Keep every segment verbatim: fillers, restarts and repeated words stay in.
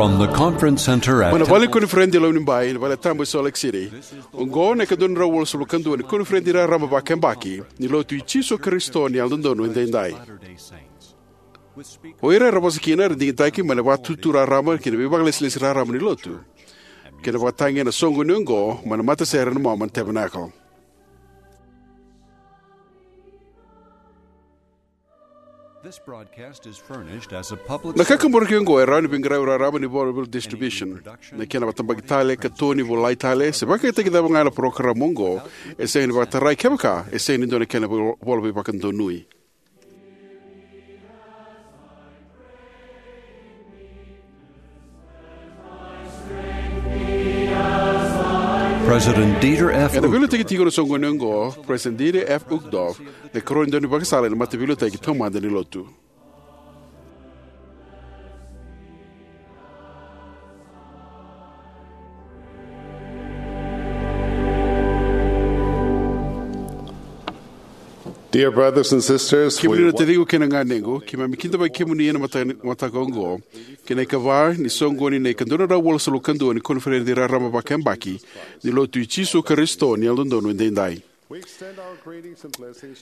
From the conference center at Mai na Vale ni Koniferedi e Lomanibai, na Vale Tabu e Salt Lake City. Oqo na ika dua na drau walusagavulu ka dua ni Koniferedi Raraba Vakayabaki ni Lotu i Jisu Karisito ni Yalododonu Edaidai. O ira era vosa kina era digitaki mai na Vatutu Raraba kei na Veivakalesilesi Raraba ni Lotu, kei na vakatagi ena soqoni oqo mai na matasere na Mormon Tabernacle. This broadcast is furnished as a public Na kakaburaki oqo e rawa ni veiqaravi raraba ni Volevole Distribution. Na kena vakatabaki tale, katoni, volai tale, se vakayagataki cava ga na parokaramu oqo, e sega ni vakatarai kevaka e sega ni dua na kena vol-, vola veivakadonui. President Dieter F. Ena veiliutaki tiko na soqoni oqo, President Dieter F. Uchtdorf, na ikarua ni daunivakasala ena Mataveiliutaki Taumada ni Lotu. Dear brothers and sisters, Kemuni we na taciqu kei na ganequ, keimami kidavaki kemuni ena mata-, mataka oqo, kei na ikava ni soqoni na ika dua na drau walusagavulu ka dua ni Koniferedi Raraba Vakayabaki ni Lotu i Jisu Karisito ni Yalododonu Edaidai.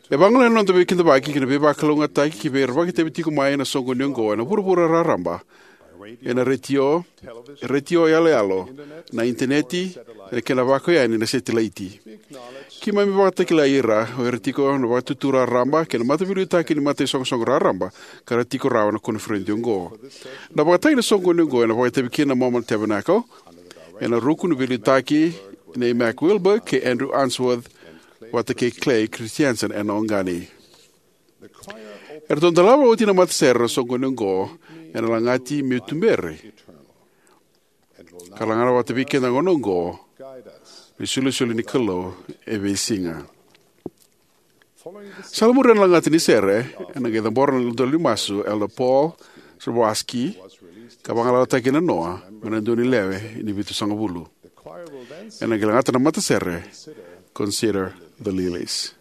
E vagolea na noda veikidavaki kei na veivakalougatataki ki vei ira vakaitavi tiko mai ena soqoni oqo ena vuravura raraba, ena retio, retio yaloyalo, na initaneti, ena kena vakaoya yani na setilaiti. Keimami vakatakilai ira o ira tiko na Vatutu Raraba kei na Mataveiliutaki ni Mataisoqosoqo Raraba ka ra tiko rawa ena koniferedi oqo. Na vakatagi ni soqoni oqo ena vakaitavi kina na Mormon Tabernacle, ena ruku ni veiliutaki nei Mac Wilberg kei Andrew Unsworth, vata kei Clay Christensen ena oqani. Eratou dolava oti na matasere na soqoni oqo ena lagati meu tuberi, ka lagata vata vei keda na gauna oqo na isolisoli ni Kalou e veisiga. Sa lai muri na lagata ni sere, ena qai cabora na idola ni masu Elder Paul Zahorski, ka vagalalataki na noa mai na dua ni lewe ni vitusagavulu. Ena qai lagata na matasere, Consider the Lilies.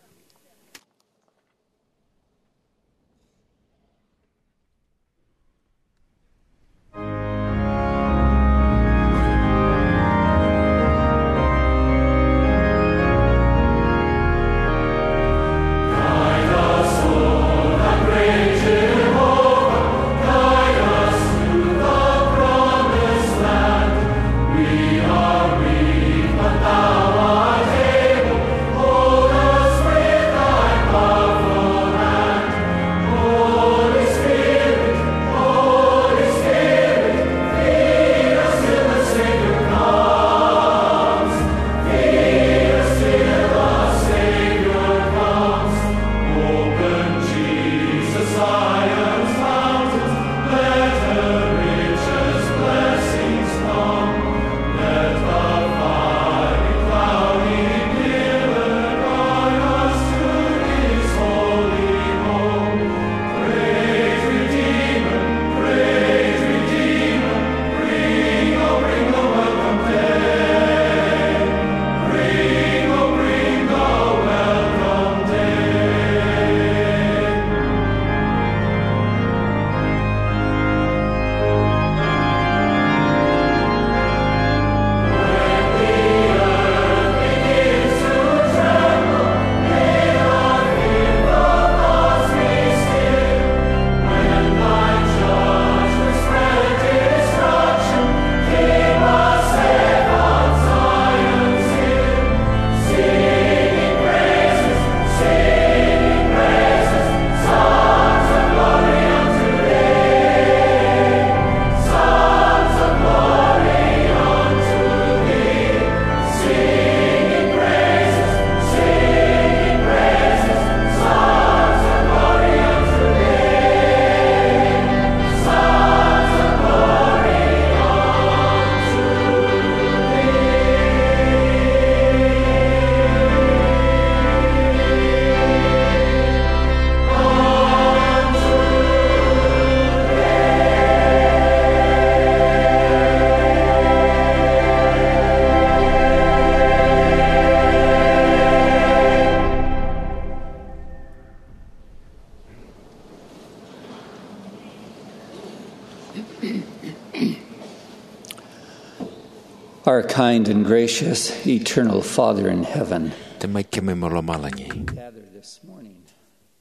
Our kind and gracious eternal Father in heaven, Tamai keimami mai lomalagi, gather this morning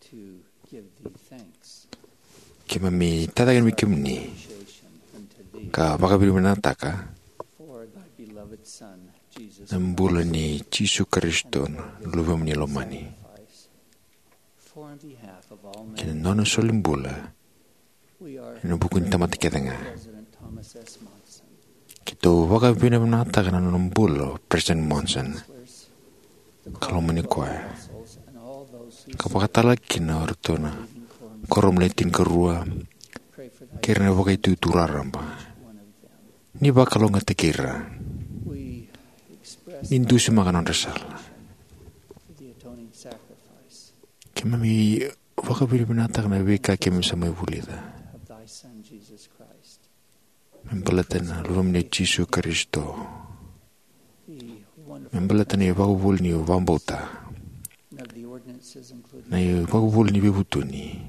to give thee thanks. Keimami tacake vei kemuni ka vakavinavinakataka na bula ni Jisu Karisito, na Luvemuni lomani, kei na nona soli bula ena vuku ni tamata kece ga. Keitou vakavinavinakataka na nona bula o President Monson, ka lomani koya, ka vakatalega kina o iratou na kuoramu le tinikarua kei ira na Vakaitutu Raraba. Ni vakalougatataki ira. Ni dusimaka na nodra sala. Keimami vakavinavinakataka na veika keimami sa mai vulica me baleta na Luvemuni o Jisu Karisito, me baleta na ivakavuvuli ni vakabauta, na ivakavuvuli ni veivutuni,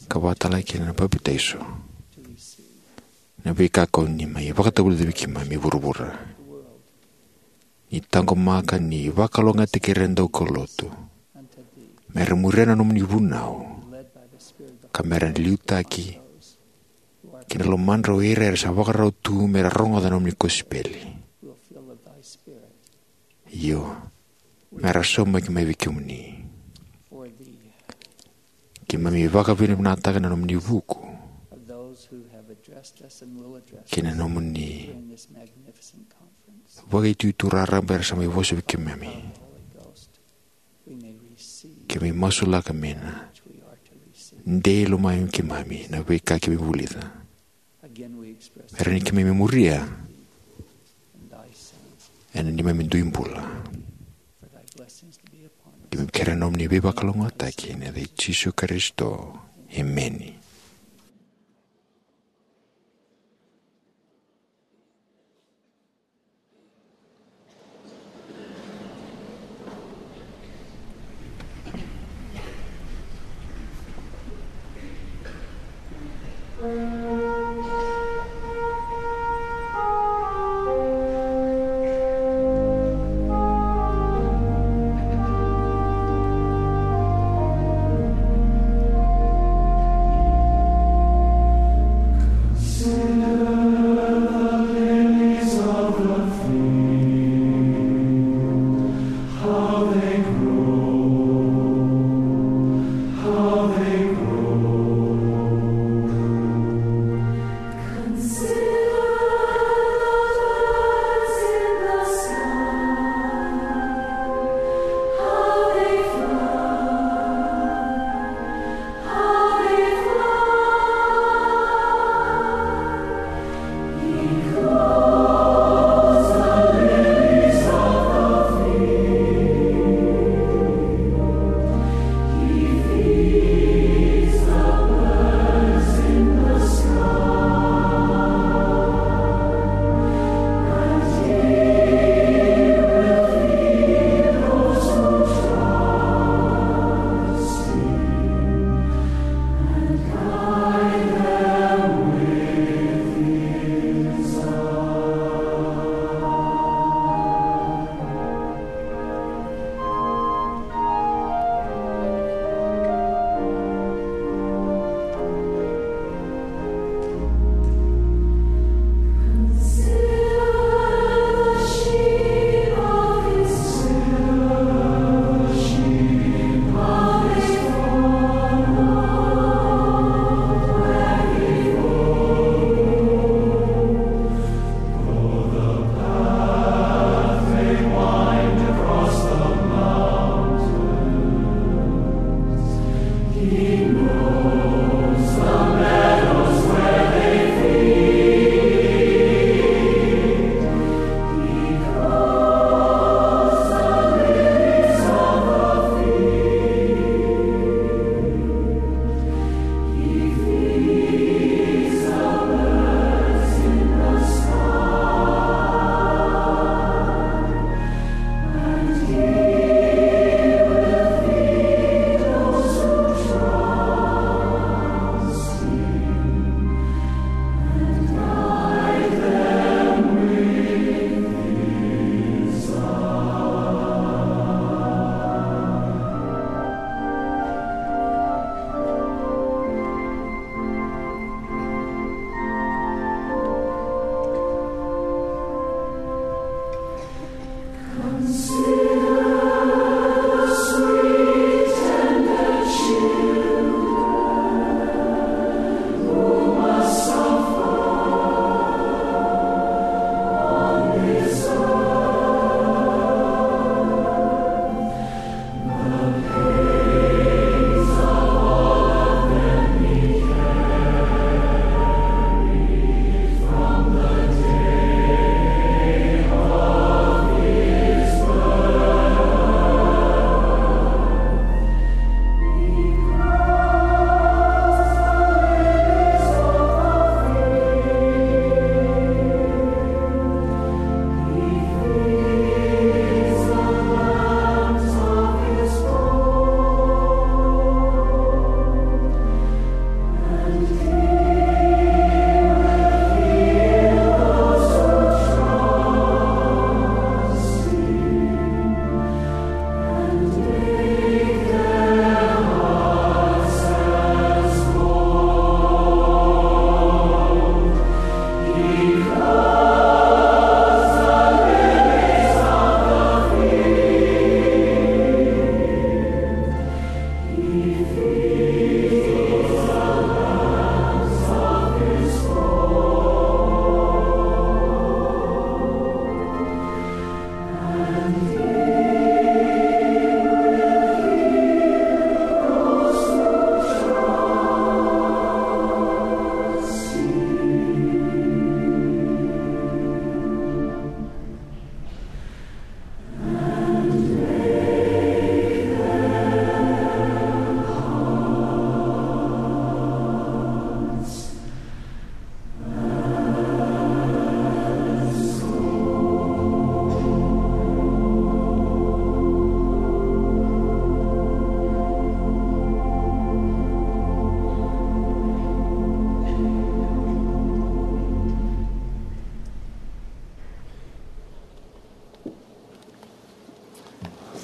ka vakatalega kina na papitaiso, na veika ko ni mai vakatavulica vei keimami e vuravura. Ni taqomaka, ni vakalougatataki ira na daukaulotu me ra muria na nomuni vunau, ka me ra liutaki ki na lomadra o ira era sa vakarau tu me ra rogoca na nomuni kosipeli. Io, me ra saumaki mai vei kemuni. Keimami vakavinavinakataka na nomuni vuku kei na nomuni Vakaitutu Raraba era sa mai vosa vei keimami. Keimami masulaka me na dei lomani keimami na veika keimami vulica, me rawa ni keimami muria ena neimami dui bula. Keimami kerea na nomuni veivakalougatataki ena yaca i Jisu Karisito. Emeni.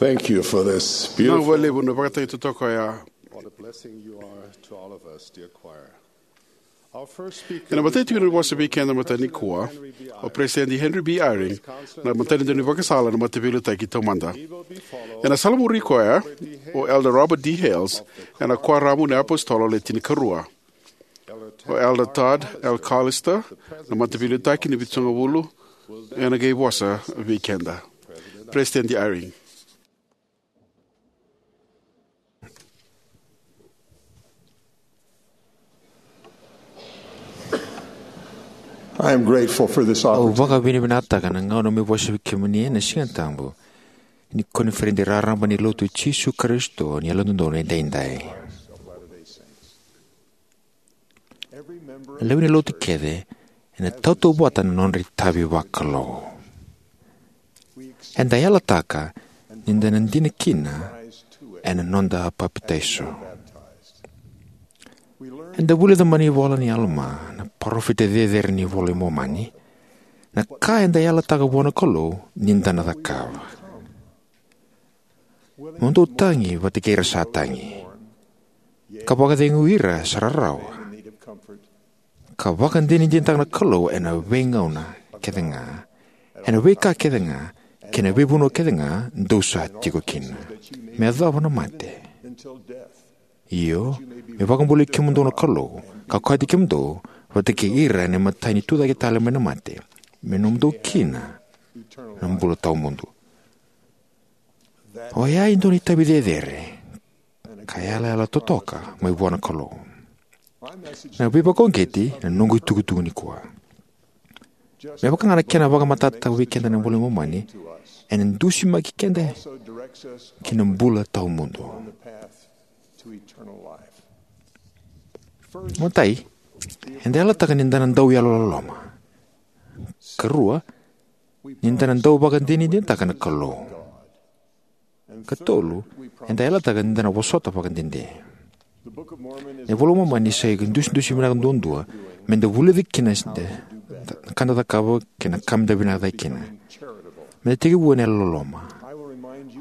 Thank you for this beautiful. Vinaka vakalevu na vakatagi totoka oya. What a blessing you are to all of us, dear choir. Ena matai tiko ni vosa vei keda mataka nikua, o President Henry B. Eyring, na matanitu ni vakasala na Mataveiliutaki Taumada. Ena salamuri koya o Elder Robert D. Hales, ena Kuoramu ni iApositolo Le Tinikarua. O Elder Todd L. Callister, na Mataveiliutaki ni Vitusagavulu, ena qai vosa vei keda. President Eyring. I am grateful for this Au opportunity. Vakavinavinakataka na gauna meu vosa vei kemuni ena Siga Tabu ni koniferedi raraba ni Lotu i Jisu Karisito ni Yalododonu Edaidai. Na lewe ni Lotu kece ena tautauvata na nodra itavi vakalou. Eda yalataka ni da na dina kina ena noda papitaiso. Eda vulica mai na ivola nei Alama, na parofita cecere ni iVola i Momani, na ka eda yalataka vua na Kalou ni da na cakava. Mo dou tagi vata kei ira sa tagi, ka vakacegui ira sa rarawa, ka vakadinadinataka na Kalou ena veigauna kece ga, ena veika kece ga, kei na veivanua kece ga dou sa tiko kina, me yacova na mate. Io, me vakabulai kemudou na Kalou, ka kauti kemudou vata kei ira ena imatai ni tucake tale mai na mate, me nomudou kina na bula tawamudu. Oya e dua na itavi cecere ka yalayala totoka mai vua na Kalou. Na veivakauqeti na noqu itukutuku nikua. Me vaka ga na kena vakamatatataka vei keda na iVola i Momani, ena dusimaki keda ki na bula tawamudu. Matai, eda yalataka ni da na dau yalololoma. Karua, ni da na dau vakadinadinataka na Kalou. Katolu, eda yalataka ni da na vosota vakadede. Na iVola i Momani sa idusidusi vinaka duadua me da vulica kina na ka da cakava kei na ka me da vinaka cake kina. Me da tekivu ena yalololoma.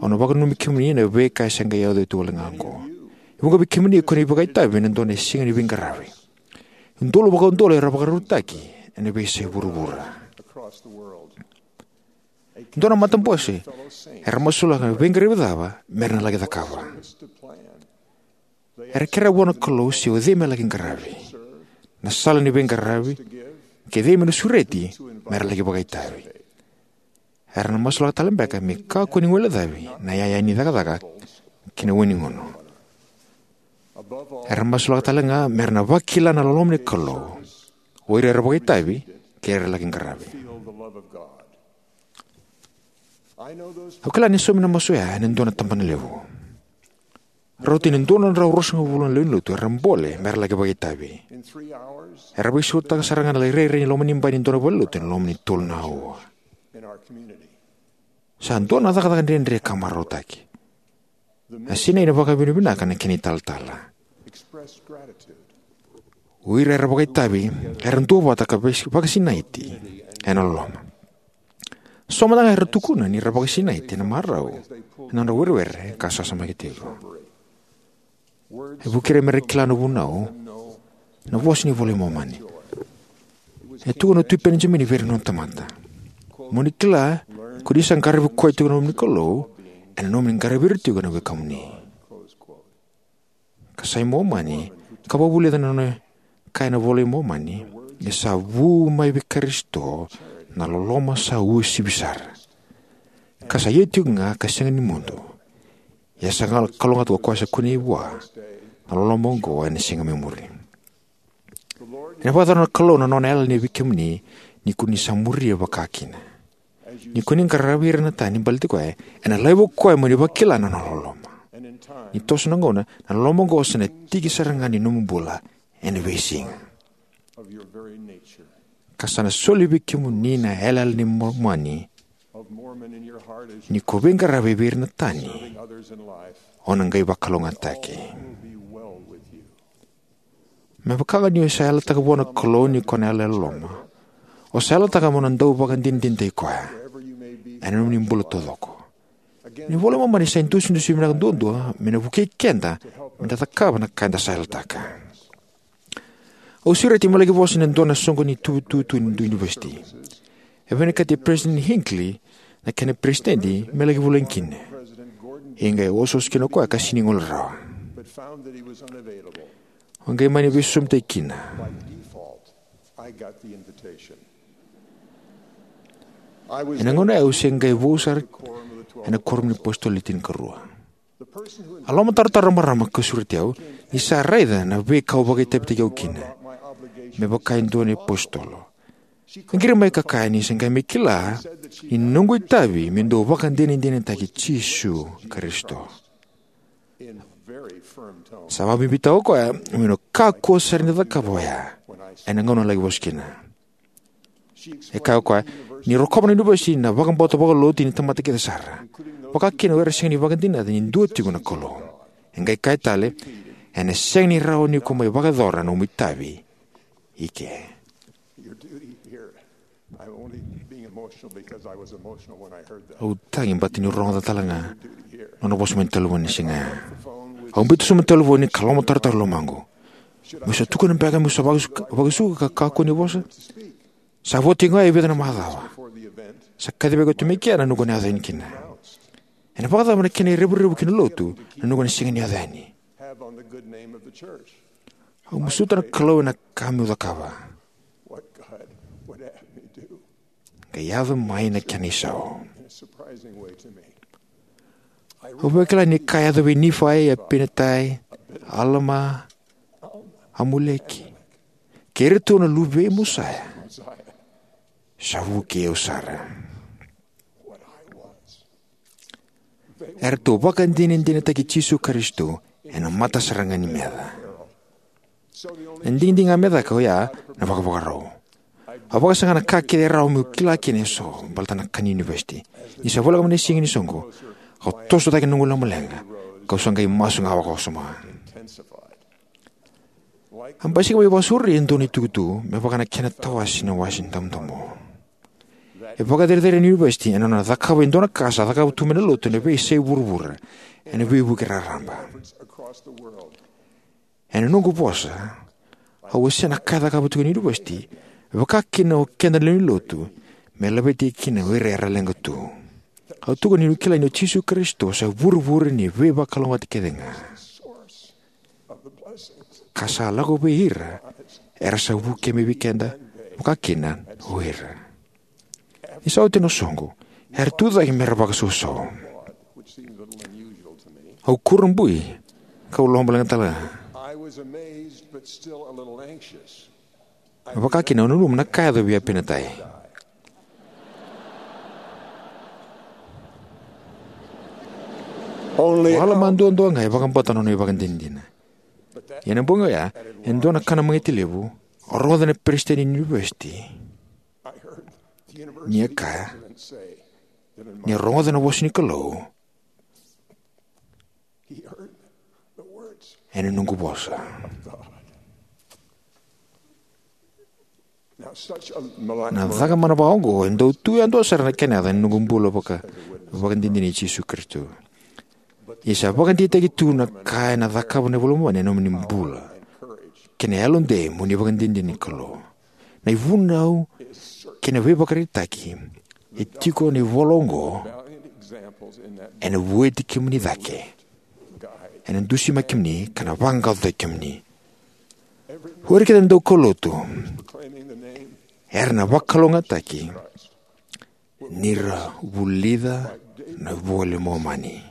Au na vakananumi kemuni ena veika e se qai yaco tu wale ga oqo. E vuqa vei kemuni ko ni vakaitavi ena dua na siga ni veiqaravi. Udolu vakaudolu era vakarautaki ena veiyasai vuravura. Dua na matabose Era masulaka na veiqaravi cava mera na laki cakava. Era kerea vua na Kalou se o cei me laki qaravi, na sala ni veiqaravi, kei cei me na sureti mera laki vakaitavi. Era na masulaka tale beka me kakua ni guilecavi na iyaya ni cakacaka kei na wai ni gunu. Era masulaka tale ga mera na vakila na loloma ni Kalou, o ira era vakaitavi kei ira era laki qaravi. Au kila ni saumi na masu oya ena dua na tabana levu. Rauta ni dua na drau ruasagavulu na lewe ni lotu era bole mera laki vakaitavi. Era veisautaka sara ga na lai rairai ni loma ni bai ni dua na valenilotu ena loma ni tolu na aua. Sa dua na cakacaka dredre ka marautaki. A sinai na vakavinavinaka na kena italatala. O ira era vakaitavi era duavata ka vei- vakasinaiti ena loloma. So mada ga era tukuna ni ra vakasinaiti ena marau ena nodra werewere ka sasamaki tiko. E vuki ira mera kila na vunau na vosa ni iVola i Momani. E tukuna o Tui Penijamini vei ira na nona tamata, "Mo ni kila ko ni sa qaravi koya tiko na nomuni Kalou, ena nomuni qaravi ira tiko na wekamuni." Ka sa i Momani, ka vakavulica na nona kaya na iVola i Momani, e sa vu mai vei Karisito na loloma sa uasivi sara, ka sa ia tiko ga ka sega ni mudu. Ia sa ga kalougata ko koya sa kunei vua na loloma oqo ena siga mai muri. Ena vakayacora na Kalou na nona yalayala vei kemuni ni ko ni sa muria vakakina. Ni ko ni qaravi ira na tani baleti koya, ena laiva o koya mo ni vakila na nona loloma. Ni toso na gauna, na loloma oqo sa na tiki sara ga ni nomu bula ena veisiga. Ka sa na soli vei kemuni na yalayala ni Momani. Ni ko veiqaravi vei ira na tani, o na qai vakalougatataki. Me vaka ga ni o sa yalataka vua na Kalou ni ko na yalololoma, o sa yalataka mo na dau vakadinadinataki koya ena nomuni bula taucoko. Na iVola i Momani sa idusidusi vinaka duadua me na vukei keda me da cakava na ka eda sa yalataka. Au sureti me laki vosa ena dua na soqo ni ituvatuva ni dua na univesiti. E vinakati Peresitedi Hinckley na kena peresitedi me laki vulagi kina. Ia qai osooso kina o koya ka sega ni gole rawa. Au qai mani veisosomutaki kina. Ena gauna ya au se qai vou sara ena kuoramu ni iApositolo Le Tinikarua. A lomatarotaro na marama ka sureti au ni sa raica na veika au vakaitavitaki au kina me vaka e dua na iApositolo. A qiri mai ka kaya ni se qai mai kila ni noqu itavi me dau vakadinadinataki Jisu Karisito. Sa vakabibitaka o koya meu na kakua sara ni cakava oya ena gauna au laki vosa kina. E kaya o koya ni rokova na univesiti na vakabauta vakalotu ni tamata kece sara, vakakina o ira sega ni vakadinata ni dua tiko na Kalou. E qai kaya tale, ena sega ni rawa ni ko mai vakayacora na nomu itavi i ke. Au tagi baleta niu rogoca tale ga nona vosa mai na talevoni ni siga ya. Au biuta sobu na talevoni ka lomatarotaro lomaqu. Meu sa tukuna beka meu sa vakasuka, vakasuka ka kakua ni vosa? Sa vo tiko ga e vica na macawa. Sa kacivi koya tu mai kea na noqu na yaco yani kina. Ena vakacava na kena irevurevu ki na lotu na noqu na sega ni yaco yani? Au masuta na Kalou ena ka meu cakava. Qai yaco mai na kena isau. Au vakila ni ka yaco vei Nifai, Apinatai, Alama, Amuleki, kei iratou na luvei Mosaia, sa vukei au sara. Eratou vakadinadinataki Jisu Karisito ena mata sara ga ni meca. Na digidigi ga me caka oya na vakavakarau. Au vakasaga na ka kece e rawa meu kila kina eso baleta na ka ni univesiti. Ni sa voleka mai na siga ni soqo, au toso cake na noqu lomaleqa, kau sa qai masu ga vakawasoma. A basika mai vakasauri e dua na itukutuku me vaka na kena tawase na wase damudamu. E vakacerecerei na univesiti ena nona cakava e dua na ka sa cakava tu mai na lotu ena veiyasai vuravura ena veivuke raraba. Ena noqu vosa, au wasea na ka e cakava tiko na univesiti, vakakina o keda na lewe ni lotu, me laveti kina o ira era leqa tu. Au tukuna niu kila ni o Jisu Karisito sa ivurevure ni veivakalougatataki kece ga, ka sa lako vei ira era sa vukei mai vei keda, vakakina o ira. Ni sa oti na soqo, era tu cake mera vakasausau. Au kurabui, kau lomalega talega. Vakakina au nanuma na ka e yaco vei Apinatai. Wala ma duadua ga e vakabauta na nona ivakadinadina. Ia na bogi oya, e dua na kana magiti levu, au rogoca na peresitedi ni univesiti ni a kaya ni a rogoca na vosa ni Kalou ena noqu vosa. Na caka mana vakaoqo e dau tu yadua sara na kena yaca ena noqu bula vaka, vakadinadina i Jisu Karisito. Ia sa vakadeitaki tu na ka ena cakava na iVola i Momani ena nomuni bula kei na yalodei mo ni vakadinadina ni Kalou. Na ivunau kei na veivakaraitaki e tiko ena ivola oqo ena vueti kemuni cake, ena dusimaki kemuni, ka na vaqaqacotaki kemuni. O ira kece na daukaulotu era na vakalougatataki ni ra vulica na iVola i Momani.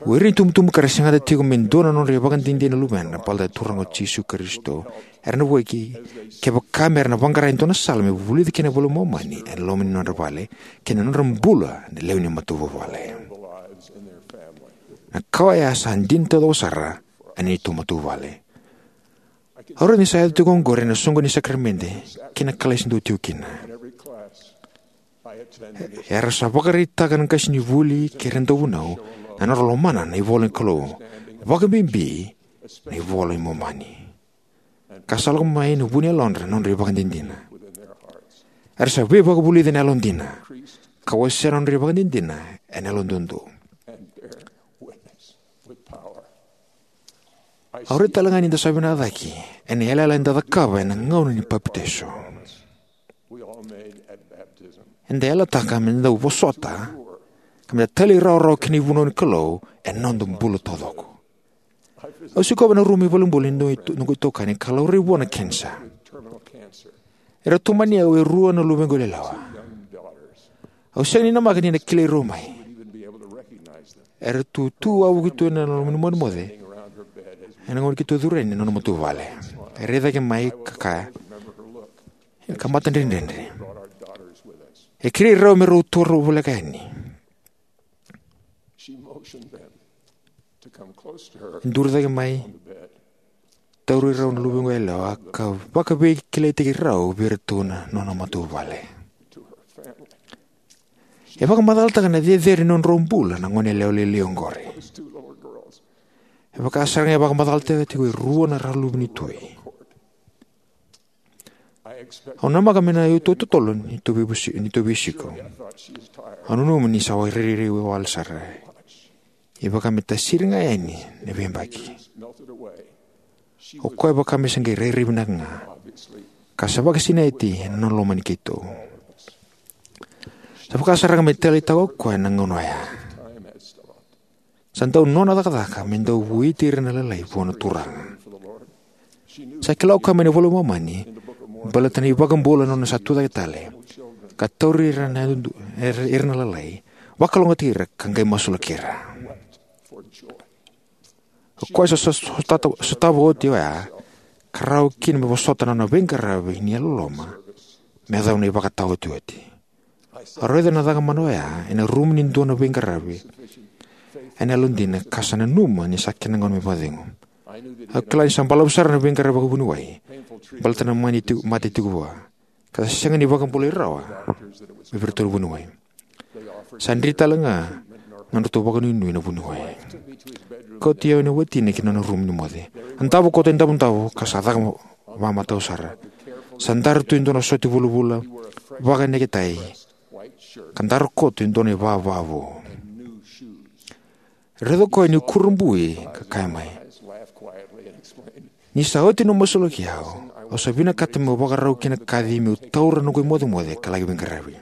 O ira na itubutubu ka ra segata tiko me dua na nodra ivakadinadina na luvena baleta na Turaga o Jisu Karisito, era na vueti kevaka me ra na vaqara e dua na sala me vulica kina na iVola i Momani ena loma ni nodra vale kei na nodra bula na lewe ni matavuvale. Na ka oya sa dina taucoko sara ena neitou matavuvale. Au raica ni sa yaco tiko oqori ena soqo ni sakaramede kei na kalasi dau tiko kina. Era sa vakaraitaka na qasenivuli kei ira na dauvunau na nodra lomana na ivola ni Kalou, vakabibi na iVola i Momani, ka sa lako mai na vu ni yalodra na nodra ivakadinadina. Era sa veivakavulici ena yalodina ka wasea na nodra ivakadinadina ena yaloduadua. Au raica talega ni da sa vinaka cake ena yalayala eda cakava ena gauna ni papitaiso. Eda yalataka me da dau vosota ka me da talairawarawa ki na ivunau ni Kalou ena noda bula taucoko. Au sikova ena rumu ni valenibula ni noqu itokani ka laurai vua na kenisa. Era tomani au e rua na luvequ yalewa. Au sega ni namaka ni na kilai rau mai. Era tu tu wavoki tu ena loma ni mocemoce ena gauna keitou curu yani ena nona matavuvale. E rai cake mai ka kaya, ka matadredredre, e kerei rau me rau tu rau voleka yani. E duri cake mai, tauri rau na luvequ yalewa ka vakaveikilaitaki rau vei iratou na nona matavuvale. E vakamacalataka na cecere ni nodrau bula na gone yalewa lailai oqori. E vaka sara ga e vakamacalataka tiko e rua na rau luve ni tui. Au namaka me na iotioti totolo ni tou veivusi-, ni tou veisiko. Au nanuma ni sa rairai wale sara. E vaka me tasiri ga yani na veiyabaki. O koya e vaka me se qai rairai vinaka ga, ka sa vakasinaiti ena nona lomani keitou. Sa vaka sara ga me taleitaka o koya na gauna oya. Sa dau nona cakacaka me dau vueti ira na lalai vua na Turaga. Sa kila o koya mai na iVola i Momani baleta na iVakabula na nona sa tucake tale, ka tauri ira na yadu-, ira, ira na lalai, vakalougatataki ira ka qai masulaki ira. O koya sa, sa, sa sota-, sotava oti oya ka rawa kina me vosota na nona veiqaravi ni yalololoma me yacova na ivakataotioti. Au raica na caka mana oya ena rumu ni dua na veiqaravi ena yalodina ka sa nanuma ni sa kena gauna me vakacegu. Au kila ni sa balavu sara na veiqaravi vakavuniwai baleta na mani ti-, mate tiko vua, ka sa sega ni vakabulai rawa mai vei iratou na vuniwai. Sa dri tale ga na nodratou vakanuinui na vuniwai. Kauti au na watina ki na nona rumu ni moce. A davo koto e davodavo ka sa caka vakamatau sara. Sa dara tu e dua na sote vulavula vakaneketai, ka dara koto e dua na ivava vou. Raica o koya niu kurabui ka kaya mai, "Ni sa oti na masulaki au, au sa vinakata meu vakarau ki na kaci meu taura noqu imocemoce ka laki veiqaravi."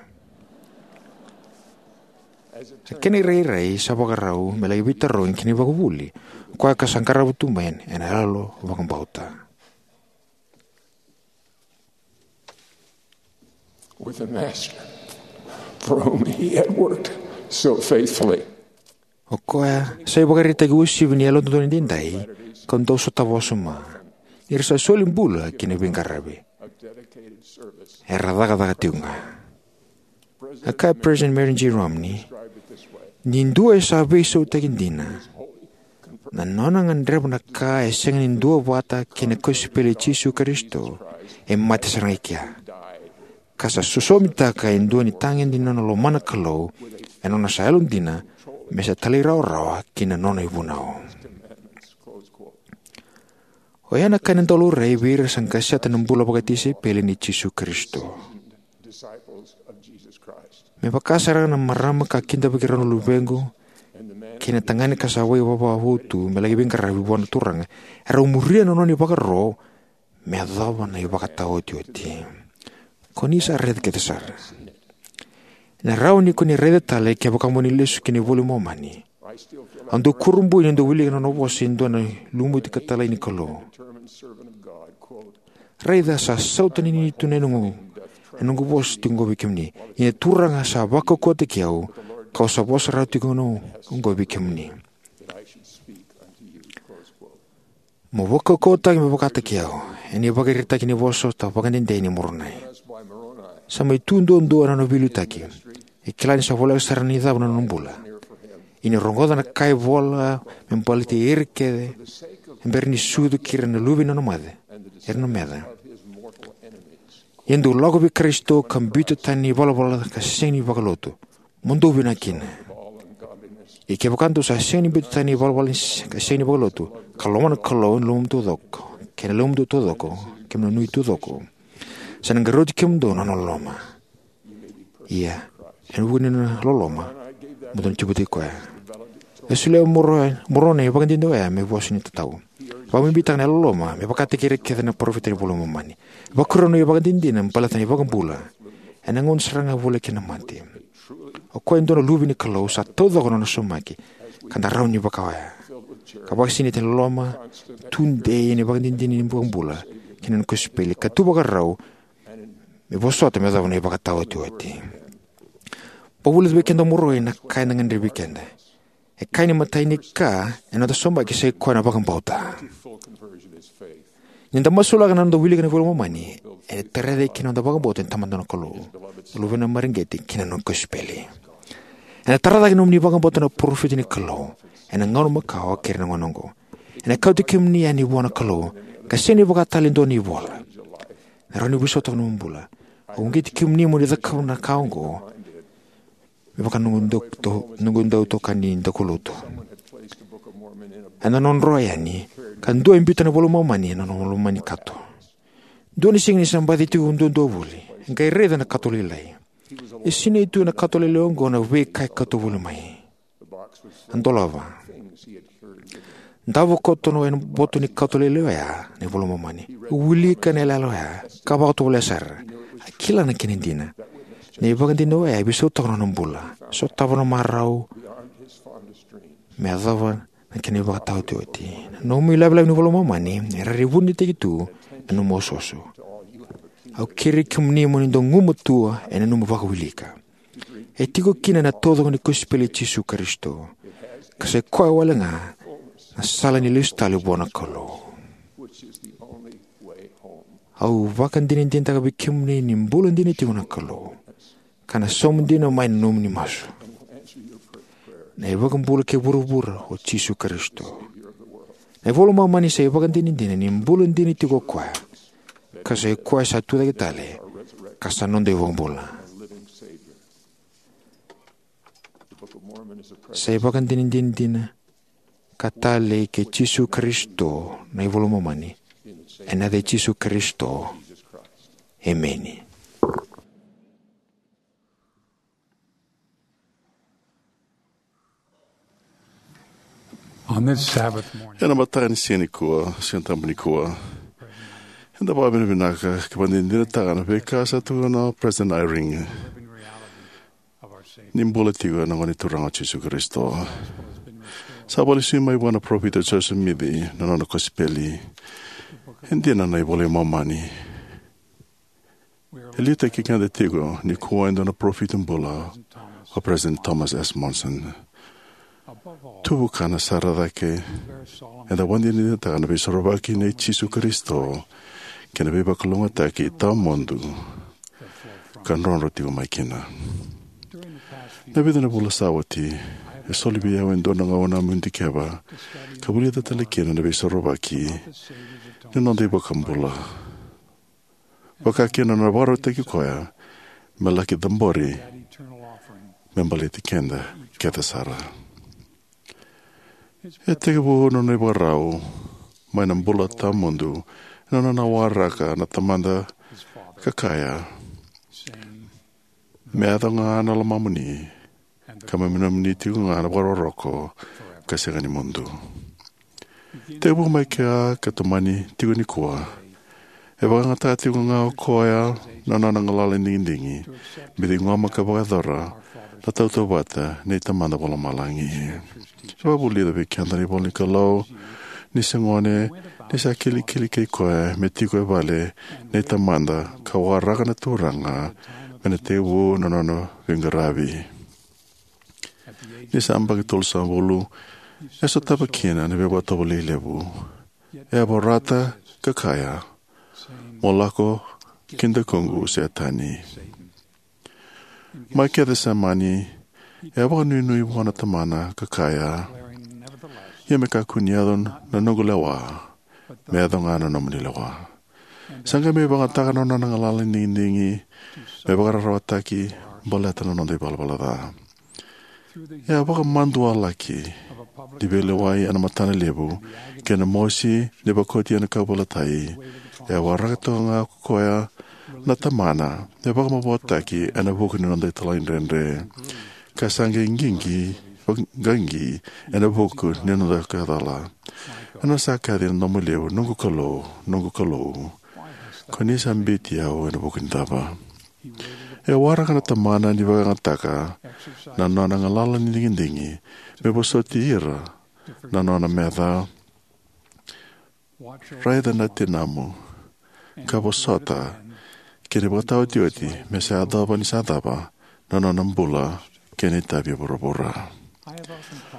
A kena irairai sa vakarau me laki veitarogi ki na ivakavuvuli, o koya ka sa qarava tu mai ena yalo vakabauta. With the Master, for whom he had worked so faithfully. O koya sa ivakaraitaki uasivi ni Yalododonu Edaidai, kau dau sotava wasoma, ni ra sa soli bula ki na veiqaravi. Era cakacaka tiko ga. A kaya President Marion G. Romney, ni dua e sa veisautaki dina, na nona gadreva na ka e sega ni duavata kei na kosipeli i Jisu Karisito, e mate sara ga i kea, ka sa sosomitaka e dua na itagede ni nona lomana Kalou, ena nona sa yalodina me sa talairawarawa ki na nona ivunau. Oya na ka ena dau laurai vei ira sa qaseta na bula vakatisaipeli nei Jisu Karisito. Me vaka sara ga na marama ka kidavaki rau na luvequ kei na tagane ka sa vakaivavavu tu me laki veiqaravi vua na Turaga, erau muria na nona ivakaro me yacova na ivakataotioti. Ko ni sa raica kece sara. Ena rawa ni ko ni raica tale kevaka mo ni lesu ki na iVola i Momani. Au dau kurabui niu dau wilika na nona vosa e dua na lumuti ka talai ni Kalou: Raica, sa sautaninini tu na noqu, na noqu vosa tiko oqo vei kemuni. Ia na Turaga sa vakaukauwataki au, kau sa vosa rawa tiko oqo vei kemuni. Mo vakaukauwataki me vakataki au, ena ivakaraitaki ni vosa sota vakadede nei Moronai. Sa mai tu duadua na nona veiliutaki. E kila ni sa voleka sara ni cava na nona bula. Ia ni rogoca na ka e vola me baleti ira kece e bera ni sucu kei ira na luve ni nona mace, era na meca. Ia dou lako vei Karisito ka biuta tani na ivalavala ka sega ni vakalotu. Mo dou vinaka kina. Ia kevaka dou sa sega ni biuta tani na ivalavala ni se-, ka sega ni vakalotu, ka lomana na Kalou ena lomamudou taucoko, kei na lomamudou taucoko, kei na nuitau taucoko, sa na qaravi kemudou na nona loloma. Ia, ena vuku ni nona loloma, mo dou na tiko vata kei koya. E solia o Moro-, Moronai na ivakadinadina oya me vosa ni tatau. Vakabibitaka na yalololoma me vakataki ira kece na parofita ni Vola i Momani. Vakarau na ivakadinadina me baleta na iVakabula ena gauna sara ga e voleka kina na mate. O koya e dua na luve ni Kalou, sa taucoko na nona saumaki, ka da rawa ni vaka oya. Ka vakasinaiti ena loloma, tudei ena ivakadinadina ni iVakabula kei na nona kosipeli, ka tu vakarau me vosota me yacova na ivakataotioti. Vakavulica vei keda o Moronai na ka eda gadrevi keda. E kaya ni imatai ni ka ena noda saumaki sa ikoya na vakabauta. Ni da masulaka na noda wilika na Vola i Momani, ena tarai cake kina na noda vakabauta ni Tamada na Kalou, na Luvena mareqeti, kei na nona kosipeli. Ena tara cake na nomuni vakabauta na parofita ni Kalou ena gauna makawa kei ira na gauna oqo. Ena kauti kemuni yani vua na Kalou, ka sega ni vaka tale e dua na ivola. Ena rawa ni vosota na nomu bula. Au uqeti kemuni mo ni cakava na ka oqo me vaka noqu dau to-, noqu dau itokani daukaulotu. Ena nona dro yani, ka dua e biuta na Vola i Momani ena nona loma ni kato. Dua na siga ni sa baci tiko duadua voli, e qai raica na kato lailai. E sinai tu ena kato lailai oqo na veika e kauta voli mai. A dolava. Davo koto ena boto ni kato lailai oya na iVola i Momani. Wilika na yalayala oya ka vakatovolea sara. A kila na kena dina. Na ivakadinadina oya e veisautaka na nona bula. Sotava na marau me yacova na kena ivakataotioti. Na nomu ilavelave ni Vola i Momani e rairai vunitaki tu ena nomu osooso. Au kerei kemuni mo ni dau gumatua ena nomu vakawilika. E tiko kina na taucoko ni kosipeli i Jisu Karisito, ka sa ikoya wale ga na sala ni lesu tale vua na Kalou. Au vakadinadinataka vei kemuni ni bula dina tiko na Kalou, ka na sauma dina mai na nomuni masu. Na iVakabula kei vuravura o Jisu Karisito. Na iVola i Momani sa ivakadinadina ni bula dina tiko o koya, ka sa ikoya sa tucake tale, ka sa noda iVakabula. Sa ivakadinadina dina ka talei kei Jisu Karisito na iVola i Momani. Ena yaca i Jisu Karisito, emeni. On this Sabbath morning, ena mataka ni siga nikua, Siga Tabu nikua, eda vakavinavinaka ka vakadinadinataka na veika sa tukuna o President Eyring. ni bula tiko na Gone Turaga o Jisu Karisito. Sa vakalesui mai vua na parofita o Josefa Simici na nona kosipeli. E dina na iVola i Momani. E liutaki keda tiko nikua e dua na parofita bula, o President Thomas S. Monson. Tuvukana sara cake, eda vakadinadinataka na Veisorovaki nei Jisu Karisito kei na veivakalougatataki tawamudu ka drodro tiko mai kina. Na vica na vula sa oti, e soli vei au e dua na gauna meu dikeva ka vulica tale kina na Veisorovaki ni noda iVakabula, vaka kina na nona vakarautaki koya me laki cabori me baleti keda kece sara. E tekivu na nona ivakarau mai na bula tawamudu ena nona waraka na Tamada ka kaya, "Me yaco ga na lomamuni, ka me nomuni tiko ga na vakarokoroko ka sega ni mudu." Tekivu mai kea ka tomani tiko nikua, e vakayagataka tiko ga o koya na nona galala ni digidigi me ciqoma ka vakayacora na tautauvata nei Tamada Vakalomalagi. E vakavulica vei keda na ivola ni Kalou ni se gone ni sa kilikili kei koya me tiko e vale nei tamada ka waraka na Turaga me na tekivu na nona veiqaravi. Ni sa yabaki tolusagavulu, e sotava kina na veivakatovolei levu. E a vorata ka kaya, "Mo lako ki dakuqu, Setani." Mai Kecisemani, e a vakanuinui vua na Tamana ka kaya, "Ia me kakua ni yaco na noqu lewa, me yaco ga na nomuni lewa." Sa qai mai vakayagataka na nona galala ni digidigi me vakararawataki baleta na noda ivalavala ca. E a vakamadualaki ni veilewai ena matana levu kei na mosi ni vakoti ena kauveilatai, e a waraka toka ga ko koya na Tamana me vakamavoataki ena vuku ni noda talaidredre, ka sa qai qiqi, vaqaqi ena vuku ni noda kacala. Ena sa kaci ena domo levu, "Noqu Kalou, noqu Kalou, ko ni sa biuti au ena vuku ni cava?" E waraka na Tamana ni vakayagataka na nona galala ni digidigi me vosoti ira na nona meca. Raica na tinamu ka vosota ki na ivakataotioti me sa yacova ni sa cava na nona bula kei na itavi e vuravura.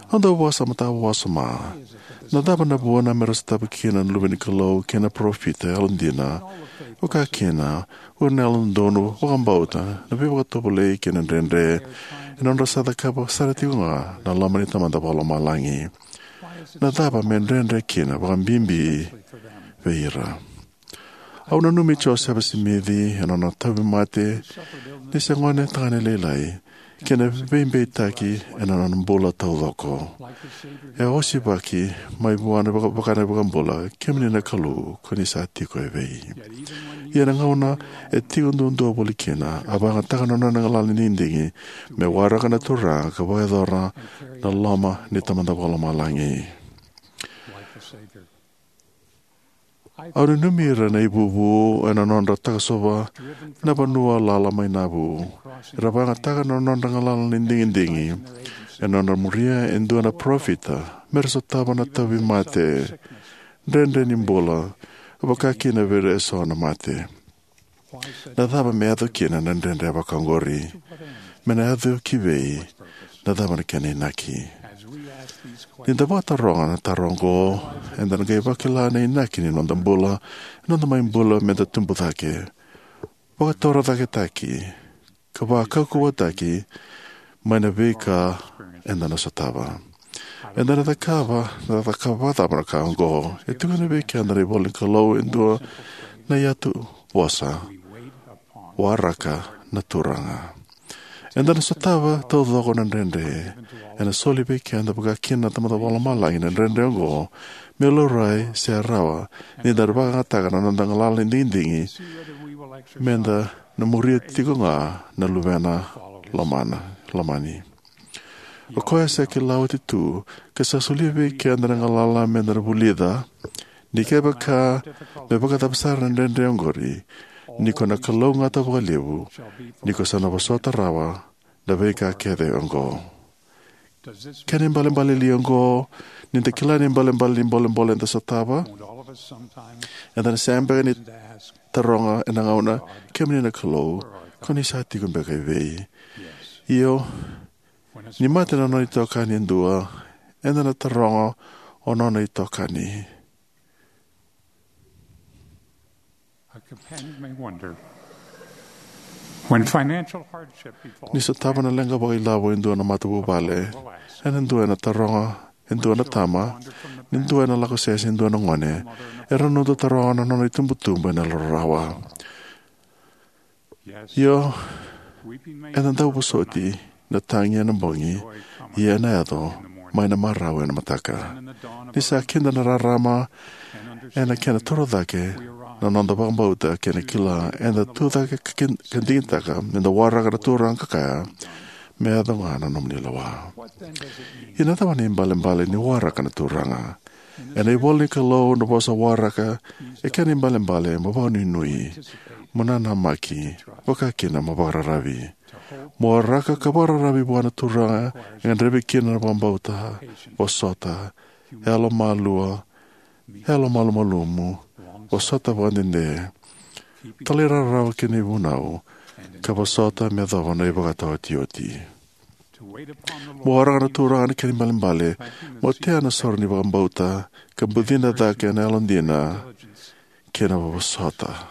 Au dau vakasamataka vakawasoma na cava na vuna me ra sotava kina na luve ni Kalou kei na parofita yalodina, vaka kina o ira na yalododonu, vakabauta, na veivakatovolei kei na dredre, ena nodra sa cakava sara tiko ga na loma ni Tamada Vakalomalagi. Na cava me dredre kina vakabibi vei ira? Au nanumi Josefa Simici ena nona tauvimate ni se gone tagane lailai kei na veibeitaki ena nona bula taucoko. E osivaki mai vua na vaka-, vaka na iVakabula, "Kemuni na Kalou, ko ni sa tiko evei?" Ia na gauna e tiko duadua voli kina, a vakayagataka na nona galala ni digidigi me waraka na Turaga ka vakayacora na loma ni Tamada Vakalomalagi. Au nanumi ira na ivuvu ena nodra takosova na vanua lala mai Navu. Era vakayagataka na nodra galala ni digidigi ena nodra muria e dua na parofita me ra sotava na tauvimate, dredre ni bula, vaka kina vei ira eso na mate. Na cava me yaco kina na dredre vaka oqori? Me na yaco ki vei? Na cava na kena inaki? Ni da vakataroga na taro oqo, eda na qai vakila na inaki ni noda bula, na noda mai bula me da tubu cake, vakatorocaketaki, ka vakaukauwataki mai na veika eda na sotava. Eda na cakava, na cakava cava na ka oqo? E tukuna vei keda na ivola ni Kalou e dua na iyatuvosa: "Waraka na Turaga." Eda na sotava taucoko na dredre. Ena soli vei keda, vaka kina na Tamada Vakalomalagi, na dredre oqo me laurai se rawa ni da vakayagataka na noda galala ni digidigi me da na muria tiko ga na Luvena lomana, lomani. O koya sa kila oti tu ka sa solia vei keda na galala me da na vulica, ni kevaka me vakacava sara na dredre oqori, ni ko na kalougata vakalevu, ni ko sa na vosota rawa na veika kece oqo. Kena ibalebale li oqo ni da kila na ibalebale ni bolebole eda sotava? Eda na sega beka ni taroga ena gauna, "Kemuni na Kalou, ko ni sa tiko beka evei?" Io, ni mate na nona itokani e dua, eda na taroga, "O nona itokani?" A companion may wonder, when financial hardship befalls, ni sotava na leqa vakailavo e dua na matavuvale, ena dua ena taroga e dua na tama, ni dua ena lako sese e dua na gone, era na noda taroga na nona itubutubu ena yalo rarawa. Io, ena dau vosoti na tagi ena bogi, ia ena yaco mai na marau ena mataka. Ni sa kida na rarama ena kena toro cake na noda vakabauta kei na kila, eda tu cake ka kin-, ka digitaka meda waraka na Turaga ka kaya, "Me yaco ga na nomuni lewa." Ia na cava na ibalebale ni waraka na Turaga? Ena ivola ni Kalou, na vosa waraka e kena ibalebale mo vakanuinui, mo nanamaki, vaka kina mo vakararavi. Mo waraka ka vakararavi vua na Turaga e gadrevi kina na vakabauta, vosota, yalomalua, yalomalumalumu, vosota vakadede, talairawarawa ki na ivunau, ka vosota me yacova na ivakataotioti. Mo waraka na Turaga na kena ibalebale mo tea na soro ni vakabauta, ka bucina cake ena yalodina kei na vosota.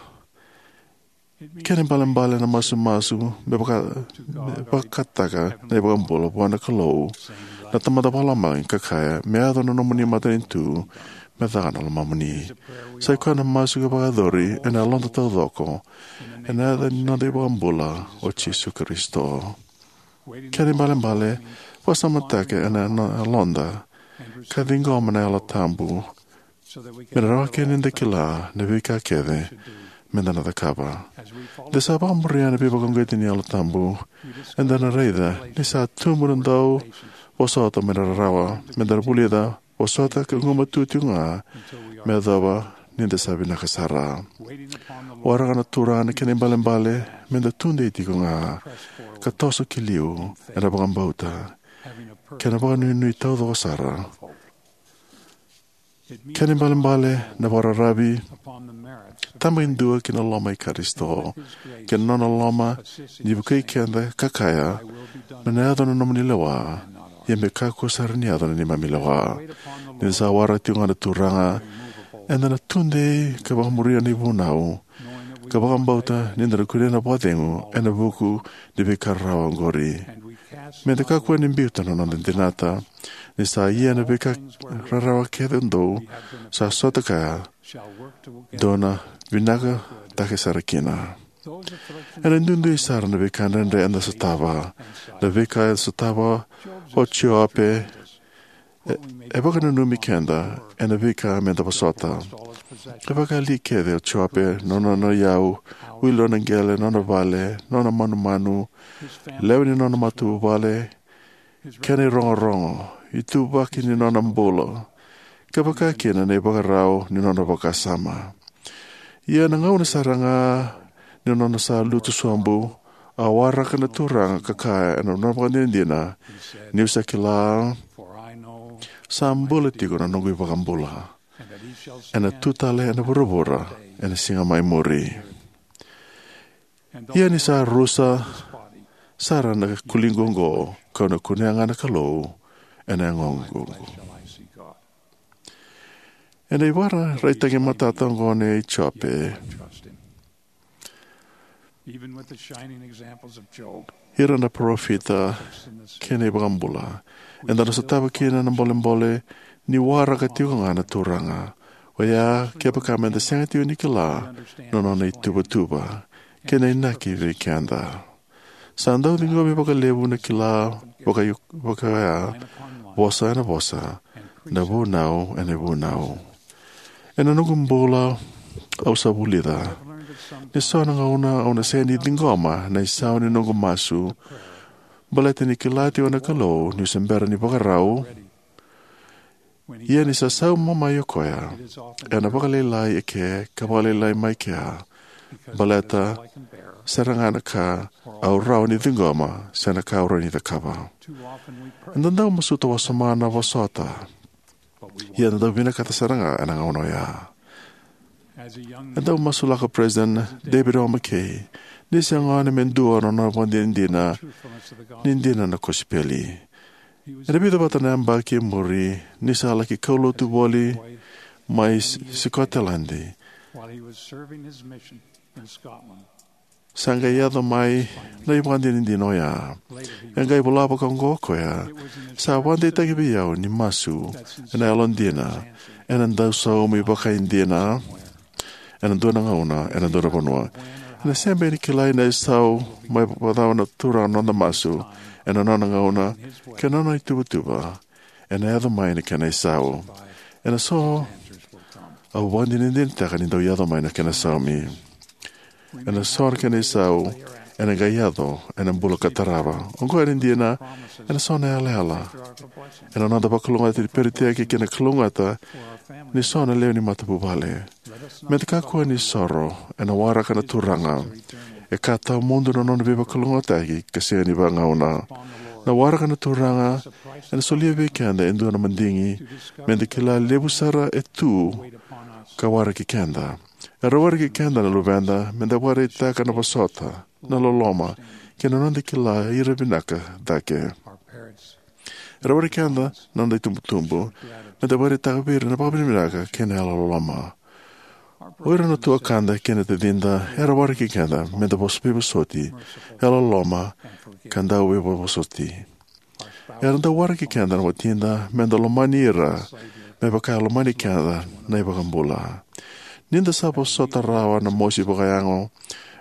Kena ibalebale na masumasu me vaka-, me vakataka na iVakabula vua na Kalou na Tamada Vakalomalagi ka kaya, "Me yaco na nomuni matanitu, me caka na lomamuni." Sa i koya na masu ka vakayacori ena yaloda taucoko, ena yaca ni noda iVakabula o Jisu Karisito. Kena ibalebale, vakasamataka ena no-, yaloda, ka ciqoma na Yalo Tabu, me na rawa kina ni da kila na veika kece meda na cakava. Da sa vakamuria na veivakauqeti ni Yalo Tabu, eda na raica ni sa tubu na dauvosota mai na rarawa, meda na vulica vosota ka gumatua tiko ga me yacova ni da sa vinaka sara. Waraka na Turaga na kena ibalebale meda tudei tiko ga, ka toso ki liu ena vakabauta kei na vakanuinui taucoko sara. Kena ibalebale na vakararavi tabakidua ki na loma i Karisito, kei na nona loma ni vukei keda ka kaya, "Me na yaco na nomuni lewa, ia me kakua sara ni yaco na neimami lewa." Ni da sa waraka tiko ga na Turaga, eda na tudei ka vakamuria na ivunau, ka vakabauta ni da na kunea na vakacegu ena vuku ni veika rarawa oqori. Meda kakua ni biuta na noda dinata, ni sa ia na veika rarawa kece dou sa sota kaya, dou na vinaka cake sara kina. Ena duidui sara na veika dredre eda sotava. Na veika e sotava o Jope e, e vakananumi keda ena veika meda vosota. E vakayali kece o Jope, na nona iyau, wili nona qele, nona vale, nona manumanu, lewe ni nona matavuvale, kei na irogorogo, ituvaki ni nona bula, ka vaka kina na ivakarau ni nona vakasama. Ia na gauna sara ga ni nona sa lutu sobu, a waraka na Turaga ka kaya ena nona vakadinadina, "Niu sa kila, sa bula tiko na noqu iVakabula, ena tu tale ena vuravura ena siga mai muri. Ia ni sa rusa sara na kuliqu oqo, kau na kunea ga na Kalou ena yagoqu." Ena ivakaraitaki matata oqo nei Jope, ira na parofita kei na iVakabula, eda na sotava kina na bolebole ni waraka tiko ga na Turaga. Oya kevaka meda sega tiko ni kila na nona ituvatuva kei na inaki vei keda. Sa dau ciqomi vakalevu na kila vaka, vaka oya, vosa ena vosa, na vunau ena vunau. Ena noqu bula au sa vulica ni so na gauna au na sega ni ciqoma na isau ni noqu masu, baleta ni kila tiko na Kalou niu se bera ni vakarau. Ia ni sa sauma mai o koya, ena vakalailai eke ka vakalailai mai kea, baleta sega ga na ka au rawa ni ciqoma se na ka au rawa ni cakava. Eda dau masuta wasoma na vosota, ia eda dau vinakata sara ga ena gauna oya. E dau masulaka President David O. McKay ni se gone me dua na nona vakadinadina ni dina na kosipeli. Ena vica vata na yabaki e muri, ni sa laki kaulotu voli mai S-, Sikoteladi, sa qai yaco mai na ivakadinadina oya. E qai vola vakaoqo o koya: "Sa vakadeitaki vei au ni masu ena yalodina ena dau saumi vakaidina ena dua na gauna, ena dua na vanua. Ena sega beka ni kilai na isau mai vakacava na Turaga na noda masu ena nona gauna kei na nona ituvatuva. Ena yaco mai na kena isau. Ena so, au vakadinadinataka ni dau yaco mai na kena saumi. Ena so na kena isau ena qai yaco ena bula ka tarava." Oqo ena dina, ena so na yalayala ena noda vakalougatataki ni peritaki kei na kalougata ni so na lewe ni matavuvale. Meda kakua ni soro ena waraka na Turaga. E ka tawamudu na nona veivakalougatataki ka sega ni vagauna. Na waraka na Turaga ena solia vei keda e dua na madigi meda kila levu sara e tu ka waraki keda. Era waraki keda na luveda meda vakaraitaka na vosota, na loloma, kei na noda kila ira vinaka cake. Era waraki keda na noda itubutubu meda vakaraitaka vei ira na vakavinavinaka kei na yalololoma. O ira na tuakada kei na tacida era waraki keda meda vos-, veivosoti, yalololoma, ka dau veivosoti. Era dau waraki keda na watida meda lomani ira me vaka e lomani keda na iVakabula. Nida sa vosota rawa na mosi vakayago,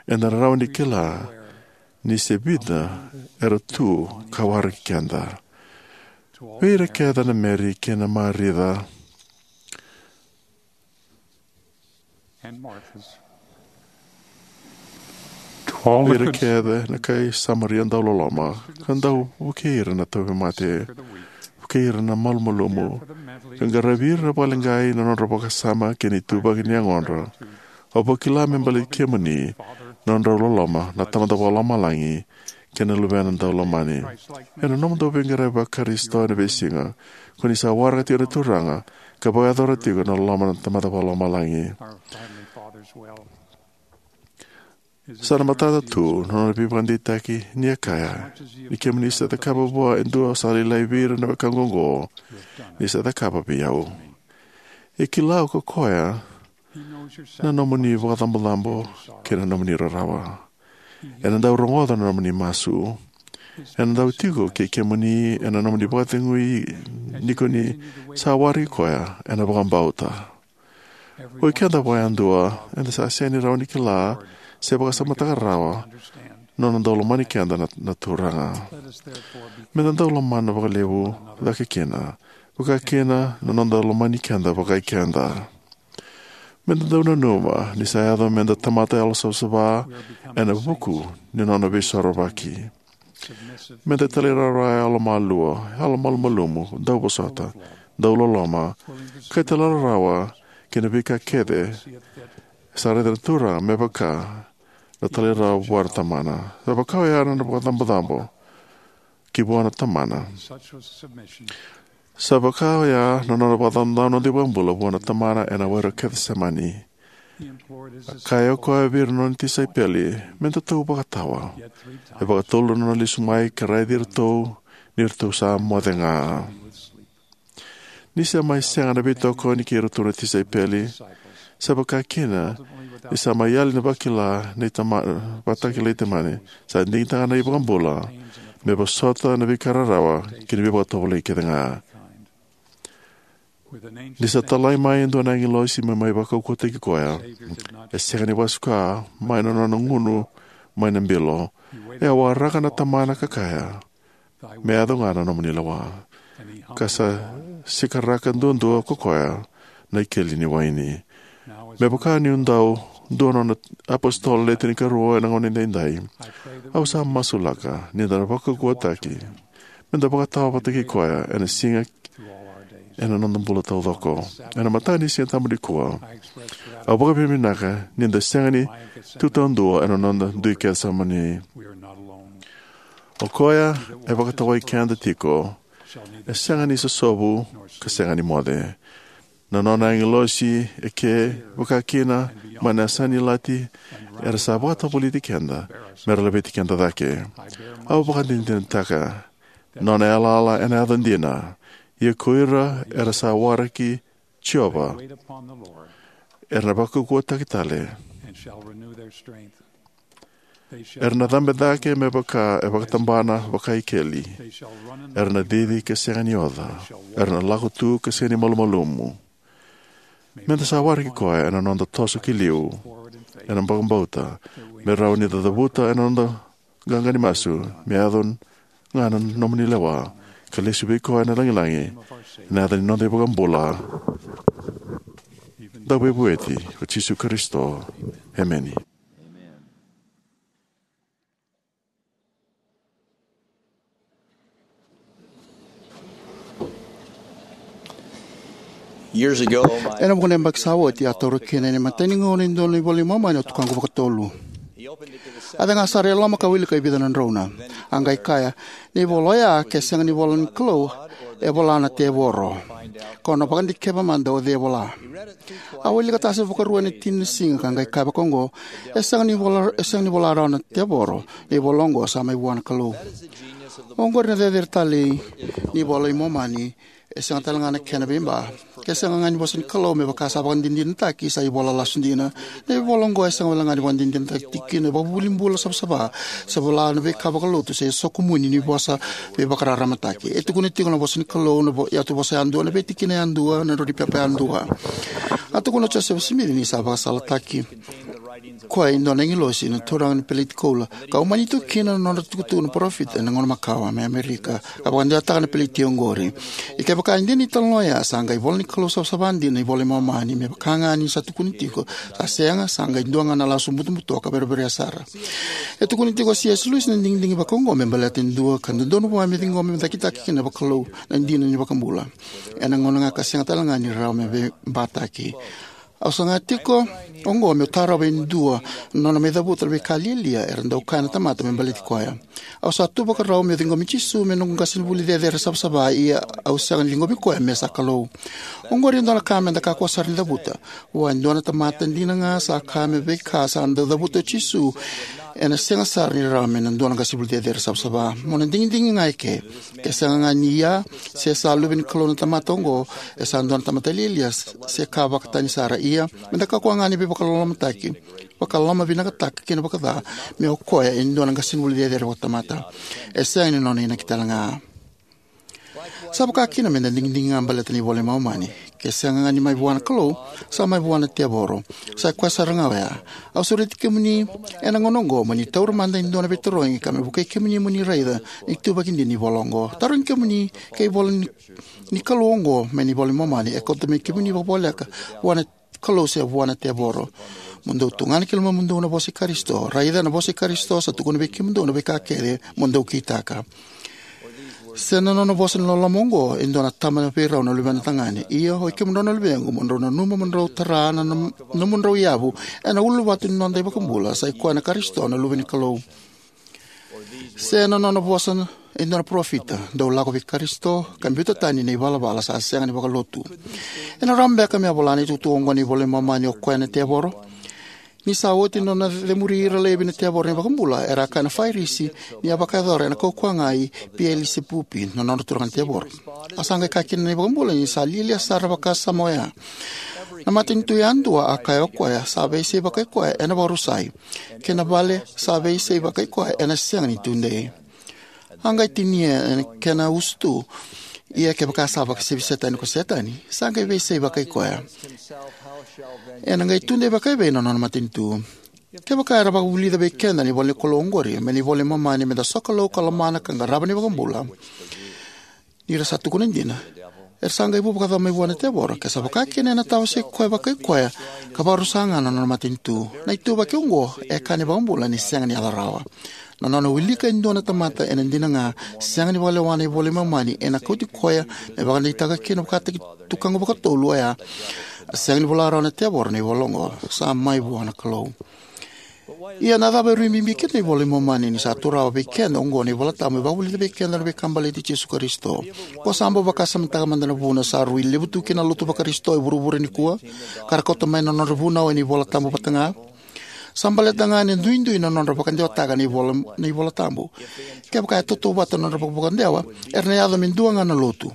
eda na rawa ni kila ni se vica era tu ka waraki keda. Vei ira kece na Meri kei na Marica, vei ira kece na kai Samaria dau loloma, ka dau vukei ira na tauvimate, vukei ira na malumalumu, ka qaravi ira na vakaleqai na nodra vakasama kei na ituvaki ni yagodra. Au vakila me baleti kemuni na nodrau loloma na Tamada Vakalomalagi kei na Luvena dau lomani. Ena nomudou veiqaravi Vakarisito ena veisiga, ko ni sa waraka tiko na Turaga ka vakayacora tiko na loloma na Tamada Vakalomalagi. Sa na matata tu na nona veivakadeitaki ni a kaya: "Ni kemuni sa cakava vua e dua sa lailai vei ira na wekaqu oqo, ni sa cakava vei au." E kila ko koya na nomuni vakacabocabo kei na nomuni rarawa. Ena dau rogoca na nomuni masu. Ena dau tiko kei kemuni ena nomuni vakacegui ni ko ni sa waraki koya ena vakabauta. Oi keda vakayadua, eda sa sega ni rawa ni kila se vakasamataka rawa na nona dau lomani keda na, na Turaga. Meda dau lomana vakalevu cake kina, vaka kina na noda lomani keda vakai keda. Meda dau nanuma ni sa yaco meda tamata yalosavasava ena vuku ni nona veisorovaki. Meda talairawarawa, yalomalua, yalomalumalumu, dauvosota, dauloloma, ka talairawarawa ki na veika kece sa raica na Turaga me vaka na talairawarawa vua na Tamana. Sa vaka oya na nona vakacabocabo ki vua na Tamana. Sa vaka oya na nona vakacabocabo na noda iVakabula vua na Tamana ena were o Kecisemani. A kaya o koya vei ira na nona tisaipeli, "Me datou vakatawa." E vakatolu na nona lesu mai ka raici iratou ni ratou sa moce ga. Ni sa mai sega na veitokoni kei iratou na tisaipeli, sa vaka kina ni sa mai yali na vakila ni Tama-, vakatakila i Tamana, sa digitaka na iVakabula me vosota na veika rarawa kei na veivakatovolei kece ga. Ni sa talai mai e dua na agilosi me mai vakaukauwataki koya, e sega ni vakasuka mai na nona gunu mai na bilo. E a waraka na Tamana ka kaya, "Me yaco ga na nomuni lewa." Ka sa sikaraka duadua ko koya na ikeli ni waini. Me vaka niu dau dua na nona apositolo le tinikarua ena gauna edaidai, au sa masulaka ni da na vakaukauwataki me da vakatawa vata kei koya ena siga ena noda bula taucoko. Ena mataka ni Siga Tabu nikua, Au vakavinavinaka ni da sega ni tu taudua ena noda dui kece sara moni. O koya e vakatawai keda tiko e sega ni sosovu ka sega ni moce. Na nona agilosi e ke, vaka kina mai na yasa ni lati, era sa vakatavulici keda mera laveti keda cake. Au vakadinadinataka nona yalayala ena yaca dina. Ia ko ira era sa waraki Jiova era na vakaukauwataki tale. Era na cabe cake me vaka e vakatabana vakaikeli. Era na cici ka sega ni oca. Era na lako tu ka sega ni malumalumu. Meda sa waraki koya ena noda toso ki liu ena vakabauta, me rawa ni da cavuta ena noda qaqa ni masu, me yaco ga na nomuni lewa, ka lesu vei koya na lagilagi, ena yaca ni noda iVakabula, Dauveivueti, o Jisu Karisito. Emeni. Years ago, my Ena vuqa na yabaki sa oti, a taura kina ena imatai ni gauna e dua na iVola i Momani o tukaqu vakatolu. A cega sara e loma ka wilika e vica na drauna. A qai kaya, "Na ivola oya, ke sega ni vola ni Kalou, e vola na tevoro. Ko na vakadikeva mada o cei e vola." A wilika tase vakarua ena tini na siga ka qai kaya vakaoqo, "E sega ni vola, e sega ni vola rawa na tevoro. Na ivola oqo sa mai vua na Kalou." Oqori na cecere talei ni iVola i Momani. E sega tale ga na kena veiba. Ke sega ga ni vosa ni Kalou, me vaka sa vakadinadinataki, sa ivola lasu dina. Na ivola oqo e sega wale ga ni vakadinadinataki tiko kina na ivakavuvuli bula savasava, se vola na veika vakalotu, se soqo muni ni vosa veivakararamataki. E tukuna tiko na vosa ni Kalou, na vo-, yatu vosa yadua, na veitikina yadua, na drau ni pepa yadua. A tukuna o Josefa Simici ni sa vakasalataki koya e dua na agilosi na turaga ni peleti koula, ka umani tu kina na nodra tukutuku na parofita ena gauna makawa mai Amerika, ka vakadewataka na peleti oqori. Ia kevaka e dina na italanoa oya, sa qai ivola ni Kalou savasava dina na iVola i Momani, me vaka ga ni sa tukuni tiko. Sa sega, sa qai dua ga na lasu butobuto ka vereverea sara. E tukuni tiko o C S Lewis na digidigi vakaoqo me baleta e dua ka dodonu vua me ciqoma me cakitaki kina vakalou na dina ni iVakabula, ena gauna ga ka sega tale ga ni rawa me veibataki. Au saga tiko oqo meu tarova e dua na nona mai cavuta na veika lialia era dau kaya na tamata me baleti koya. Au sa tu vakarau meu ciqomi Jisu me noqu qasenivuli cecere savasava, ia au sega ni ciqomi koya me sa Kalou. Oqori e dua na ka meda kakua sara ni cavuta. Vua e dua na tamata dina ga sa kaya me veika sa dau cavuta o Jisu, ena sega sara ni rawa me na dua na qasenivuli cecere savasava. Mo na digidigi ga eke. Ke sega ga ni ia, se sa luve ni Kalou na tamata oqo, e sa dua na tamata lialia, se ka vakatani sara. Ia, meda kakua ga ni veivakalolomataki, vakalomavinakataka kina vakaca, me o koya e dua na qasenivuli cecere vakatamata. E sega ni nona inaki tale ga. Sa vaka kina meda digidigi ga baleta na iVola i Momani. Ke sega ga ni mai vua na Kalou, sa mai vua na tevoro. Sa i koya sara ga oya. Au sureti kemuni ena gauna oqo mo ni taura mada e dua na veitarogi ka me vukei kemuni mo ni raica na ituvaki dina ni ivola oqo. Tarogi kemuni ke ivola ni, ni Kalou oqo mai na iVola i Momani, e kauta mai kemuni vakavoleka vua na Kalou se vua na tevoro. Mo dou tugana ki lomamudou na vosa i Karisito. Raica, na vosa i Karisito sa tukuna vei kemudou na veika kece mo dou kitaka. Se na nona vosa ni loloma oqo e dua na tama vei rau na luvena tagane. Ia, oi kemudrau na luvequ, mo drau nanuma mo drau tara na nom-, nomudrau yavu ena uluvatu ni noda iVakabula, sa i koya na Karisito na Luve ni Kalou. Se na nona vosa e dua na parofita, dou lako vei Karisito ka biuta tani na ivalavala sa sega ni vakalotu. Ena rawa beka me a vola na itukutuku oqo ni iVola i Momani o koya na tevoro? Ni sa oti na nona cemuri ira laivi na tevoro na iVakabula, era a kaya na Farisi ni a vakayacora ena kaukauwa ga i Pielisepupi, na nodra turaga na tevoro. A sa qai kaya kina na iVakabula ni sa lialia sara na vakasama oya. Na matanitu yadua, a kaya o koya, sa veisei vakai koya ena vakarusai. Kei na vale sa veisei vakai koya ena sega ni tudei. A qai tinia ena kena usutu. Ia kevaka sa vakasevi Setani ko Setani, sa qai veisei vakai koya. Ena qai tudei vakai vei na nona matanitu. Kevaka era vakavulica vei keda na ivola ni Kalou oqori mai na iVola i Momani, meda sokalou ka lomana ka qarava na iVakabula. Ni ra sa tukuna dina, era sa qai vu vakacava mai vua na tevoro, ke sa vaka kina ena tawasei koya vakai koya, ka vakarusa ga na nona matanitu. Na ituvaki oqo e kaya na iVakabula ni sega ni yaco rawa. Na nona wilika e dua na tamata ena dina ga, sega ni vakalewa na iVola i Momani, ena kauti koya me vakadeitaka kina vakataki tukaqu vakatolu oya. A sega ni vola rawa na tevoro na ivola oqo, sa mai vua na Kalou. Ia na cava e rui bibi kina na iVola i Momani ni sa tu rawa vei keda oqo na iVola Tabu me vakavulica vei keda na veika baleti Jisu Karisito? Ko sa bau vakasamataka mada na vuna sa rui levu tu kina na lotu vaKarisito e vuravura nikua, ka ra kauta mai na nodra vunau ena iVola Tabu vata ga? Sa baleta ga na duidui na nodra vakadewataka na iVola, na iVola Tabu. Kevaka e tautauvata na nodra vakavakadewa, era na yaco me dua ga na lotu.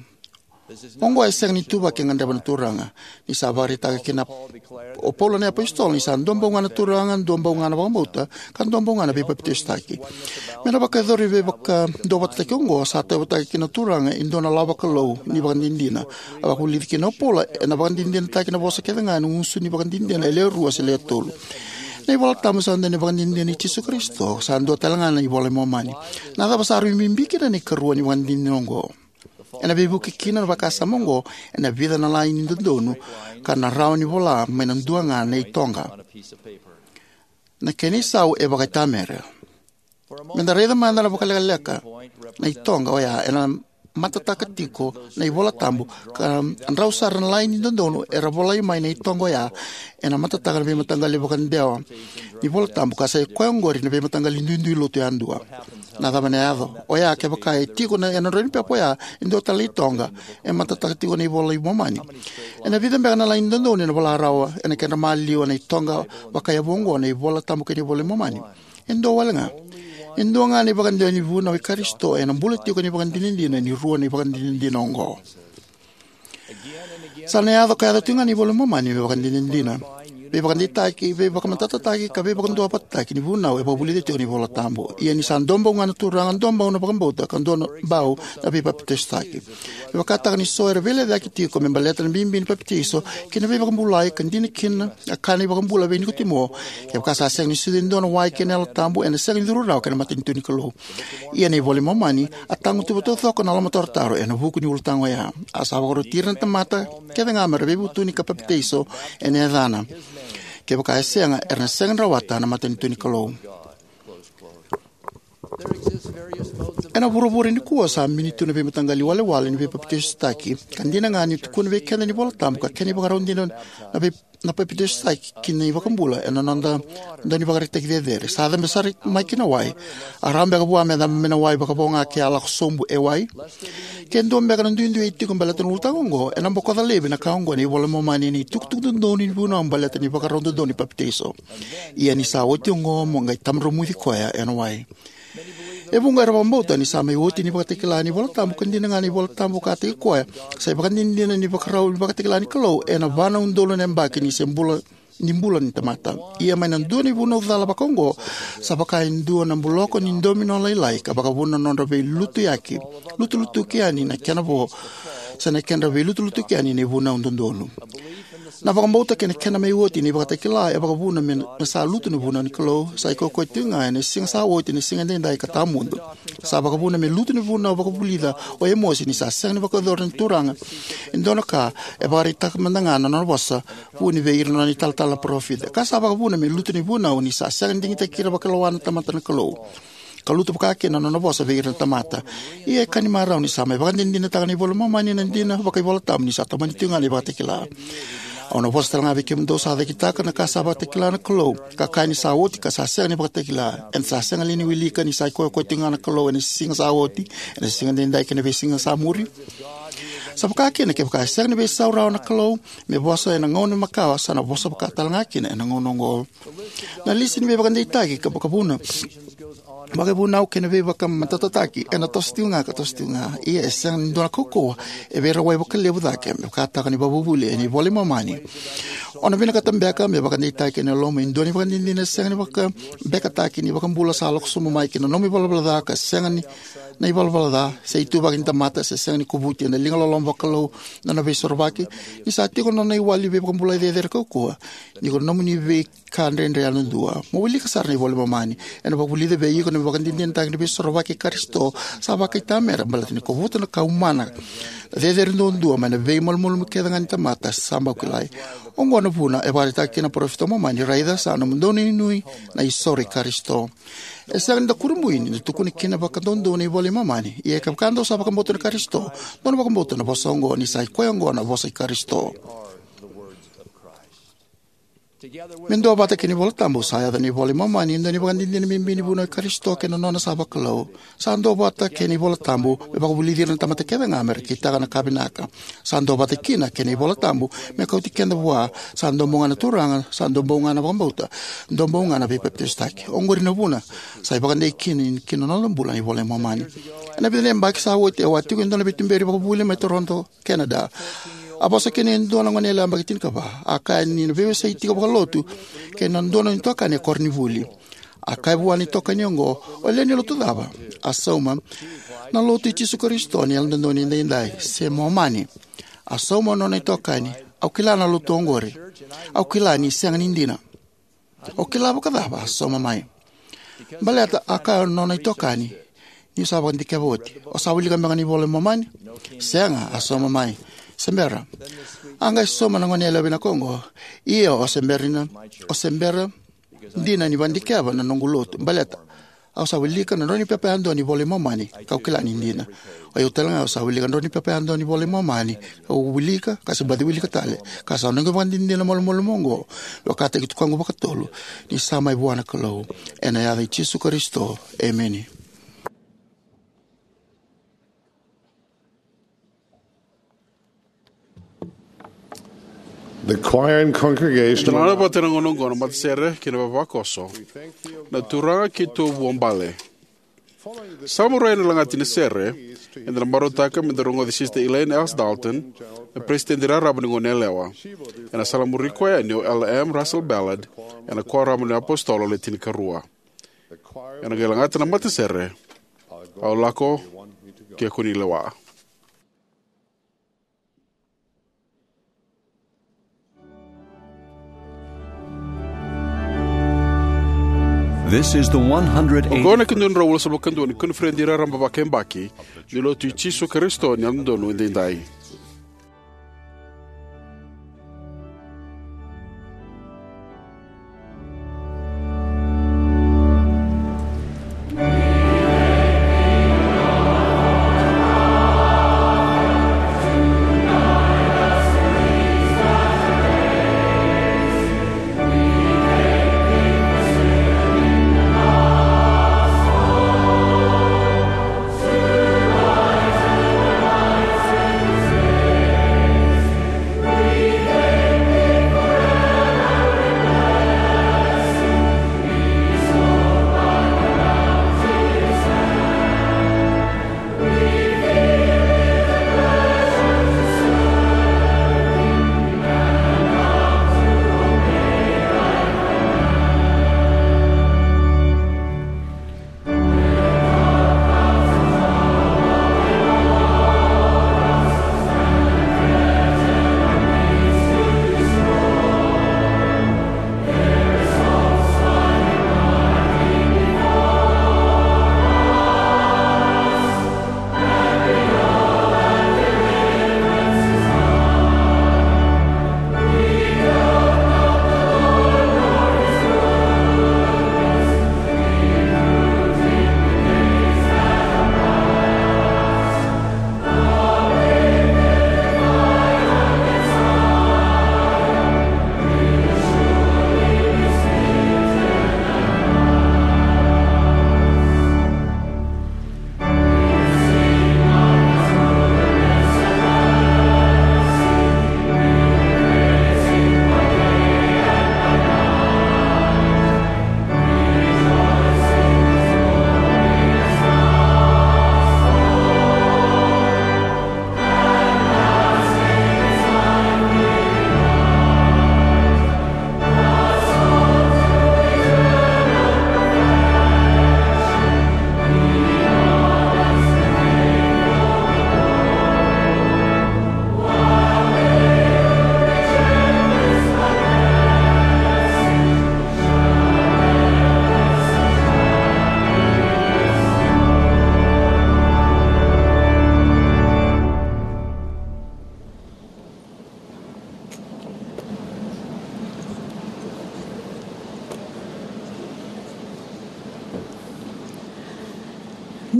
Oqo e sega ni ituvaki e gadreva na Turaga. Ni sa vakaraitaka kina o Paula na iapositolo ni sa dua bau ga na Turaga, dua bau ga na vakabauta, ka dua bau ga na veipapitaisotaki. Me na vakayacori veivakaduavatataki oqo, sa tauyavutaki kina na Turaga e dua na lawa vakalou ni ivakadinadina. A vakavulici kina o Paula ena vakadinadinataki na vosa kece ga ena gusu ni ivakadinadina e lewe rua se lewe tolu. Na iVola Tabu sa dua na ivakadinadina i Jisu Karisito, sa dua tale ga na iVola i Momani. Na cava sa rui bibi kina na ikarua ni ivakadinadina oqo? Ena veivuke kina na vakasama oqo ena vica na laini dodonu ka na rawa ni vola mai na dua ga na itoqa. Na kena isau e vakaitamera. Me da raica mada vakalekaleka na itoqa oya ena matataka tiko na iVola Tabu, ka drau sara na laini dodonu era volai mai na itoqa oya ena matataka na veimataqali vakadewa ni iVola Tabu, ka sa i koya oqori na veimataqali duidui lotu yadua. Na cava ena yaco? Oya kevaka e tiko na, ena drau ni pepa oya e dua tale na itoqa e matataka tiko na iVola i Momani. Ena vica beka na laini dodonu ena vola rawa ena kedra maliwa na itoqa vakaiyavu oqo na iVola Tabu kei na iVola i Momani? E dua wale ga. E dua ga na ivakadewa ni vunau i Karisito ena bula tiko na ivakadinadina ni rua na ivakadinadina oqo. Sa na yaco ka yaco tiko ga na iVola i Momani me vakadinadina, veivakadeitaki, veivakamatatataki ka veivakaduavatataki ni vunau e vakavulica tiko na iVola Tabu. Ia ni sa dua bau ga na Turaga, dua bau na vakabauta, ka dua na bau na veipapitaisotaki. Me vakataka ni so era veilecayaki tiko me baleta na bibi ni papitaiso kei na veivakabulai, ka dina kina a kaya na iVakabula vei Nikotimo, kevaka sa sega ni sucu e dua na wai kei na Yalo Tabu, ena sega ni curu rawa ki na matanitu ni Kalou. Ia na iVola i Momani a tagutuva taucoko na lomatarotaro ena vuku ni ulutaga oya. A sa vakaroti ira na tamata kece ga me ra veivutuni ka papitaiso ena yacana. Kevaka e sega, era na sega ni rawata na matanitu ni Kalou. Ena vuravura nikua sa bini tu na veimataqali iwalewale ni veipapitaisotaki, ka dina ga ni tukuna vei keda na iVola Tabu ka kena ivakarau dina na vei na papitaisotaki ki na iVakabula ena noda dau ni vakaraitaki cecere. Sa cabe sara mai ki na wai. A rawa beka vua me cabe mai na wai vakavo ga ke a lako sobu e wai? Ke dua beka na duidui e tiko baleta na ulutaga oqo, ena bokoca laivi na ka oqo na iVola i Momani ena itukutuku dodonu ni vunau baleta na ivakarau dodonu ni papitaiso. Ia ni sa oti oqo, mo qai tabadromuci koya ena wai. E vuqa era vakabauta ni sa mai oti na ivakatakila ni iVola Tabu, ka dina ga na iVola Tabu vakataki koya sa ivakadinadina ni ivakarau ni ivakatakila ni Kalou ena va na udolu na yabaki ni se bula, ni bula ni tamata. Ia mai na dua na ivunau cala vakaoqo, sa vaka e dua na buloko ni domino lailai ka vakavuna na nodra veilutuyaki, lutulutuki yani na kena vo, se na kedra veilutulutuki yani na ivunau dodonu. Na vakabauta kei na kena mai oti na ivakatakila e vakavuna me, me sa lutu na vunau ni Kalou, sa ikokoya tiko ga ena siga sa oti, na siga edaidai ka tawamudu. Sa vakavuna me lutu na vunau vakavulica o Emosi ni sa sega ni vakayacora na Turaga e dua na ka, e vakaraitaka mada ga na nona vosa vuni vei ira na nona italatala na parofita. Ka sa vakavuna me lutu na vunau ni sa sega ni digitaki ira vakalawa na tamata na Kalou, ka lutu vaka kina na nona vosa vei ira na tamata. Ia e ka ni marau ni sa mai vakadinadinataka na iVola i Momani na dina vakaivolatabu ni sa tomani tiko ga na ivakatakila. Au na vosa tale ga vei kemudou sa cakitaka na ka sa vakatakila na Kalou, ka kaya ni sa oti ka sa sega ni vakatakila. Eda sa sega li ni wilika ni sa ikoyakoya tiko ga na Kalou ena siga sa oti, ena siga edaidai kei na veisiga sa muri? Sa vaka kina kevaka e sega ni veisau rawa na Kalou me vosa ena gauna makawa, sa na vosa vaka tale ga kina ena gauna oqo. Na lisi ni veivakadeitaki ka vakavuna, vakaivunau kei na veivakamatatataki ena toso tiko ga ka toso tiko ga. Ia e sega ni dua na kaukauwa e veirawai vakalevu cake me vakataka na ivakavuvuli ena iVola i Momani. O na vinakata beka me vakadeitaki ena loma e dua na ivakadinadina e sega ni vakabekataki ni iVakabula sa lako sobu mai ki na nomu ivalavala ca ka sega ni na ivalavala ca, se ituvaki ni tamata, se sega ni kovuti ena liga loloma vakalou na nona veisorovaki? Ni sa tiko na nona iwali veivakabulai cecere kaukauwa, ni ko na nomuni veika dredre yadudua. Mo wilika sara na iVola i Momani. Ena vakavulica vei iko na ivakadinadinataki ni veisorovaki i Karisito sa vakaitamera baleta ni kovuta na kaumana cecere duadua mai na veimalumalumu kece ga ni tamata sa bau kilai. Oqo na vuna e vakaraitaka kina na parofita o Momani: Raica, sa nomudou inuinui na isoro i Karisito. E sega ni da kurabui ni da tukuna kina vakadoudou na iVola i Momani. Ia kevaka dou sa vakabauta na Karisito, dou na vakabauta na vosa oqo, ni sa i koya oqo na vosa i Karisito. Me duavata kei na iVola Tabu, sa yaco ena iVola i Momani e dua na ivakadinadina bibi ni vunau i Karisito kei na nona sa vakalou. Sa duavata kei na iVola Tabu me vakavulici ira na tamata kece ga me ra kitaka na ka vinaka. Sa duavata kina kei na iVola Tabu me kauti keda vua. Sa dua bau ga na Turaga, sa dua bau ga na vakabauta, dua bau ga na veipapitaisotaki. Oqori na vuna sa ivakadei kina ki na noda bula na iVola i Momani. Ena vica na yabaki sa oti, au a tiko e dua na veituberi vakavuli mai Toronto, Canada. A vosa kina e dua na goneyalewa yabaki tinikava. A kaya ni na veiwasei tiko vakalotu kei na dua na nona itokani e koronivuli. A kaya vua na itokani oqo, "O lewe ni lotu cava?" A sauma, "Na Lotu i Jisu Karisito ni Yalododonu Edaidai, se Momani." A sauma na nona itokani, "Au kila na lotu oqori. Au kila ni sega ni dina." "O kila vakacava?" a sauma mai. "Baleta a kaya na nona itokani niu sa vakadikeva oti." "O sa wilika beka na iVola i Momani?" "Sega," a sauma mai. "Se bera." A qai sauma na goneyalewa vinaka oqo, "Ia, o se bera dina, o se bera dina ni vakadikeva na noqu lotu, baleta au sa wilika na drau ni pepa yadua ni iVola i Momani, kau kila ni dina. O yau tale ga, au sa wilika na drau ni pepa yadua ni iVola i Momani, kau wilika, ka se baci wilika tale, ka sa noqu ivakadinadina malumalumu oqo, vakataki tukaqu vakatolu ni sa mai vua na Kalou. Ena yaca i Jisu Karisito, emeni." The choir and congregation. Eda na vata ena gauna oqo na matasere kei na vavakoso. Na Turaga keitou vuabale. Sa muria na lagati ni sere, eda na marautaka me da rogoci Sister Elaine S. Dalton, na peresitedi raraba ni goneyalewa. Ena sala muri koya yani o Elder M. Russell Ballard, ena Kuoramu ni iApositolo Le Tinikarua. Ena qai lagata na matasere, "Au Lako Ke Ko Ni Lewa." This is the one hundred eighty. Oqo na ikadua na drau walusagavulu ka dua ni koniferedi raraba vakayabaki ni Lotu i Jisu Karisito ni Yalododonu Edaidai.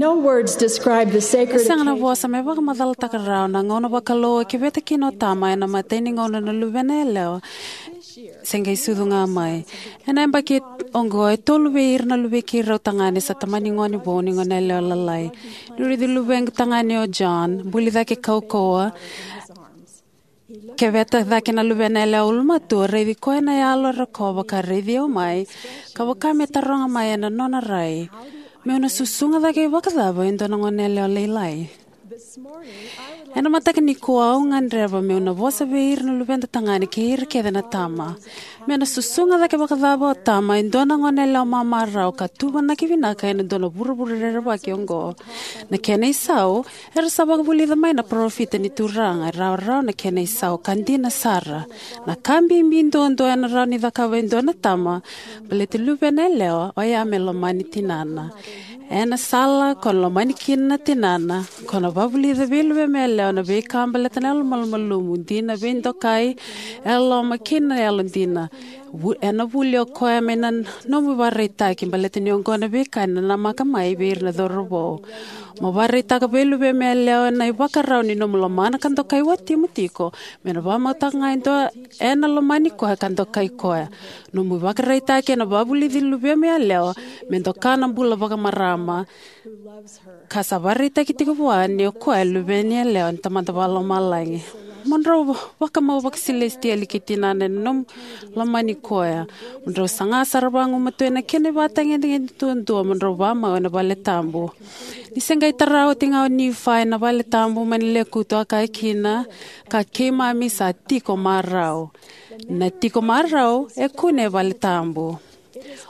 No words describe the sacred E sega na occasion. vosa me vakamacalataka rawa na gauna vakalou e keveta kina o tama ena imatai ni gauna na luvena yalewa se qai sucu ga mai. Ena yabaki oqo, e tolu vei ira na luvei keirau tagane sa tamani gone vou ni gone yalewa lalai. Niu raici luvequ tagane o John buli cake kaukauwa, keveta cake na luvena yalewa ulumatua, raici koya na yalo e rokova ka raici au mai, ka vaka me taroga mai ena nona rai, meu na susuga cake vakacava e dua na gone yalewa lailai? Ena mataka nikua au gadreva meu na vosa vei ira na luveda tagane kei ira kece na tama. Me na susuga cake vakacava o tama e dua na gone yalewa mamarau ka tuvanaki vinaka ena dua na vuravura rerevaki oqo? Na kena isau, era sa vakavulica mai na parofita ni Turaga, e rawarawa na kena isau ka dina sara. Na ka bibi duadua ena rawa ni cakava e dua na tama baleti luvena yalewa oya me lomani tinana. Ena sala ko na lomani kina na tinana, ko na vavulica vei luvemu yalewa na veika baleta na yalomalumalumu, dina, veidokai, yalololoma kei na yalodina. Vu- ena vuli o koya mai na nomu ivakaraitaki baleta ni oqo na veika ena namaka mai vei ira na cauravou. Mo vakaraitaka vei luvemu yalewa na ivakarau ni nomu lomana ka dokai watimu tiko, me na vakamautaka ga e dua ena lomani koya ka dokai koya. Nomu ivakaraitaki ena vavulici luvemu yalewa me doka na bula vakamarama, ka sa vakaraitaki tiko vua ni o koya e luveni yalewa ni Tamada Vakalomalagi. Mo drau vakamau vakasilesitieli kei tinana ena nomu lomani koya. Mo drau saga sara vagumatua ena kena ivakatagedegede duadua mo drau vakamau ena vale tabu. Ni se qai tara oti ga o Nifai na vale tabu mai na lekutu, a kaya kina, ka keimami sa tiko marau. Na tiko marau e kune e vale tabu.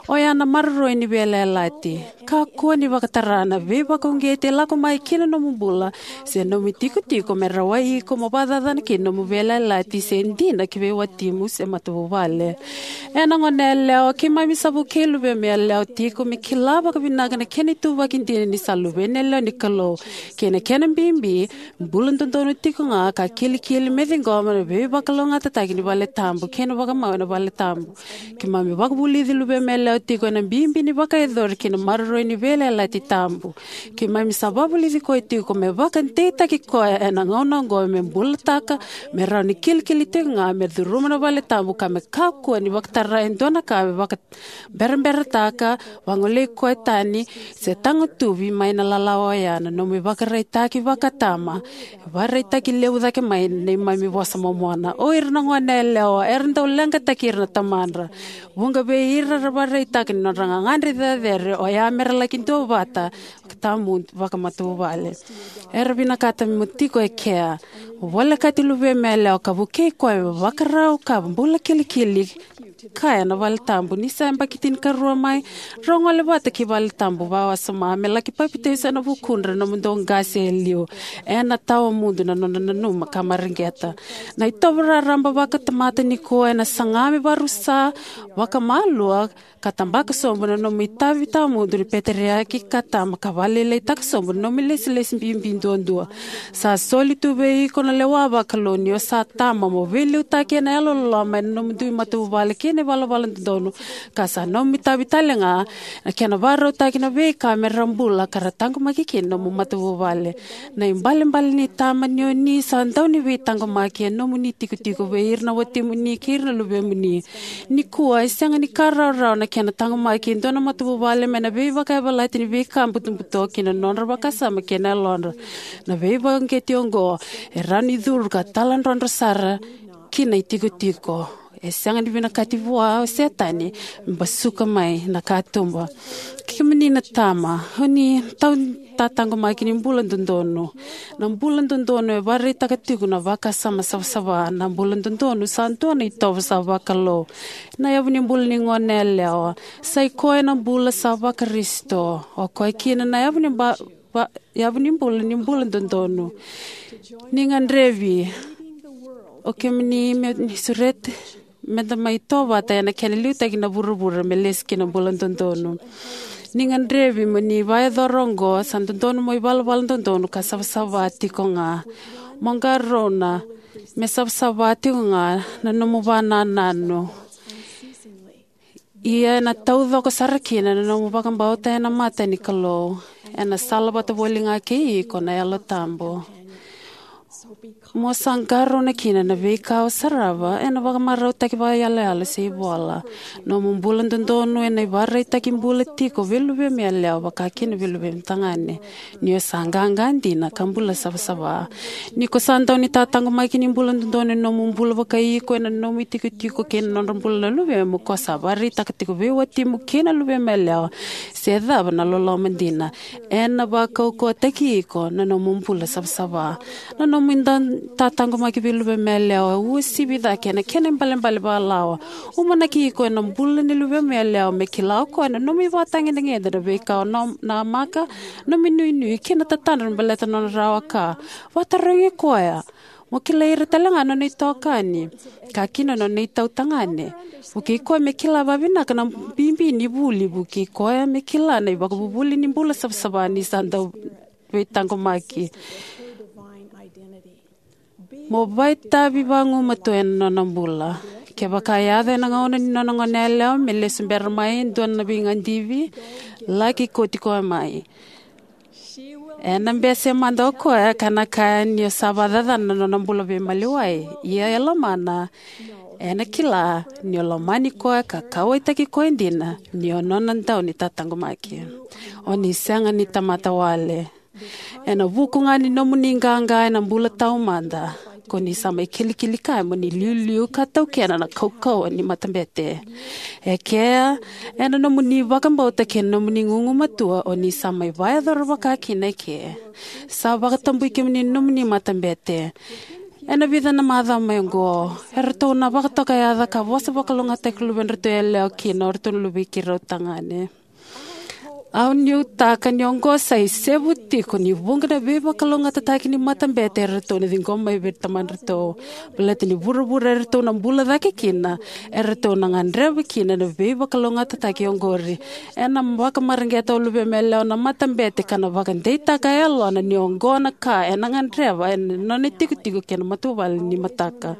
Oya na maroroi ni veiyalayalati. Kakua ni vakatara na veivakauqeti e lako mai ki na nomu bula se nomu itikotiko me rawai iko mo vakacacana kina nomu veiyalayalati se dina ki vei watimu se matavuvale. Ena gone yalewa, keimami sa vukei luvemu yalewa tiko me kila vakavinaka na kena ituvaki dina ni sa luvena yalewa ni Kalou, kei na kena bibi, bula dodonu tiko ga ka kilikili me ciqoma na veivakalougatataki ni vale tabu kei na vakamau ena vale tabu. Keimami vakavulici luvemu yalewa tiko ena bibi ni vakayacori kei na maroroi ni veiyalayalati tabu. Keimami sa vakavulici koya tiko me vakadeitaki koya ena gauna oqo me bulataka, me rawa ni kilikili tiko ga me curuma na vale tabu ka me kakua ni vakatara e dua na ka me vaka- beraberataka, vagolei koya tani, se tagutuvi mai na lalawa oya. Na nomu ivakaraitaki vakatama e vakaraitaki levu cake mai na neimami vosa momona. O ira na gone yalewa era dau leqataki ira na tamadra. Vuqa vei ira era vakaraitaka ni nodra gagadre cecere oya mera laki duavata vakatamu vakamatavuvale. Era vinakata mo tiko e kea. Volekati luvemu yalewa ka vukei koya me vakarau ka bula kilikili kaya na vale tabu. Ni sa yabaki tinikarua mai, drau gole vata ki vale tabu vakawasoma me laki papitaiso ena vukudra na nomudou qase e liu. Ena tawa mudu na nona nanuma ka mareqeta. Na itovo raraba vakatamata nikua ena saga me vakarusa vakamalua ka tabaka sobu na nomu itavi tawamudu ni peteriaki ka tama ka vakalailaitaka sobu na nomu ilesilesi bibi duadua. Sa soli tu vei iko na lewa vakalou ni o sa tama mo veiliutaki ena yalololoma ena nomudou matavuvale kei na ivalavala dodonu, ka sa nomu itavi tale ga na kena vakarautaki na veika me ra bula ka ra taqomaki kina nomu matavuvale. Na ibalebale ni tama ni o ni sa dau ni veitaqomaki e nomuni tikotiko vei ira na watimuni kei ira na luvemuni. Nikua e sega ni ka rawarawa na kena taqomaki e dua na matavuvale mai na veivakayavalati ni veika butobuto ki na nodra vakasama kei na yalodra. Na veivakauqeti oqo e rawa ni curu ka taladrodro sara ki na itikotiko. E sega ni vinakati vua o Setani me basuka mai na katuba. Kemuni na tama, o ni tau tataqomaki ni bula dodonu. Na bula dodonu e vakaraitaka tiko na vakasama savasava. Na bula dodonu sa dua na itovo sa vakalou. Na yavu ni bula ni gone yalewa sa i koya na bula sa vaKarisito. O koya kina na yavu ni ba- va- yavu ni bula ni bula dodonu. Ni gadrevi o kemuni me ni surete me da mai tovata ena kena liutaki na vuravura me lesi ki na bula dodonu. Ni gadrevi mo ni vakayacora oqo, sa dodonu mo ivalavala dodonu ka savasava tiko ga. Mo qarauna me savasava tiko ga na nomu vanananu. Ia ena taucoko sara kina na nomu vakabauta ena mata ni Kalou. Ena sala vata voli ga kei iko na Yalo Tabu. Mo sa qarauna kina na veika o sarava ena vakamarautaki vakayaloyalo se ivola. Nomu bula dodonu ena ivakaraitaki bula tiko vei luvemu yalewa, vaka kina vei luvemu tagane, ni o sa qaqa dina ka bula savasava. Ni ko sa dau ni tataqomaki ni bula dodonu ena nomu bula vakai iko, ena nomu itikotiko kei na nodra bula na luvemu, ko sa vakaraitaka tiko vei watimu kei na luvemu yalewa se cava na loloma dina. Ena vakaukauwataki iko na nomu bula savasava. Na nomu dau tataqomaki vei luvemu yalewa e uasivi cake ena kena ibalebale vakalawa. Umanaki iko ena bula ni luvemu yalewa me kila o koya na nomu ivakatagedegede, na veika o nam-, namaka, nomu inuinui kei na tatadra me baleta na nona rawa ka. Vakatarogi koya. Mo kilai ira tale ga na nona itokani, ka kina na nona itautagane. Vukei koya me kila vakavinaka na bibi ni vuli. Vukei koya me kila na ivakavuvuli ni bula savasava ni sa dau veitaqomaki. Mo vakaitavi vagumatua ena nona bula. Kevaka e yaco ena gauna ni nona goneyalewa me lesu bera mai e dua na veigadivi, laki kauti koya mai. Ena bese mada o koya ka na kaya ni o sa vakacacana na nona bula veimaliwai. Ia e lomana, ena kila ni o lomani koya ka kauwaitaki koya dina, ni o nona dau ni tataqomaki. O ni sega ni tamata wale. Ena vuku ga ni nomuni qaqa ena bula taumada, ko ni sa mai kilikili kaya mo ni liuliu ka taukena na kaukauwa ni matabete. E kea, ena nomuni vakabauta kei na nomuni gugumatua, o ni sa mai vakayacora vaka kina eke. Sa vakatabui kemuni na nomuni matabete. Ena vica na macawa mai oqo, eratou na vakatoka yaca ka vosa vakalougatataki luvedratou yalewa kina o ratou na luvei keirau tagane. Au nuitaka ni oqo sa isevu tiko ni vuqa na veivakalougatataki ni matabete eratou na ciqoma mai vei tamadratou. Baleta ni vuravura eratou na bula cake kina, eratou na gadreva kina na veivakalougatataki oqori. Ena vakamareqeta o luvemu yalewa na matabete ka na vakadeitaka e yalona ni oqo na ka ena gadreva ena nona itikotiko kei na matavuvale ni mataka.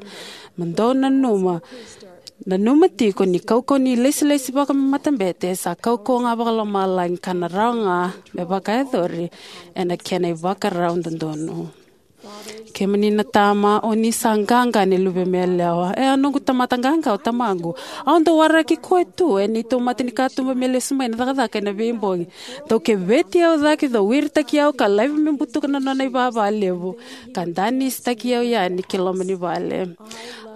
Mo dou nanuma, nanuma tiko ni kaukauwa ni lesilesi vakamatabete sa kaukauwa ga vakalomalagi ka na rawa ga me vakayacori ena kena ivakarau dodonu. Kemuni na tama, o ni sa qaqa ni luvemu yalewa. E a noqu tamata qaqa o tamaqu. Au dau waraki koya tu ena neitou mata ni katuba me lesu mai na cakacaka ena veibogi. Dau keveti au cake, dau wiritaki au ka laiva me butuka na nona ivava levu, ka danisitaki au yani ki loma ni vale.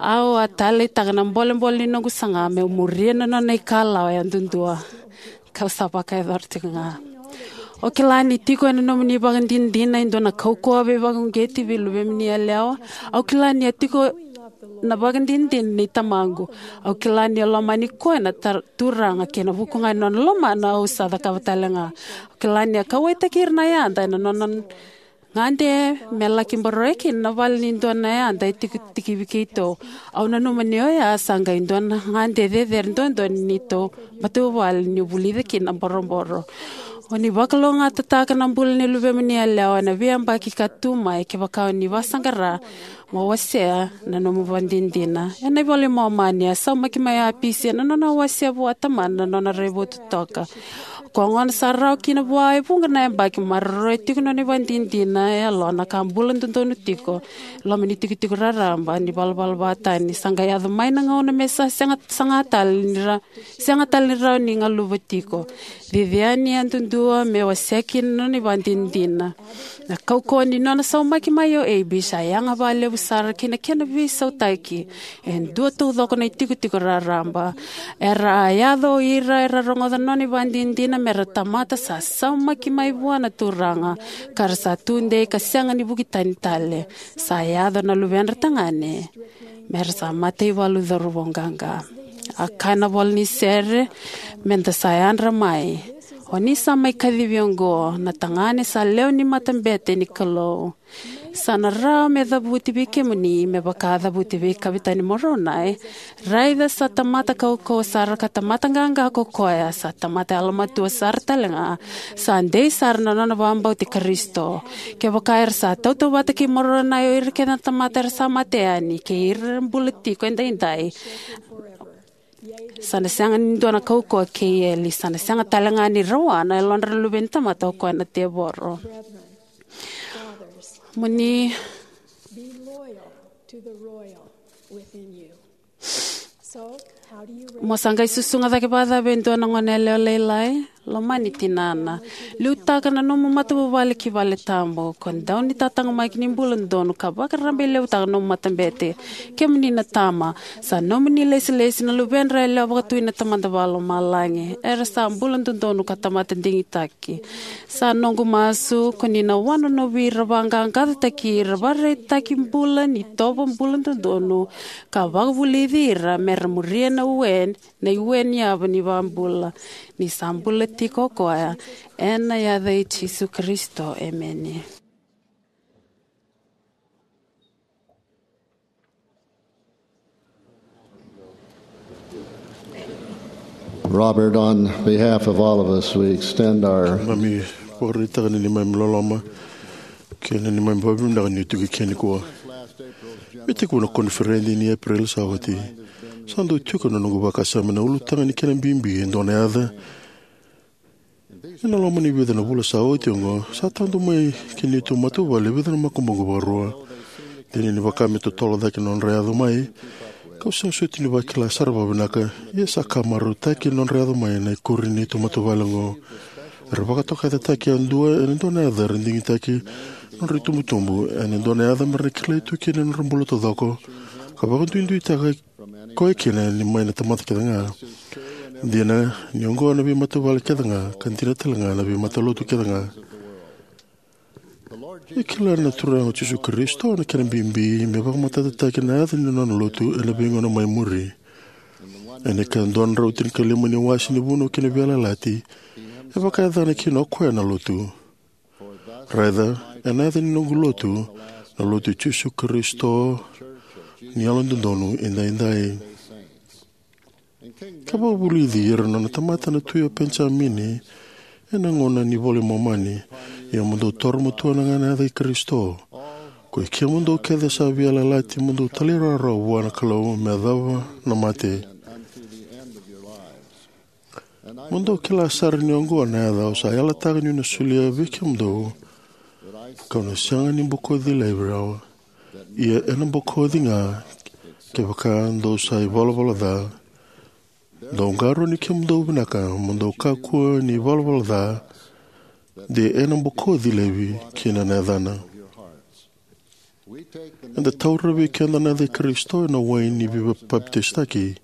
Au a taleitaka na bolebole ni noqu saga meu muria na nona ikalawa yadudua. Kau sa vakayacora tiko ga. O kila ni tiko ena nomuni ivakadinadina e dua na kaukauwa veivakauqeti vei luvemuni yalewa. Au kila ni a tiko na ivakadinadina nei tamaqu. Au kila ni a lomani koya na tar-, Turaga kei na vuku ga ni nona lomana au sa cakava tale ga. Au kila ni a kauwaitaki ira na yada ena nona gade me laki boroya kina na vale ni dua na yada e tiko tikivi keitou. Au nanuma ni oya sa qai dua na gade cecere duadua ni neitou matavuvale niu vulica kina na boroboro. O ni vakalougatataka na bula ni luvemuni yalewa ena veiyabaki ka tu mai kevaka o ni vakasaqara mo wasea na nomu ivakadinadina. Ena iVola i Momani, a saumaki mai o Apisi ena nona wasea vua o tamana na nona raivotu totoka. Ko gona sa rawa kina vua e vuqa na yabaki, maroroya tiko na nona ivakadinadina e yalona ka bula dodonu tiko e loma ni itikotiko raraba ni valavala vakatani. Sa qai yaco mai na gauna me sa sega, saga tale ni ra-, sega tale ni rawa ni galuva tiko. Cici yani yadudua me wasea kina na nona ivakadinadina. Na kaukauwa ni nona saumaki mai o Ebi sa yaga vakalevu sara ki na kena veisautaki e dua taucoko na itikotiko raraba. Era a yaco o ira era rogoca na nona ivakadinadina me ra tamata sa saumaki mai vua na Turaga, ka ra sa tudei ka sega ni vuki tani tale. Sa yaco na luvedra tagane me ra sa mataivalu cauravou qaqa. A kaya na ivola ni sere, me da sa yadra mai. O ni sa mai kacivi oqo, na tagane sa lewe ni matabete ni Kalou. Sa na rawa me cavuti vei kemuni me vaka a cavuti vei Kavetani Moronai. Raica, sa tamata kaukauwa sara ka tamata qaqa ko koya, sa tamata yalomatua sara tale ga. Sa dei sara na nona vakabauti Karisito. Kevaka era sa tautauvata kei Moronai o ira kece na tamata era sa mate yani, kei ira era bula tiko edaidai, Sa na sega ni dua na kaukauwa kei eli. Sa na sega tale ga ni rawa na yalodra na luve ni tamata, o koya na tevoro. Mo ni Be loyal to the royal within you. So, how do you mo sa qai susuga cake vakacava e dua na gone yalewa lailai? Lomani tinana. Liutaka na nomu matavuvale ki vale tabu. Ko dau ni tatagamaki ni bula dodonu ka vakarabailevutaka na nomu matabete. Kemuni na tama, sa nomuni lesilesi na luvedra yalewa vakatui na Tamada Vakalomalagi. Era sa bula dodonu ka tamata digitaki. Sa noqu masu ko ni na wanonovi ira, vaqaqacotaki ira, vakaraitaki bula ni tovo bula dodonu, ka vakavulici ira me ra muria na ue, na iue ni yava ni vakabula. Ni sa bula tiko o koya, ena yaca i Jisu Karisito, emeni. Robert, on behalf of all of us, we extend our Mami vakaraitaka na neimami loloma kei na neimami vakavinavinaka ni tu kei kea nikua. Me tekivu na koniferedi ni Epereli sa oti, sa dau tiko na noqu vakasama na ulutaga ni kena bibi e dua na yaca. Ena loma ni vica na vula sa oti oqo, sa tadu mai ki neitou matavuvale e vica na makubuqu vakarua. Dina ni vaka me totolo cake na nodra yaco mai, kau sega soti ni vakila sara vakavinaka, ia sa ka marautaki na nodra yaco mai na ikuri ni neitou matavuvale oqo. Era vakatokayacataki yadua ena dua na yaca era digitaki na nodra itubutubu, ena dua na yaca me ra na kilai tu kina na nodra bula taucoko, ka vakaduiduitaka koya kina ni mai na tamata kece ga. Dina ni oqo na veimatavuvale kece ga, ka dina tale ga na veimatalotu kece ga. E kila na Turaga o Jisu Karisito na kena bibi me vakamatatataki na yaca ni nona lotu ena veigauna mai muri. Ena ika dua na drau tinikalima ni wase ni Vunau kei na Veiyalayalati, e vakayacana kina o koya na lotu. Raica, ena yaca ni noqu lotu, na lotu i Jisu Karisito ni Yalododonu Edaidai. Ka vakavulici ira na nona tamata na tui o Penijamini ena gauna ni iVola i Momani, ia mo dou toro matua na ga na yaca i Karisito. Ko i kemudou kece sa veiyalayalati mo dou talairawarawa vua na Kalou me yacova na mate. Mo dou kila sara ni oqo na yaca au sa yalataka niu na solia vei kemudou, kau na sega ni bokoci laivi rawa. Ia ena bokoci ga kevaka dou sa ivalavala ca. Dou qarauni kemudou vinaka, mo dou kakua ni ivalavala ca, de ena bokoci laivi kina na yacana. Eda taura vei keda na yaca i Karisito ena wai ni veipapitaisotaki.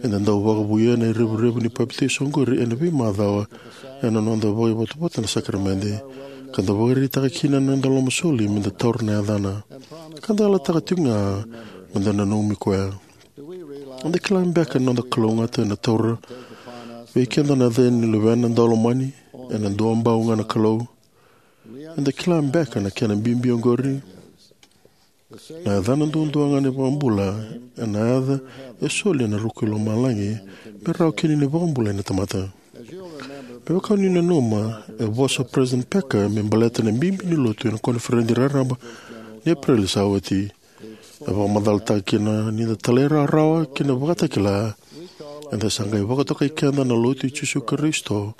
Eda dau vakavouya na revurevu ni papitaiso oqori ena veimacawa ena noda vakaivotavota na sakaramede, ka da vakaraitaka kina na noda lomasoli me da taura na yacana, ka da yalataka tiko ga me da nanumi koya. Eda kila beka na noda kalougata ena taura vei keda na yaca ni Luvena Daulomani ena duabau ga na Kalou? Eda kila beka na kena bibi oqori? Na yacana duadua ga na iVakabula ena yaca e soli ena ruku i lomalagi me rawa kina ni vakabulai na tamata. Me vaka ni nanuma, e vosa o President Packer me baleta na bibi ni lotu ena koniferedi raraba ni Epereli sa oti. E vakamacalataka kina ni da talairawarawa ki na Vakatakila, eda sa qai vakatokai keda na Lotu i Jisu Karisito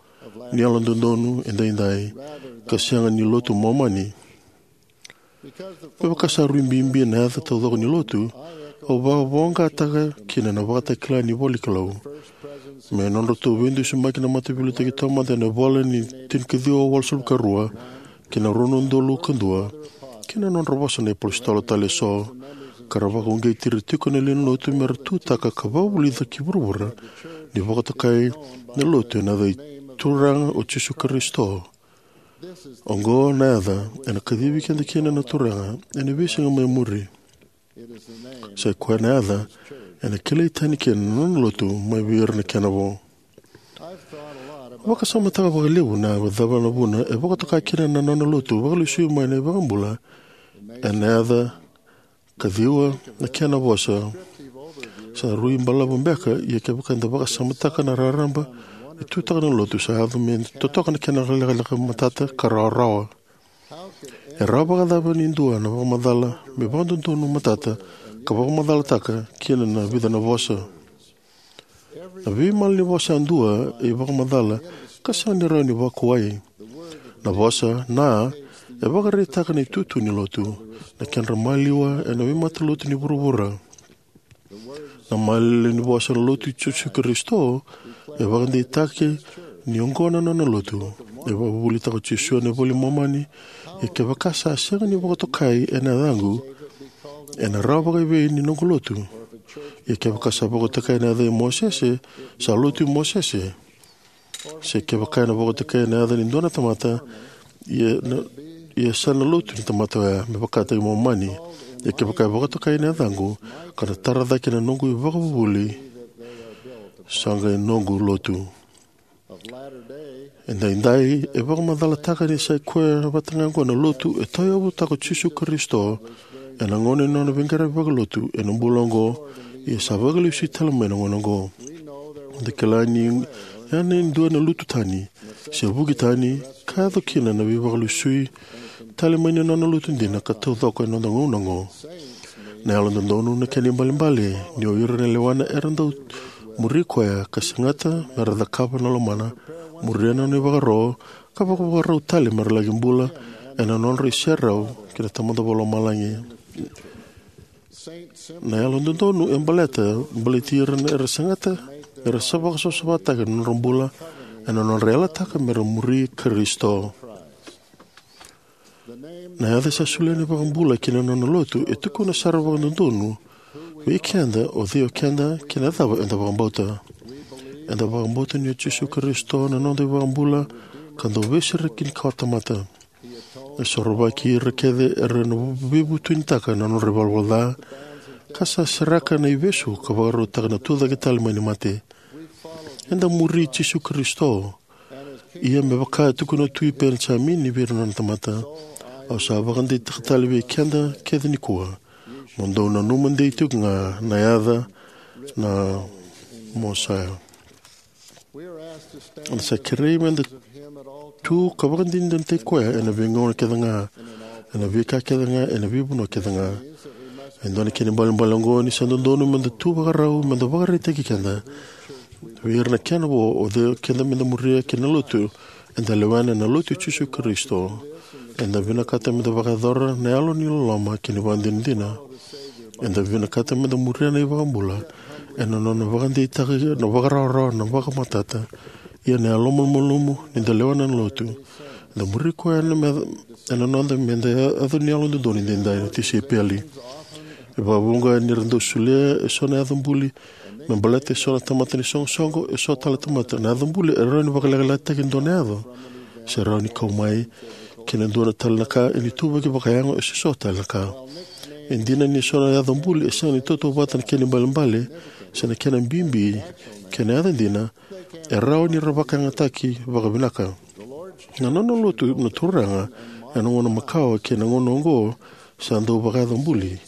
ni Yalododonu Edaidai, ka sega ni Lotu Momani. Me vaka sa rui bibi na yaca taucoko ni lotu, au vakavoqataka kina na Vakatakila ni iVola i Kalou, me nodratou veidusimaki na Mataveiliutaki Taumada ena ivola ni tinikaciwa walusagavulu ka rua kei na rua na udolu ka dua, kei na nodra vosa na iapositolo tale eso, ka ra vakauqeti ira tiko na lewe ni lotu me ra tutaka ka vakavulica ki vuravura ni vakatokai na lotu ena yaca i Turaga o Jisu Karisito. Oqo na yaca ena kacivi keda kina na Turaga ena veisiga mai muri. Sa i koya na yaca ena kilai tani kina na nona lotu mai vei ira na kena vo. Vakasamataka vakalevu na cava na vuna e vakatoka kina na nona lotu vakalesui mai na iVakabula ena yaca kaciwa na kena vosa. Sa rui balavu beka, ia kevaka eda vakasamataka na raraba e tutaka na lotu, sa yaco me totoka na kena lekaleka matata ka rawarawa. E rawa vakacava ni dua na vakamacala me vakadodonu matata ka vakamacalataka kina na vica na vosa? Na veimalanivosa yadua e ivakamacala ka sega ni rawa ni vakuwai. Na vosa na e vakaraitaka na itutu ni lotu, na kedra maliwa ena veimatalotu ni vuravura. Na malanivosa na Lotu i Jisu Karisito e vakadeitaki ni oqo na nona lotu. E vakavuvulitaka o Jisu ena iVola i Momani: Ia kevaka sa sega ni vakatokai ena yacaqu, ena rawa vakaevei ni noqu lotu? Ia kevaka sa vakatokai ena yaca i Mosese, sa lotu i Mosese. Se kevaka ena vakatokai ena yaca ni dua na tamata, ia, na, ia sa na lotu ni tamata oya, me vakataki Momani. Ia kevaka e vakatokai ena yacaqu, ka na tara cake na noqu ivakavuvuli, sa qai noqu lotu. Edaidai e vakamacalataka ni sa i koya vata ga oqo na lotu e tauyavutaka o Jisu Karisito ena gauna ni nona veiqaravi vakalotu ena bula oqo, ia sa vakalesui tale mai na gauna oqo. Eda kila ni ya na dua na lutu tani se vuki tani ka yaco kina na veivakalesui tale mai ni nona lotu dina ka taucoko ena noda gauna oqo. Na yalododonu na kena ibalebale ni o ira na lewana era dau muri koya ka segata me ra cakava na lomana, muria na nona ivakaro, ka vakavakarau tale me ra laki bula ena nodra iserau kei na Tamada Vakalomalagi. Na yalododonu e baleta, baleti ira era segata, era sa vakasavasavataka na nodra bula ena nodra yalataka me ra muri Karisito. Na yaca sa solia na iVakabula ki na nona lotu e tukuna sara vakadodonu vei keda o cei o keda kei na cava eda vakabauta. Eda vakabauta ni o Jisu Karisito na noda iVakabula ka dau veisereki ni kawatamata. E sorovaki ira kece era na veivutunitaka na nodra ivalavala ca, ka sa seraka na ivesu ka vakarautaka na tucake tale mai ni mate. Eda muri Jisu Karisito. Ia me vaka e tukuna tu i Penijamini vei ira na nona tamata, au sa vakadeitaka tale vei keda kece nikua, mo dou nanuma dei tiko ga na yaca na Mosaia. Eda sa kerei meda tu ka vakadinadinataki koya ena veigauna kece ga, ena veika kece ga, ena veivanua kece ga. E dua na kena ibalebale oqo ni sa dodonu meda tu vakarau meda vakaraitaki keda vei ira na kena vo o cei keda meda muria kei na lotu eda lewena, na Lotu i Jisu Karisito. Eda vinakata meda vakayacora na yalo ni loloma kei na vakadinadina. Eda vinakata meda muria na iVakabula ena nona vakadeitaka na vakarawarawa, na vakamatata, ia na yalomalumalumu ni da lewena na lotu. Eda muri koya ena me, ena noda meda yaco ni yalododonu edaidai na tisaipeli. E vakavuqa ni ra dau solia eso na yaca buli me baleta eso na tamata ni soqosoqo, eso tale na tamata. Na yaca buli e rawa ni vakalekalekataki e dua na yaca, se rawa ni kau mai kei na dua na tale na ka, e ni tuvaki vakayago eso tale na ka. E dina ni eso na yaca buli e sega ni tautauvata na kena ibalebale se na kena bibi kei na yaca dina, e rawa ni ra vakayagataki vakavinaka. Na nona lotu na Turaga ena gauna makawa kei na gauna oqo sa dau vakayaca buli.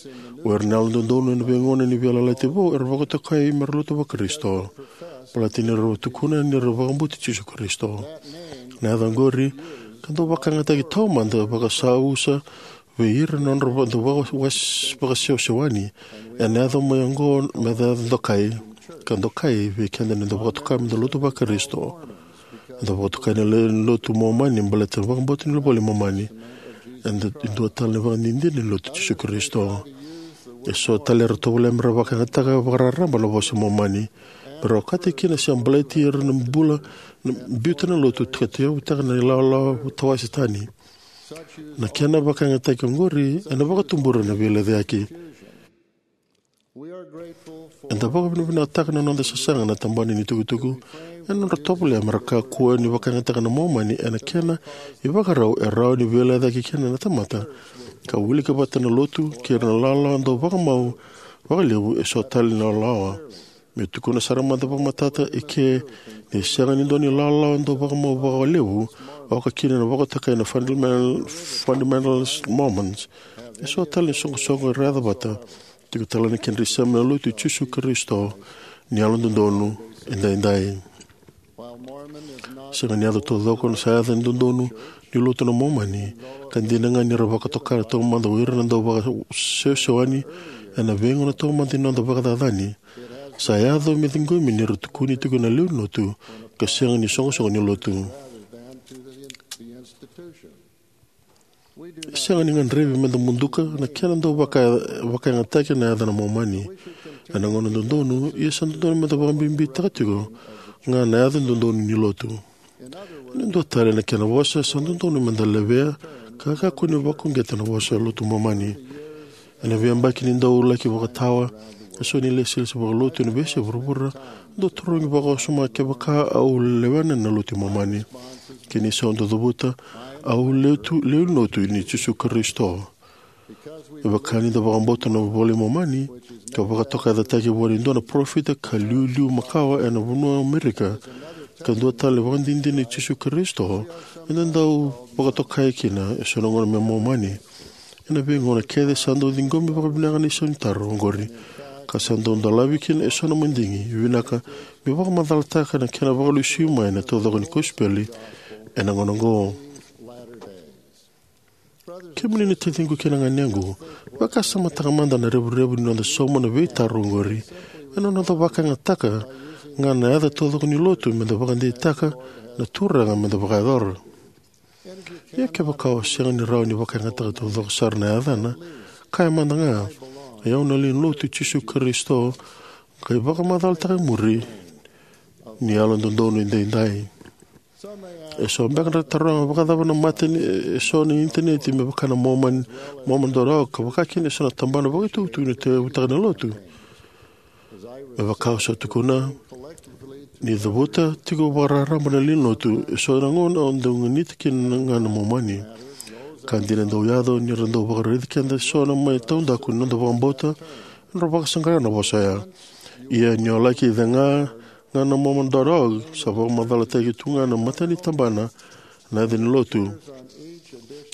O ira na yalododonu ena veigauna ni Veiyalayalati Vou era vakatokai me ra lotu vaKarisito, baleta ni ra tukuna ni ra vakabauti Jisu Karisito. Na yaca oqori ka dau vakayagataki taumada vakasavusa vei ira na nodra va-, dau vaka-, was-, vakasewasewani. Ena yaco mai oqo me yaca dokai, ka dokai vei keda ni da vakatoka me da lotu vaKarisito. Da vakatokai na le-, lotu Momani baleta na vakabauta ni iVola i Momani. Eda dua tale na vakadinadina ni Lotu i Jisu Karisito. Eso tale era tovolea me ra vakayagataka vakararaba na Vosa i Momani me ra okati kina se baleti ira na bula, na biuta na lotu ka tauyavutaka na ilawalawa tawase tani. Na kena vakayagataki oqori ena vakatubura na veilecayaki. Eda vakavinavinakataka na noda sasaga na tabana ni tukutuku ena nodra tovolea me ra kakua ni vakayagataka na Momani ena kena ivakarau e rawa ni veilecayaki kina na tamata, ka wilika vata na lotu kei ira na lawalawa dau vakamau vakalevu eso tale na lawalawa. Me tukuna sara mada vakamatata eke, ni sega ni dua na ilawalawa dau vakamau vakalevu, oka kina na vakatokai na fundamental, fundamentalist Mormons, eso tale na soqosoqo era yaca vata, tiko tale na kedra isema na Lotu i Jisu Karisito ni Yalododonu Edaidai. Sega ni yaco taucoko na sa yaca ni dodonu ni Lotu na Momani, ka dina ga ni ra vakatoka taumada o ira na dau vakasewasewani ena veigauna taumada ni noda vakacacani. Sa yaco me ciqomi ni ra tukuni tiko na lewe ni lotu ka sega ni soqosoqo ni lotu. E sega ni gadrevi me da muduka na kena dau vaka, vakayagataki na yaca na Momani ena gauna dodonu, ia sa dodonu me da vakabibitaka tiko ga na yaca dodonu ni lotu. Ena dua tale na kena vosa, sa dodonu me da levea ka kakua ni vakauqeta na vosa lotu Momani. Ena veiyabaki ni dau laki vakatawa eso na ilesilesi vakalotu ena veiyasai vuravura, dau tarogi vakawasoma kevaka au lewena na lotu Momani. Kena isau dau cavuta, au lewe ni lotu i Jisu Karisito. Me vaka ni da vakabauta na iVola i Momani, ka vakatokayacataki vua e dua na parofita ka iliuliu makawa ena vanua o Amerika, ka dua tale vakadinadina i Jisu Karisito, eda dau vakatokai kina eso na gauna me Momani. Ena veigauna kece sa dau ciqomi vakavinaka na isau ni taro oqori, ka sa dau dolavi kina eso na madigi vinaka me vakamacalataka na kena vakalesui mai na taucoko ni kosipeli ena gauna oqo. Kemuni na taciqu kei na ganequ, vakasamataka mada na revurevu ni noda sauma na veitaro oqori ena noda vakayagataka ga na yaca taucoko ni lotu me da vakadeitaka na Turaga me da vakayacora. Ia kevaka o sega ni rawa ni vakayagataka taucoko sara na yacana, kaya mada ga, "O au na lewe ni lotu i Jisu Karisito, qai vakamacalataka e muri ni Yalododonu Edaidai." Eso beka era taroga, "Vakacava na mata ni eso na initaneti me vaka na Mormon, Mormon dot org, ka vakakina eso na tabana vakaitukutuku ni tauyavutaka na lotu?" Me vaka au sa tukuna, ni cavuta tiko vakararaba na lewe ni lotu, eso na gauna au dau ganita kina ga na Momani. Ka dina dau yaco ni ra dau vakaraici keda eso na mai taudaku ni noda vakabauta, era vakasaqara na vosa oya. Ia ni o laki cega ga na Mormon dot org, sa vakamacalataki tu ga na mata ni tabana na yaca ni lotu.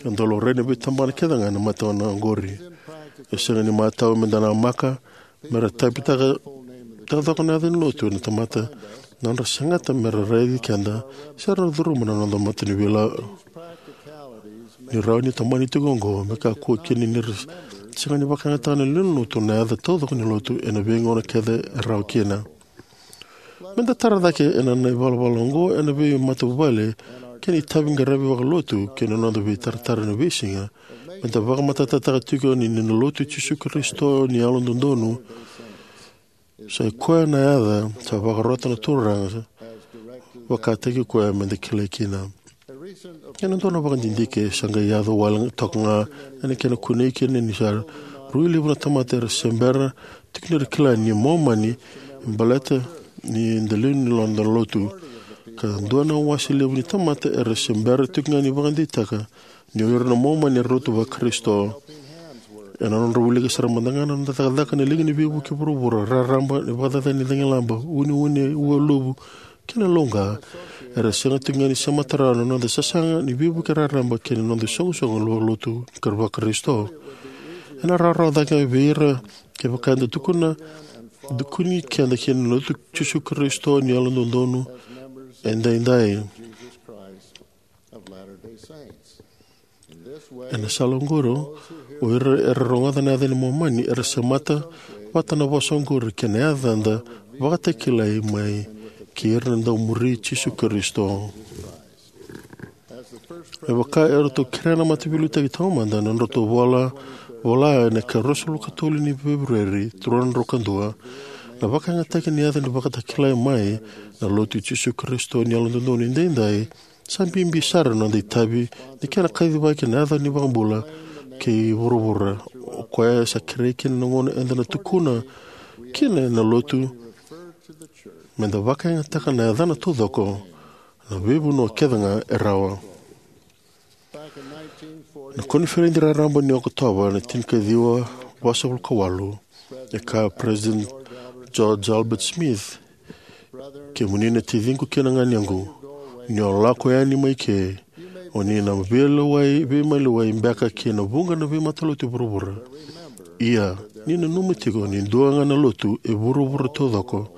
Ka dau laurai na veitabana kece ga na mata na oqori. E sega ni matau me da namaka me ra taipitaka taucoko na yaca ni lotu na tamata, na nodra segata me ra raici keda se ra na curuma na noda mata ni vila. Ni rawa ni tomani tiko oqo, me kakua kina ni ra sega ni vakayagataka na lewe ni lotu na yaca taucoko ni lotu ena veigauna kece e rawa kina. Me da tara cake ena, na ivalavala oqo ena veimatavuvale kei na itavi qaravi vakalotu kei na noda veitaratara ena veisiga, me da vakamatatataka tiko ni, ni na lotu i Jisu Karisito ni Yalododonu, sa i koya na yaca sa vakarota na Turaga, vakataki koya me da kilai kina. Ena dua na vakadidike sa qai yaco wale toka ga ena kena kunei kina ni sa rui levu na tamata era se bera tiko ni ra kila ni Momani e baleta ni da lewe ni noda lotu. Ka dua na wase levu ni tamata era se bera tiko ga ni vakadeitaka ni o ira na Momani era lotu vaKarisito. Ena nodra wilika sara mada ga na noda cakacaka na liga ni veivuke vuravura, raraba, na vakacacani ni cagilaba, uneune, ualuvu, kei na lauqa, era sega tiko ga ni semata rawa na noda sasaga ni veivuke raraba kei na noda isoqosoqo vakalotu ni kara vaKarisito. Ena rawarawa cake vei ira kevaka eda tukuna, tukuni keda kina na lotu i Jisu Karisito ni Yalododonu Edaidai. Ena sala oqori, o ira era rogoca na yaca ni Momani era semata vata na vosa oqori kei na yacada vakatakilai mai kei ira na dau muri Jisu Karisito. Me vaka eratou kerea na Mataveiliutaki Taumada na nodratou vola, vola ena ika ruasagavulu ka tolu ni Feperueri, rua na drau ka dua, na vakayagataki ni yaca ni vakatakilai mai na lotu i Jisu Karisito ni Yalododonu Edaidai, sa bibi sara na noda itavi ni kena kacivaki na yaca ni iVakabula kei vuravura. O koya sa kerei kina na gauna eda na tukuna kina na lotu me da vakayagataka na yacana taucoko na veivanua kece ga e rawa. Na koniferedi raraba ni Okotova na tinikaciwa vasagavulu ka walu, e kaya o President George Albert Smith, "Kemuni na taciqu kei na ganequ, ni o lako yani mai ke, o ni na veilewai, veimaliwai beka kei na vuqa na veimatalotu e vuravura. Ia, ni nanuma tiko ni dua ga na lotu e vuravura taucoko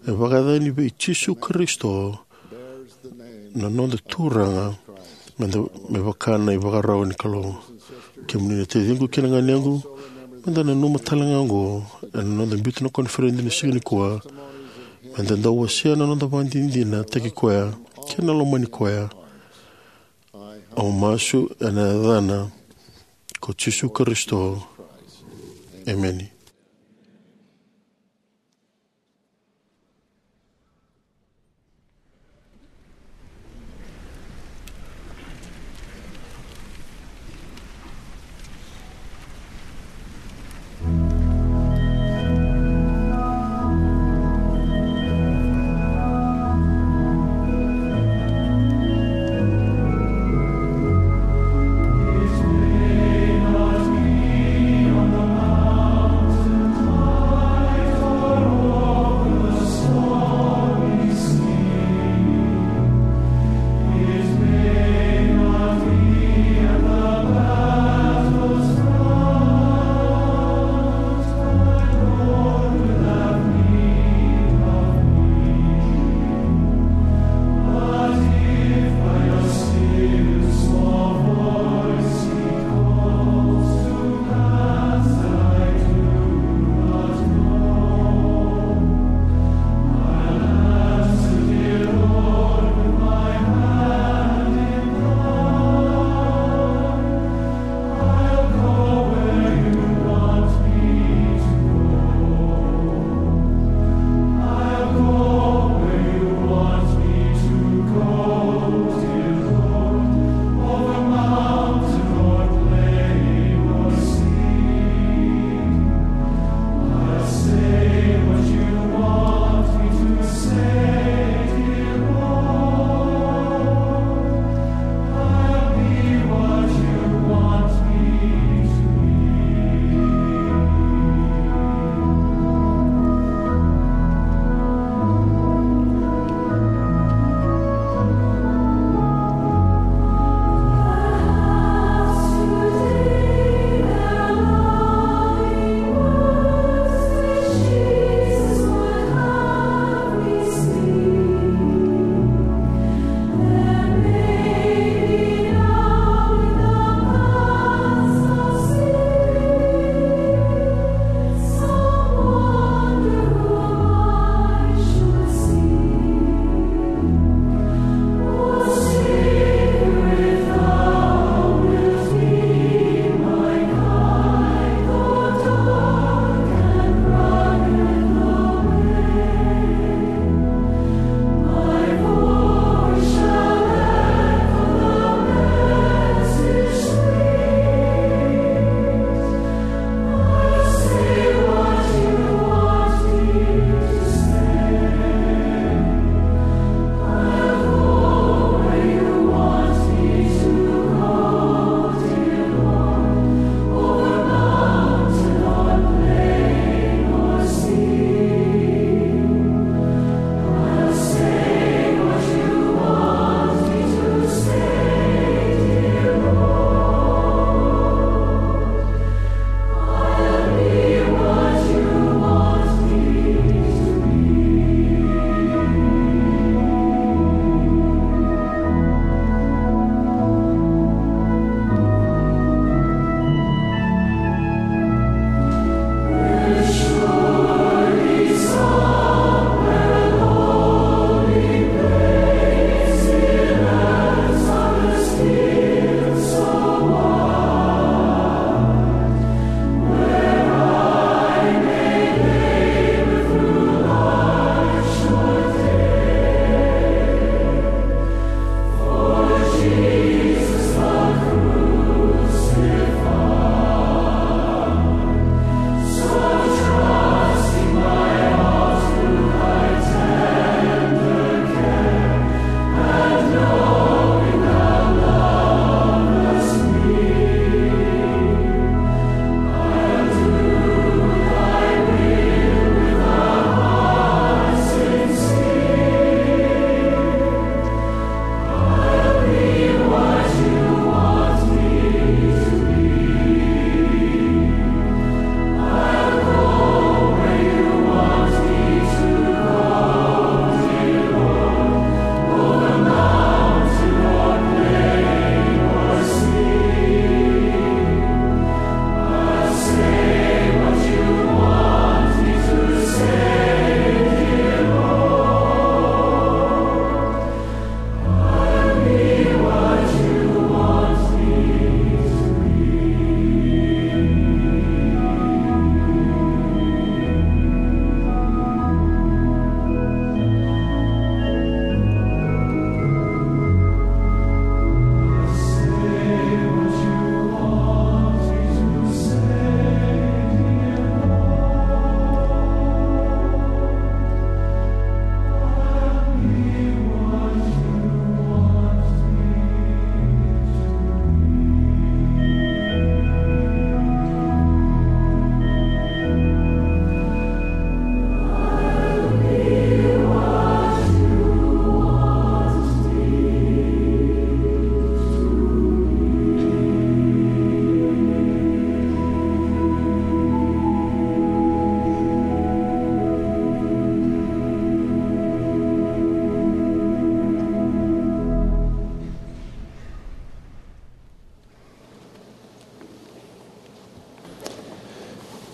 e vakayacani vei Jisu Karisito, na noda Turaga, me da, me vaka na ivakarau ni Kalou." Kemuni na taciqu kei na ganequ, Meda nanuma tale ga oqo ena noda biuta na koniferedi ena siga nikua, meda dau wasea na noda vakadinadinataki koya kei na lomani koya. Au masu ena yacana ko Jisu Karisito. Emeni.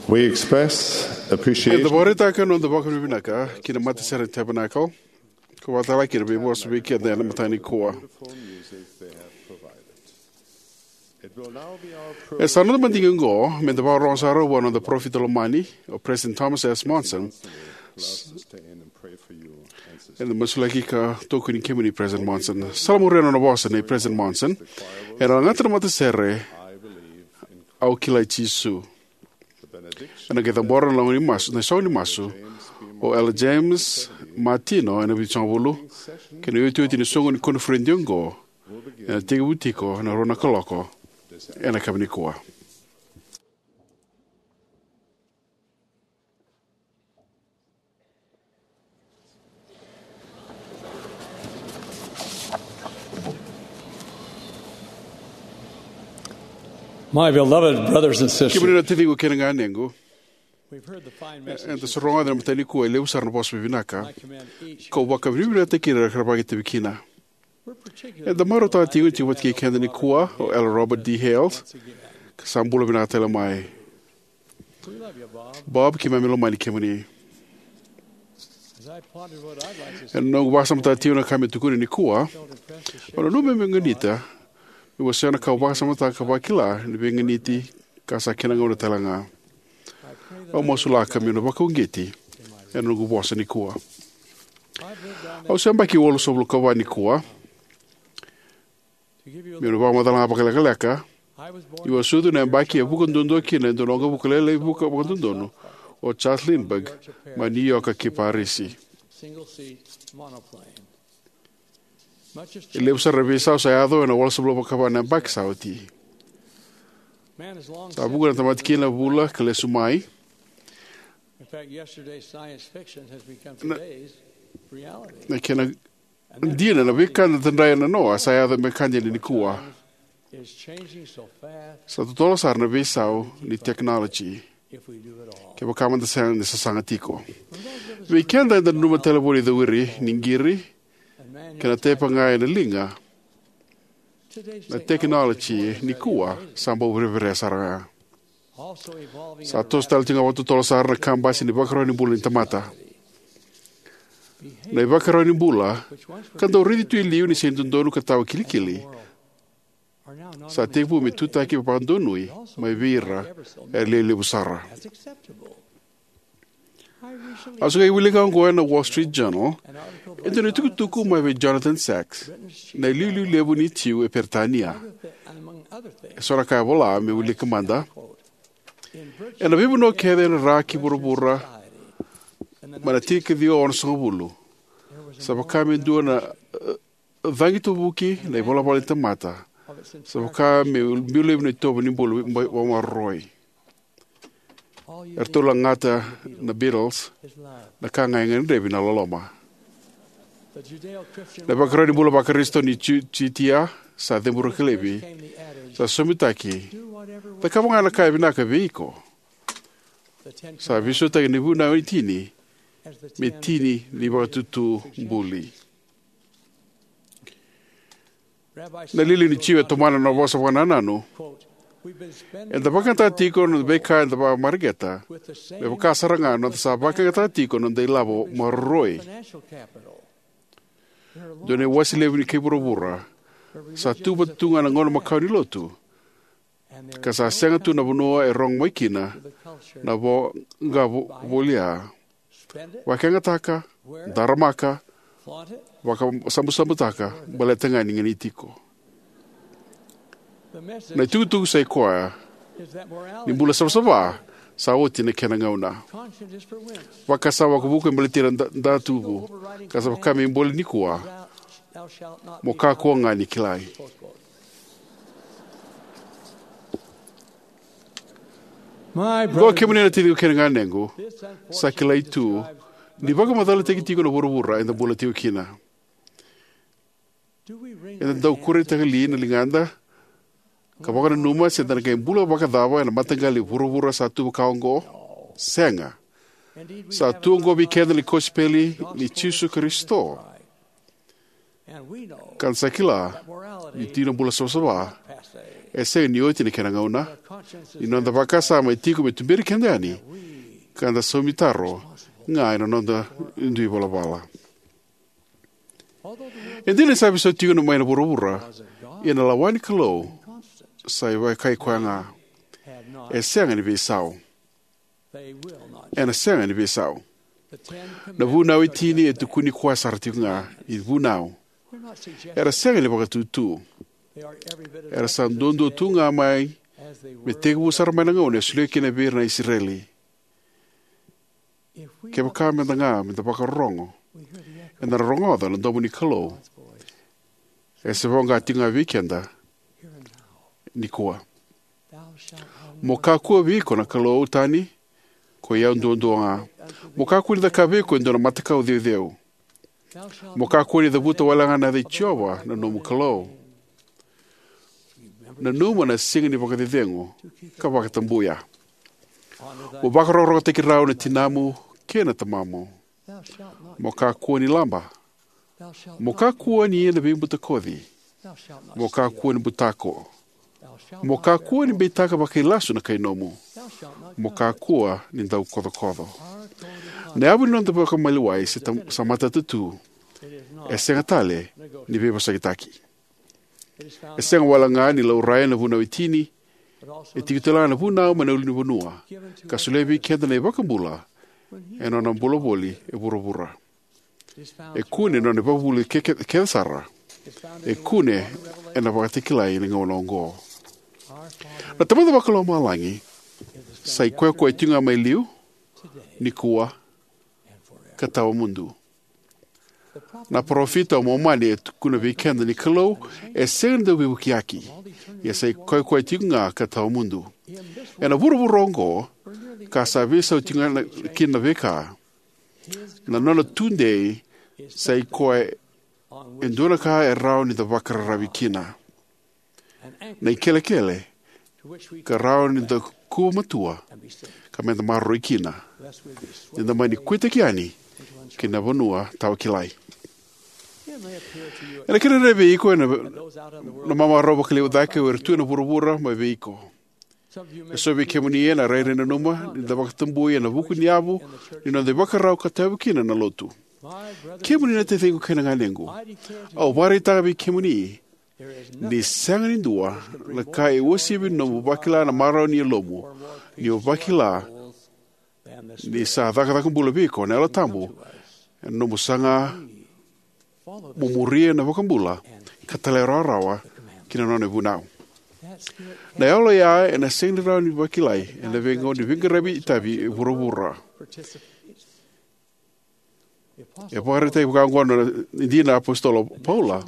We express appreciation. Eda vakaraitaka na noda vakavinavinaka ki na matasere ni Tabernacle, ka vakatalega kina na veivosa vei keda ena mataka nikua. E sa noda madigi oqo me da vakarorogo sara vua na noda parofita lomani, o President Thomas S. Monson, eda masulaki ka tokoni kemuni, President Monson. Sa la muria na nona vosa nei President Monson, ena lagata na matasere, Au Kilai Jisu. Ena qai cabora na lagoni masu, na isogo ni masu, o Elder James Martino ena vitusagavulu, kei na iotioti ni soqo ni koniferedi oqo ena tekivu tiko ena rua na kaloko ena yakavi nikua. My beloved brothers and sisters, kemuni na taciqu kei na ganequ, we've heard the fine message. Eda sa rogoca ena mataka nikua e levu sara na vosa vakavinaka, and I commend each kau vakavinavinakataki ira era vakaitavi kina. We're particularly delighted to have with us this morning. Eda marautaka tiko ni tiko vata kei keda nikua o Elder Robert D. Hales, ka sa bula vinaka tale mai. We love you, Bob. Bob, keimami lomani kemuni. As I ponder what I'd like to say, ena noqu vakasamataka tiko na ka me tukuni nikua, au nanuma meu ganita meu wasea na ka au vakasamataka ka vakila ni veiganiti ka sa kena gauna tale ga. Au masulaka meu na vakauqeti ena noqu vosa nikua. I've lived down there. Au se yabaki walusagavulu ka va nikua. Meu na vakamacala ga vakalekaleka, niu a sucu ena yabaki e vuka duadua kina e dua na waqavuka lailai vuka vakadodonu o Charles Lindbergh mai New York ki Parisi. E levu sara na veisau sa yaco ena walusagavulu ka va na yabaki sa oti. Sa vuqa na tamata kina, vula ka lesu mai. In fact, yesterday's science fiction has become today's reality. Na kena dina, na veika eda tadra ena noa sa yaco me ka dina nikua. Sa totolo sara na veisau ni technology, kevaka mada sega ni sasaga tiko. Vei keda eda nanuma tale vua na icawiri ni qiri kei na taipa ga ena liga, na technology nikua sa bau vereverea sara ga. Sa toso tale tiko ga vakatotolo sara na kabasi ni vakarau ni bula ni tamata. Na ivakarau ni bula ka dau raici tu e liu ni sega ni dodonu ka tawa kilikili, sa tekivu me tutaki vakadonui mai vei ira era lewe levu sara. Au sa qai wilika oqo ena Wall Street Journal e dua na itukutuku mai vei Jonathan Sacks, na iliuliu levu ni Jiu e Peritania. E so na ka e vola, me wilika mada. Ena veivanua kece ena ra ki vuravura mai na tinikaciwa onosagavulu, sa vaka me dua na, e, cagi tuvuki na ivalavala ni tamata. Sa vaka me biu laivi na itovo ni bula vakamaroroi. Eratou lagata na Beatles, na ka ga e gadrevi na loloma. Na ivakarau ni bula vaKarisito ni Ju-, Jutia sa ceburaki laivi, sa somitaki: Cakava ga na ka e vinaka vei iko. Sa veisautaki na vunau e tini me tini ni vakatutu buli. Na iliuliu ni Jiu e tomana na nona vosa vakanananu: Eda vakayagataka tiko na noda veika eda vakamareqeta, me vaka sara ga na noda sa vakayagataka tiko na noda ilavo maroroi. Dua na iwase levu ni kai vuravura, sa tu vata tu ga na gauna makawa ni lotu, ka sa sega tu na vanua e rogo mai kina na voqa vo-, volia. Vakayagataka, daramaka, vakasabusabutaka, baleta ga ni ganiti iko. Na itukutuku sa i koya ni bula savasava sa oti na kena gauna. Vakasama vakavuku e baleti ira na da-, datuvu, ka sa vaka me bole nikua: Mo kakua ga ni kilai. Qo, kemuni na taciqu kei na ganequ, sa kilai tu ni vakamacalataki tiko na vuravura eda bula tiko kina. Eda dau kureitaka li na ligada ka vakananuma se da na qai bula vakacava ena mataqali vuravura sa tu vaka oqo? Sega. Sa tu oqo vei keda na kosipeli ni Jisu Karisito. Ka da sa kila ni tiko na bula savasava E sega ni oti na kena gauna, ni noda vakasama e tiko me tuberi keda yani, ka da saumi taro ga ena noda dui valavala. E dina ni sa veisau tiko mai na vuravura, ia na lawa ni Kalou sa ivakataki koya ga. E sega ni veisau. Ena sega ni veisau. Na vunau e tini e tukuni koya sara tiko ga ni vunau. Era sega ni vakatutu. Era sa duadua tu ga mai me tekivu sara mai na gauna e solia kina vei ira na Isireli. Kevaka meda ga meda vakarorogo, eda na rogoca na domo ni Kalou e se voqa tiko ga vei keda nikua. Mo kakua vei iko na Kalou tani, ko i au duadua ga. Mo kakua ni cakava vei iko e dua na matakau ceuceu. Mo kakua ni cavuta wale ga na yaca i Jiova na nomu Kalou. Nanuma na siga ni vakacecegu ka vakatabuya. Mo vakarokorokotaki rau na tinamu kei na tamamu. Mo kakua ni laba. Mo kakua ni ia na veibutakoci. Mo kakua ni butako. Mo kakua ni beitaka vakailasu na kai nomu. Mo kakua ni dau kocokoco. Na yavu ni noda vakamaliwai se tam- sa matata tu. E sega tale ni veivosakitaki. E sega wale ga ni laurai na vunau e tini. E tiko tale ga na vunau mai na ulunivanua ka solia vei keda na iVakabula ena nona bula voli e vuravura. E kune ena nona ivakavuvuli ke- ke- kece sara. E kune ena Vakatakilai ena gauna oqo. Na Tamada Vakalomalagi sa i koya koya tiko ga mai liu, nikua, ka tawamudu. Na parofita o Momani e tukuna vei keda ni Kalou e sega ni dau veivukiyaki, ia sa i koya koya tiko ga ka tawamudu. Ena vuravura oqo ka sa veisau tiko ga na- kina na veika, na nona tudei sa i koya e dua na ka e rawa ni da vakararavi kina. Na ikelekele ka rawa ni da kuva matua ka meda maroroi kina, ni da mani kuitaki yani ki na vanua tawa kilai. Ena kena rairai vei iko ena na mamarau vakalevu cake o ira tu ena vuravura mai vei iko. E so vei kemuni ena rairai nanuma ni da vakatabui ena vuku ni yavu ni noda ivakarau ka tayavu kina na lotu. Kemuni na taciqu kei na ganequ, au vakaraitaka vei kemuni ni sega ni dua na ka e uasivi na nomu vakila na marau ni yalomu, ni o vakila ni sa cakacaka bula vei iko na Yalo Tabu ena nomu saga mo muria na iVakabula ka talairawarawa ki na nona ivunau. Na yalo oya ena sega ni rawa ni vakilai ena veigauna ni veiqaravi itavi e vuravura. E vakaraitaki vaka oqo na dina na apositolo o Paula: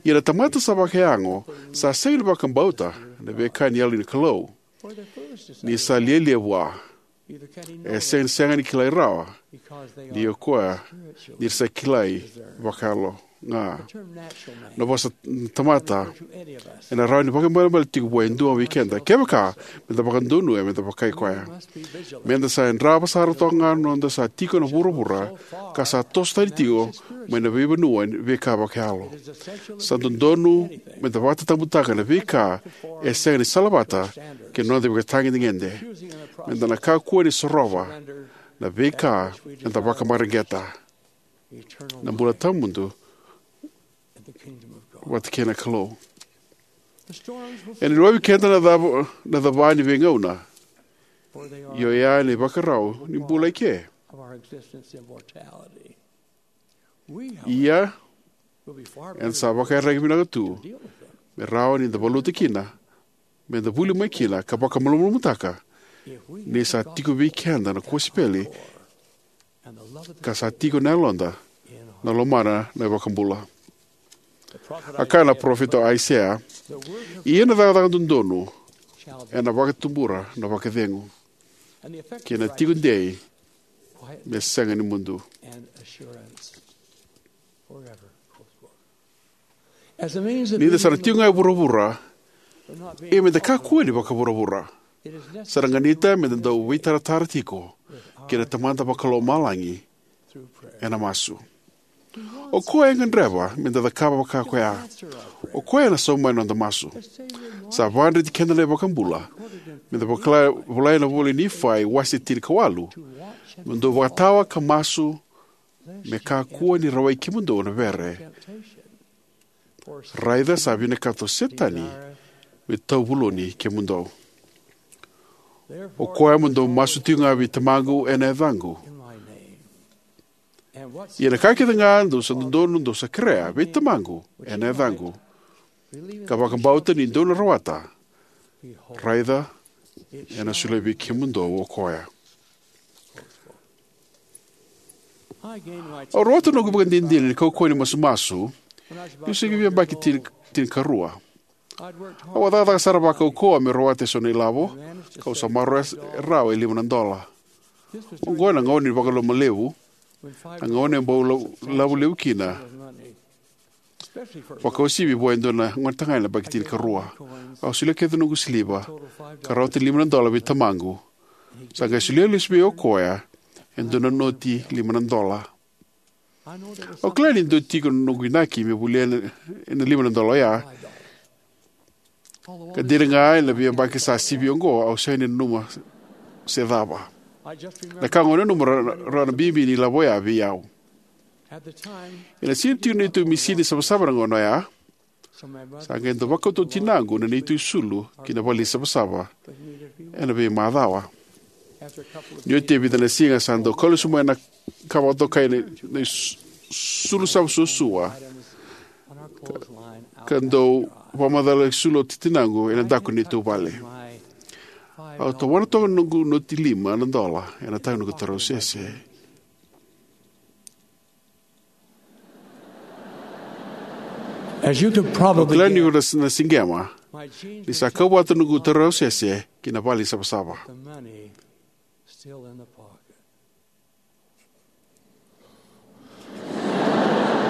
Ia na tamata sa vakayago sa sega ni vakabauta na veika ni Yalo ni Kalou, ni sa lialia vua, e sega ni sega ni kilai rawa, ni o koya ni ra sa kilai vakayalo ga. Na vosa tamata ena rawa ni vakaibalebale tiko vua e dua vei keda kevaka meda vakadonuya meda vaka o koya. Meda sa yadrava sara toka ga na noda sa tiko ena vuravura ka sa toso tani tiko mai na veivanua ni veika vakayalo. Sa dodonu meda vakatatabutaka na veika e sega ni salavata kei na noda ivakatagedegede. Meda na kakua ni sorova na veika eda vakamareqeta: na bula tawamudu vata kei na Kalou. Ena luvavi keda na cava, na cava ni veigauna, ia oya na ivakarau ni bula eke. Ia eda sa vakaiyaragi vinaka tu me rawa ni da valuta kina, meda vuli mai kina ka vakamalumalumutaka ni sa tiko vei keda na kosipeli ka sa tiko na yaloda na lomana na iVakabula. A kaya na parofita o Aisea: Ia na cakacaka dodonu ena vakatubura na vakacegu, kei na tiko dei me sega ni mudu. Ni da sa na tiko ga e vuravura, ia meda kakua ni vakavuravura. Sa na ganita meda dau veitaratara tiko kei na Tamada Vakalomalagi ena masu. O koya e gadreva meda cakava vaka koya. O koya ena sauma mai na noda masu. Sa vakadreti keda na iVakabula, me da vakala, volai na ivola i Nifai wase tinikawalu, mo dou vakatawa ka masu, me kakua ni rawai kemudou na vere. Raica sa vinakata o Setani me tauvuloni kemudou. O koya mo dou masu tiko ga vei Tamaqu ena yacaqu. Ia na ka kece ga dou sa dodonu dou sa kerea vei Tamaqu ena yacaqu, ka vakabauta ni dou na rawata, raica, ena solia vei kemudou o koya. Au rawata noqu ivakadinadina ni kaukauwa ni masumasu niu se qai via yabaki tini, tinikarua. Au a cakacaka sara vakaukauwa meu rawata eso na ilavo, kau sa maroroya rawa e lima na dola. Oqo ena gauna ni vakaloloma levu, na gauna e bau la, lavo levu kina, vakauasivi vua e dua na gonetagane na yabaki tinikarua. Au solia kece noqu siliva, ka rawata lima na dola vei tamaqu. Sa qai solia lesu vei au o koya e dua na noti lima na dola. Au kila ni dua tiko na noqu inaki me volia na, na lima na dola oya. Ka dina ga ena veiyabaki sa sivi oqo, au sega ni nanuma se cava. Na ka au nanuma ra, ra na bibi ni lavo oya vei au. Ena sega ni tiko na neitou misini savasava na gauna oya. Sa qai dau vakauta o tinaqu na neitou isulu ki na vale ni savasava ena veimacawa. Ni oti e vica na siga sa dau kau lesu mai na ka vakatokai na, na is-, isulu savasava suasua. Ka, ka dau vakamacala isulu o tinaqu ena daku ni neitou vale. Au tawana toka na noqu noti lima na dola ena taga ni noqu tarausese. As you could probably guess, na, na siqema ni sa kau vata noqu tarausese ki na vale ni savasava. The money still in the pocket.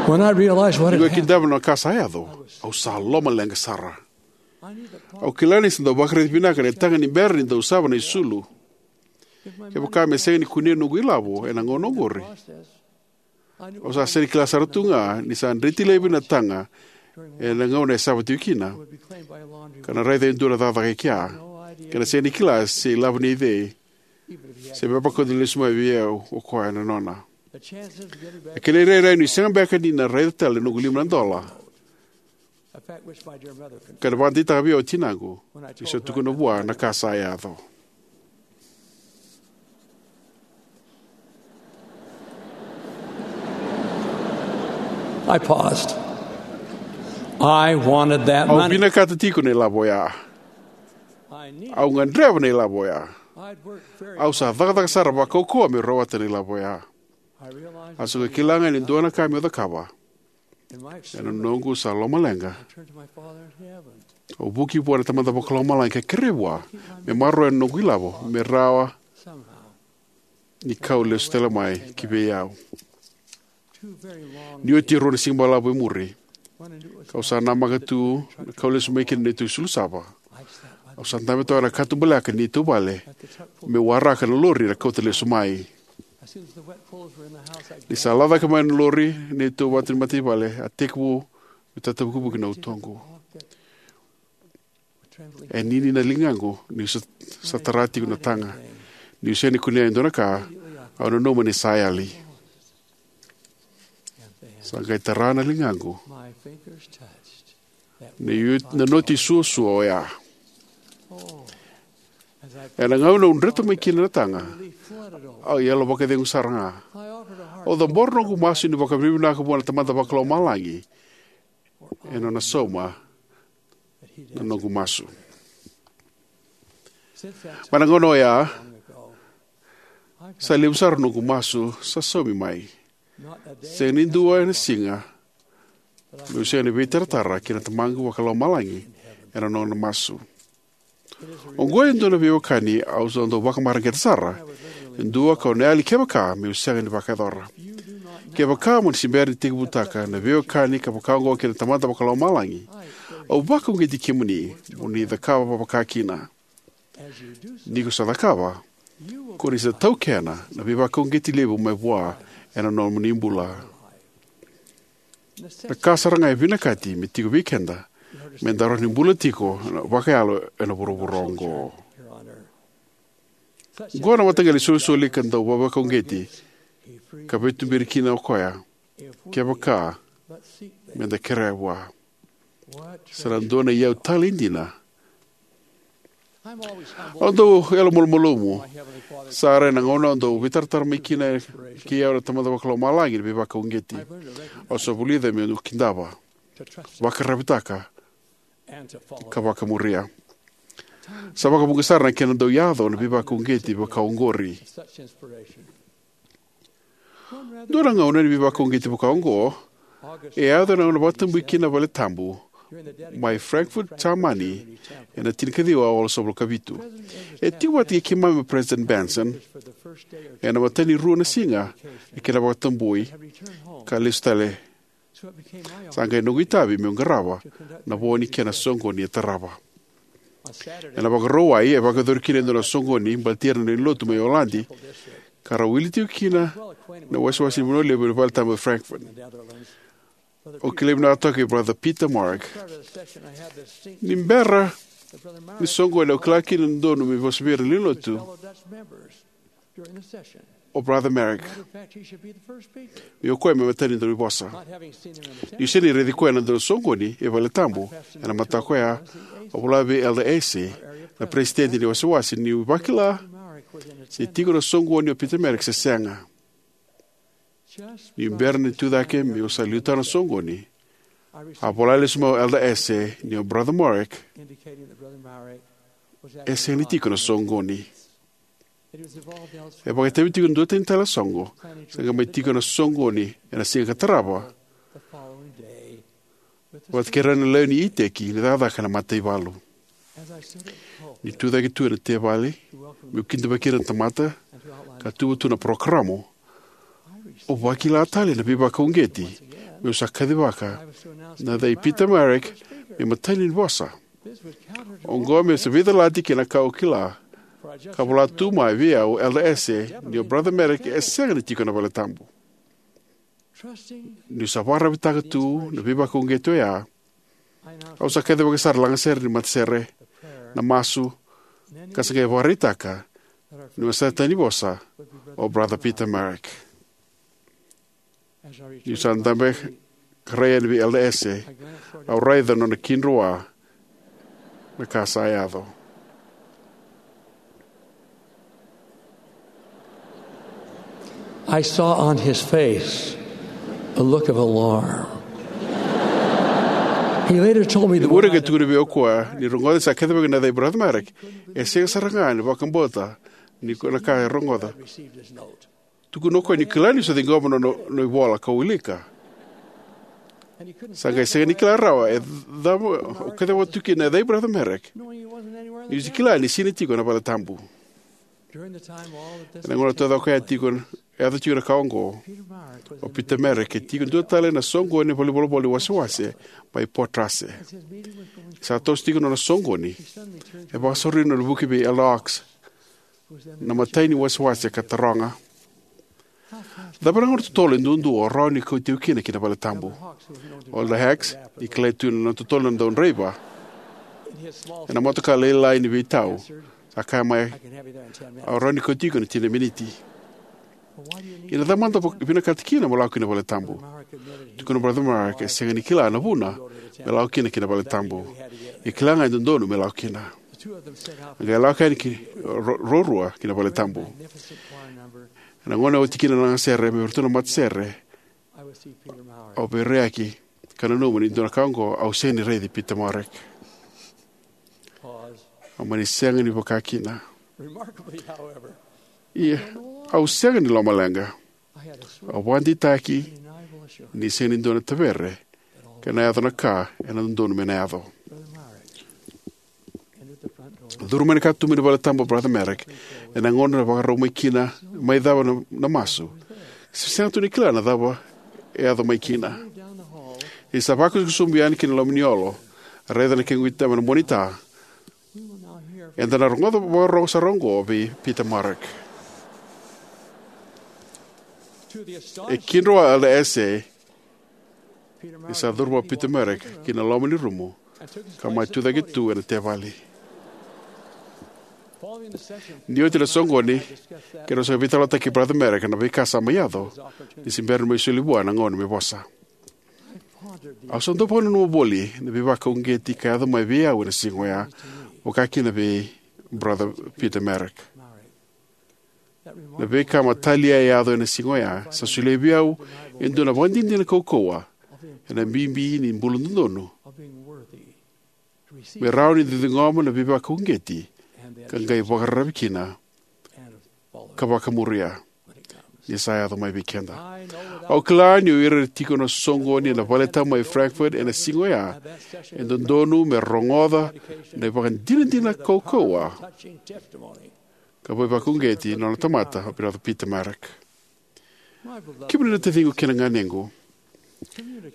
When I realized what had happened, niu kidava na ka sa yaco, au sa lomaleqa sara. Au kila ni sa dau vakaraici vinaka na taga ni bera ni dau sava na isulu. Kevaka me sega ni kunei noqu ilavo ena gauna oqori, au sa sega ni kila sara tu ga ni sa dreti laivi na taga ena gauna e sava tiko kina, ka na raica e dua na cakacaka e kea, ka na sega ni kila se ilavo nei cei, se me vakauta lesu mai vei au o koya na nona. Na kena irairai niu sega beka ni na raica tale na noqu lima na dola, ka na vakadeitaka vei au o tinaqu niu sa tukuna vua na ka sa yaco. I paused. I wanted that money. Au vinakata tiko na ilavo oya. Au gadreva na ilavo oya. Au sa cakacaka sara vakaukauwa meu rawata na ilavo oya. Au sa qai kila ga ni dua na ka meu cakava. Ena noqu sa lomaleqa, au vuki vua na Tamada Vakalomalagi ka kerei vua me maroroya na noqu ilavo me rawa ni kau lesu tale mai ki vei au. Ni oti e rua na siga balavu e muri, kau sa namaka tu na kau lesu mai kina na neitou isulu sava. Au sa dabe toka ena katubaleka ni neitou vale meu waraka na lori era kauta lesu mai. Ni sa lako cake mai na lori, neitou vatu ni matavuvale, a tekivu me tatavukivuki na utoqu. E nini na ligaqu niu sa, sa tara tiko na taga. Niu sega ni kunea e dua na ka, au nanuma ni sa yali. Sa qai tara na ligaqu na, na noti suasua oya. Ena gauna au dreta mai kina na taga, au yalo vakacegu sara ga. Au cabora noqu masu ni vakavinavinaka vua na Tamada Vakalomalagi ena nona sauma na noqu masu. Mai na gauna oya, sa levu sara noqu masu sa saumi mai. Sega ni dua na siga meu sega ni veitaratara kei na Tamaqu Vakalomalagi ena nona masu. Oqo e dua na veiwekani au sa dau vakamareqeta sara, e dua kau na yali kevaka meu sega ni vakayacora. Kevaka mo ni se bera ni tekivutaka na veiwekani ka vaka oqo kei na Tamada Vakalomalagi, au vakauqeti kemuni mo ni cakava vakakina. Ni ko sa cakava, ko ni sa taukena na veivakauqeti levu mai vua ena nomuni bula. Na ka sara ga e vinakati me tiko vei keda me da rawa ni bula tiko vakayalo ena vuravura oqo. Oqo na mataqali isolisoli ka dau vakauqeti ka veituberi kina o koya, kevaka me da kerea vua. Sa na dua na iyau talei dina. Au dau yalomalumalumu sara ena gauna au dau veitaratara mai kina kei au na Tamada Vakalomalagi ni veivakauqeti. Au sa vulica meu kidava, vakararavitaka, ka vakamuria. Sa vakavuqa sara na kena dau yaco na veivakauqeti vaka oqori. Dua na gauna ni veivakauqeti vaka oqo e yaco ena gauna vakatabui kina na valetabu mai Frankfurt, Jamani, ena tinikaciwa walusagavulu ka vitu. E tiko vata kei keimami o President Benson ena imatai ni rua na siga ni kena vakatabui ka lesu tale. Sa qai noqu itavi meu qarava na vo ni kena soqoni e tarava. Ena Vakarauwai e vakayacori kina e dua na soqoni baleti ira na lewe ni lotu mai Oladi, ka ra wili tiko kina na iwasewase ni vanua levu ena valetabu e Frankfurt. Au kilai vinaka toka i Brother Peter Mourik. Ni bera ni soqoni au kila kina e dodonu meu vosa vei ira na lewe ni lotu o Brother Mourik, ni o koya me imatai ni dau ni vosa. Niu sega ni raici koya ena dua na soqoni e valetabu ena mataka oya, au vola vei Elder Asay, na peresitedi ni iwasewase, niu vakila se tiko ena soqoni o Peter Mourik se sega. Niu bera ni tucake meu sa liutaka na soqoni, a vola lesu mai o Elder Asay ni o Brother Mourik e sega ni tiko ena soqoni. E vakaitavi tiko e dua tani tale na soqo, sa qai mai tiko ena soqoni ena siga ka tarava, vata kei ira na lewe ni iteki ni cakacaka ena mataivalu. Niu tucake tu ena teveli meu kidavaki ira na tamata ka tuva tu na parokaramu, au vakila tale na veivakauqeti meu sa kacivaka na yaca i Peter Mourik me imatai ni vosa. Oqo me sa veicalati kei na ka au kila, ka vola tu mai vei au o Elder Asay ni o Brother Mourik e sega ni tiko ena valetabu. Niu sa vakararavitaka tu na veivakauqeti oya, au sa kacivaka sara na lagasere ni matasere, na masu, ka sa qai vakaraitaka ni o sa tani vosa o Brother Peter Mourik. Niu sa dabe ka rai yani vei Elder Asay, au raica na nona kidroa na ka sa yaco. I saw on his face a look of alarm. He later told me the Ure word ke tukuna vei au koya ni rogoca sa kece vaka na yaca i Brother Mourik, e sega sara ga ni vakabauta ni ko na ka e rogoca. Tukuna o koya ni kila ni sa ciqoma na nona ivola ka wilika. Sa qai sega ni kila rawa e cava o kacivaka tu kina na yaca i Brother Mourik, niu sa kila ni sega ni tiko ena valetabu. Ena gauna taucoko ya tiko, e yaco tiko na ka oqo, o Peter Mourik e tiko dua tale ena soqoni ni valenivolavola ni wasewase mai Port Rase. Sa toso tiko na nona soqoni, e vakasauri na nona vuki vei Elder Hawkes, na imatai ni wasewase, ka taroga, cava na gauna totolo e duadua o rawa ni kauti au kina ki na valetabu? O Elder Hawkes, ni kilai tu na nona totolo na daudraiva ena motoka lailai ni veitau, sa kaya mai, au rawa ni kauti iko ena tini na miniti. Ia na cava mada o vinakata kina mo lako ki na valetabu? Tukuna o Brother Mourik e sega ni kila na vuna me lako kina ki na valetabu. E kila ga e dodonu me lako kina. A qai lako yani ki ro- ruarua ki na valetabu. Ena gauna e oti kina na lagasere mai vei iratou na matasere, au veiraiyaki ka nanuma ni dua na ka oqo au sega ni raici Peter Mourik. Au mani sega ni vaka kina. Ia, au sega ni lomaleqa. Au vakadeitaki ni sega ni dua na tavere ka na yaco na ka ena dodonu me na yaco. Curu mai na katuba ni valetabu o Brother Mourik ena gauna e vakarau mai kina, mai cava na, na masu. Se sega tu ni kila na cava e yaco mai kina. Ni sa vakusakusa sobu yani ki na loma ni olo, raica na kequ itaba na monita. Eda na rogoca vakarorogo sara oqo vei Peter Mourik. E kidroa Elder Asay ni sa curu mai o Peter Mourik ki na loma ni rumu ka mai tucake tu ena tevali. Ni oti na soqoni, keirau sa veitalanoataka kei Brother Merrick na veika sa mai yaco ni se bera ni mai soli vua na gauna me vosa. Au sa dau vakananuma voli na veivakauqeti ka yaco mai vei au ena siga oya, vaka kina vei Brother Peter Merrick. Na veika matalia e yaco ena siga oya sa solia vei au e dua na vakadinadina kaukauwa ena bibi ni bula dodonu, me rawa ni da ciqoma na veivakauqeti ka qai vakararavi kina ka vakamuria ni sa yaco mai vei keda. Au kila ni o ira era tiko na soqoni ena valetabu mai Frankfurt ena siga oya e dodonu me rogoca na ivakadinadina kaukauwa ka veivakauqeti na nona tamata o Brother Peter Merrick. Kemuni na taciqu kei na ganequ,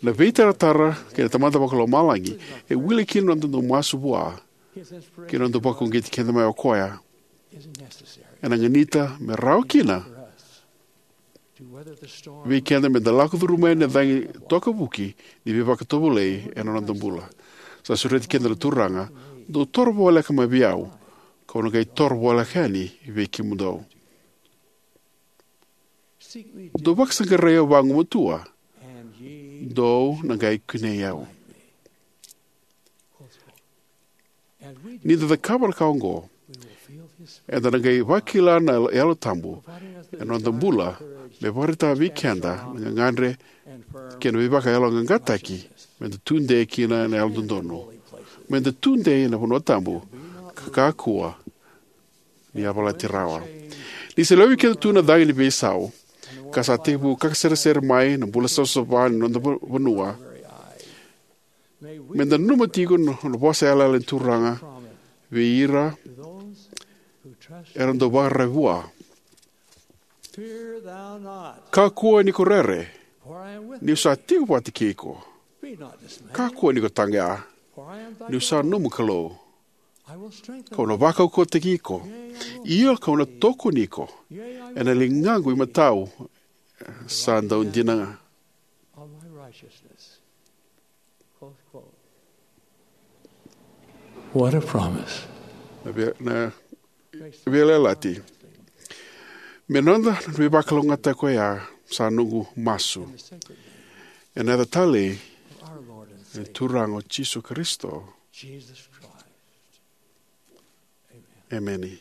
na veitaratara kei na Tamada Vakalomalagi e wili kina na noda dau masu vua kei na noda vakauqeti keda mai o koya. Ena ganita me rawa kina vei keda me da lako curuma yani na cagi tokavuki ni veivakatovolei ena noda bula. Sa sureti keda na Turaga, dou toro voleka mai vei au, kau na qai toro voleka yani vei kemudou. Dou vakasaqarai au vagumatua, dou na qai kunei au. Ni da cakava na ka oqo, eda na qai vakila na Yalo Tabu ena noda bula me vakaraitaka vei keda na gagadre kei na veivakayaloqaqataki me da tudei kina ena yalododonu, me da tudei ena vanua tabu, ka kakua ni yavalati rawa. Ni sa lewe vei keda tu na cagi ni veisau ka sa tekivu kakaseresere mai na bula savasava ni noda va-, vanua, me da nanuma tiko na, na vosa yalayala ni Turaga vei ira era dau vakararavi vua. Kakua ni ko rere, niu sa tiko vata kei iko. Kakua ni ko taqeya, niu sa nomu Kalou. Kau na vakaukauwataki iko, io kau na tokoni iko ena ligaqu imatau sa dau dina ga. What a promise. Na vei-, na veiyalayalati. Me noda na veivakalougatataki oya sa noqu masu ena yaca talei ni Turaga o Jisu Karisito. Emeni.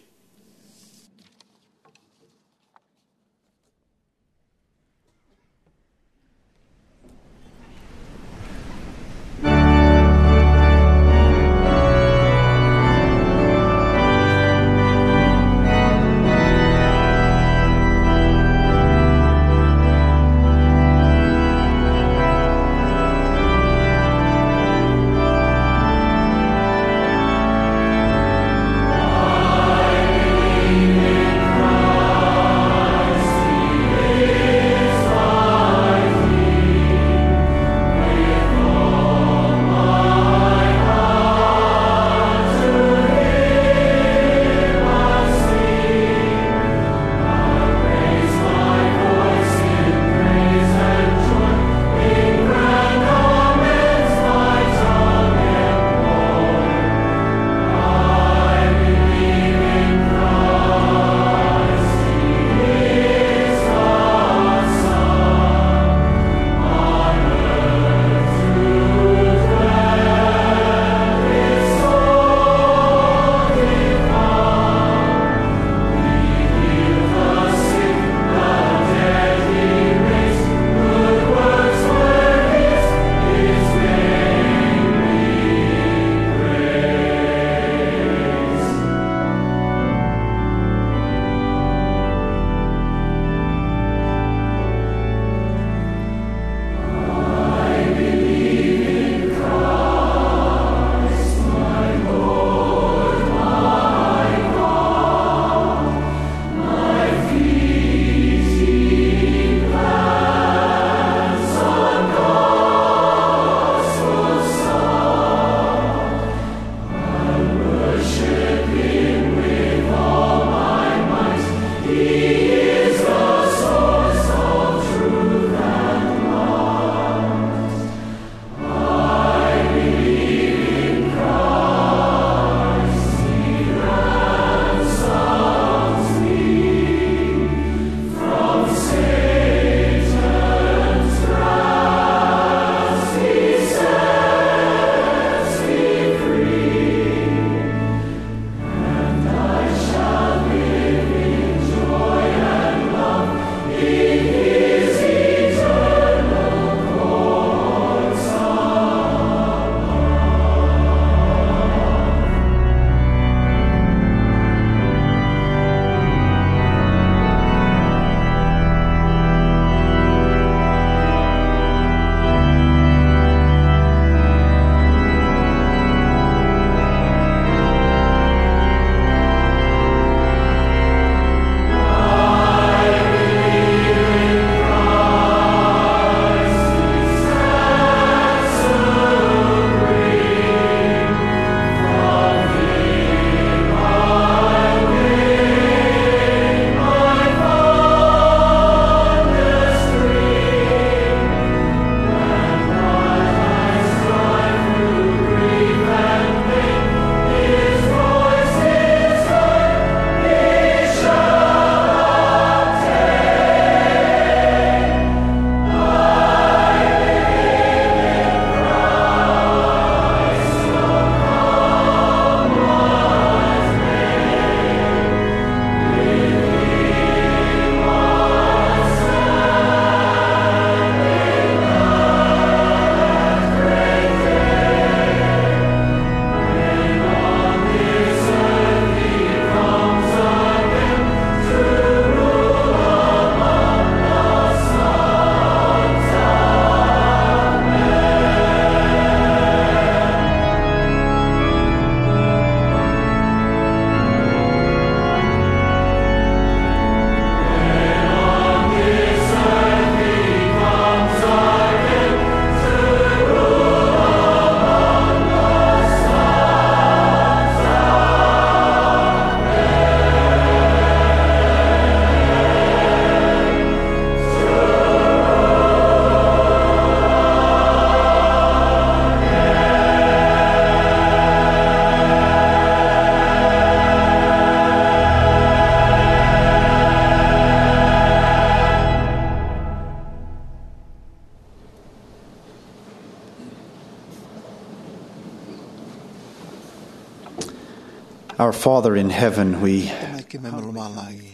Our Father in heaven, we Tamai keimami lomalagi,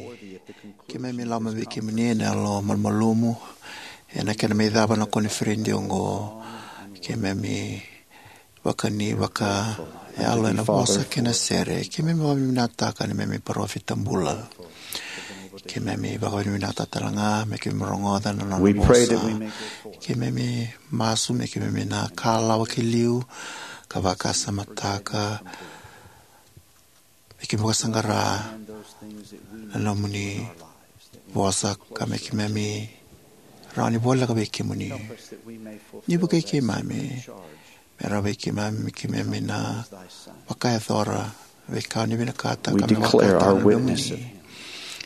keimami lako mai vei kemuni ena yalo malumalumu ena kena mai cava na koniferedi oqo. Keimami vakani vakayalo ena vosa kei na sere. Keimami vakavinavinakataka na neimami parofita bula. Keimami vakavinavinakataka tale ga me keimami rogoca na nona We pray vosa. That we may go forth. Keimami masu me keimami na kalawa ki liu ka vakasamataka, me keimami vakasaqara na nomuni vosa ka me keimami rawa ni voleka vei kemuni. Ni vukei keimami, me rawa vei keimami, me keimami na vakayacora veika o ni vinakata We ka me declare vakayacora our na witness. Nomuni.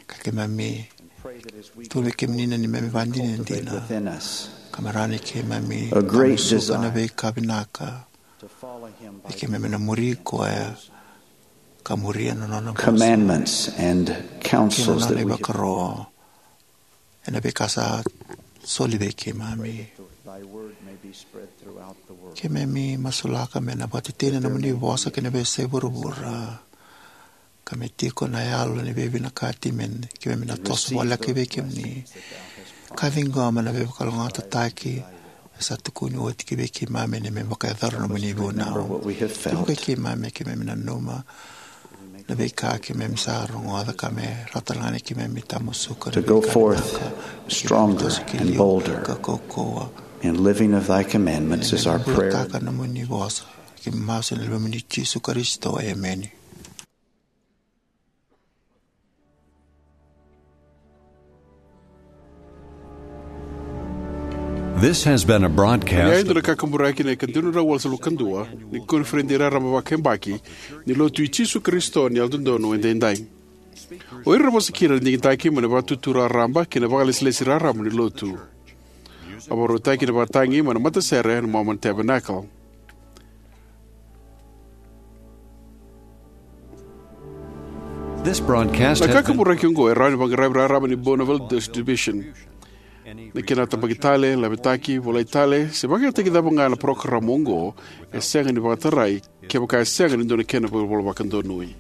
Ka keimami tu vei kemuni na neimami vakadinadina. Within us. Ka me rawa ni keimami A great tamusuka na desire. Veika vinaka. E keimami na muri koya ka muria na nona vosa. Commandments and counsels that we have. Kei na nona ivakaro ena veika sa soli vei keimami. Keimami masulaka me na vakatetei na nomuni vosa kei na veiyasai vuravura. Ka me tiko na yalo ni veivinakati me keimami na toso voleka vei kemuni. Ka ciqoma na veivakalougatataki e sa tukuni oti ki vei keimami ena neimami vakayacora na nomuni vunau. What we have felt. Vukei keimami, keimami nanuma na veika keimami sa rogoca ka me rawa tale ga ni keimami tamusuka na veika vinaka. To go forth stronger and bolder. Ka kaukauwa. In living of thy commandments is our prayer. Keimami bulataka na nomuni vosa. Keimami masu ena yacamuni Jisu Karisito. Emeni. This has been a broadcast. Ia, e dua na kakaburaki na ika dua na drau walusagavulu ka dua ni koniferedi raraba vakayabaki ni Lotu i Jisu Karisito ni Yalododonu Edaidai. O ira era vosa kina era digitaki mai na Vakaitutu Raraba kei na Vakalesilesi Raraba ni Lotu. A vakarautaki ena ivakatagi mai na matasere na Mormon Tabernacle. This broadcast Na has been kakaburaki oqo e rawa ni vaqaravi raraba ni Bonneville Distribution. Na kena tabaki tale, lavetaki, volai tale, se vakayagataki cava ga na parokaramu oqo, e sega ni vakatarai kevaka e sega ni dua na kena volavola vakadonui.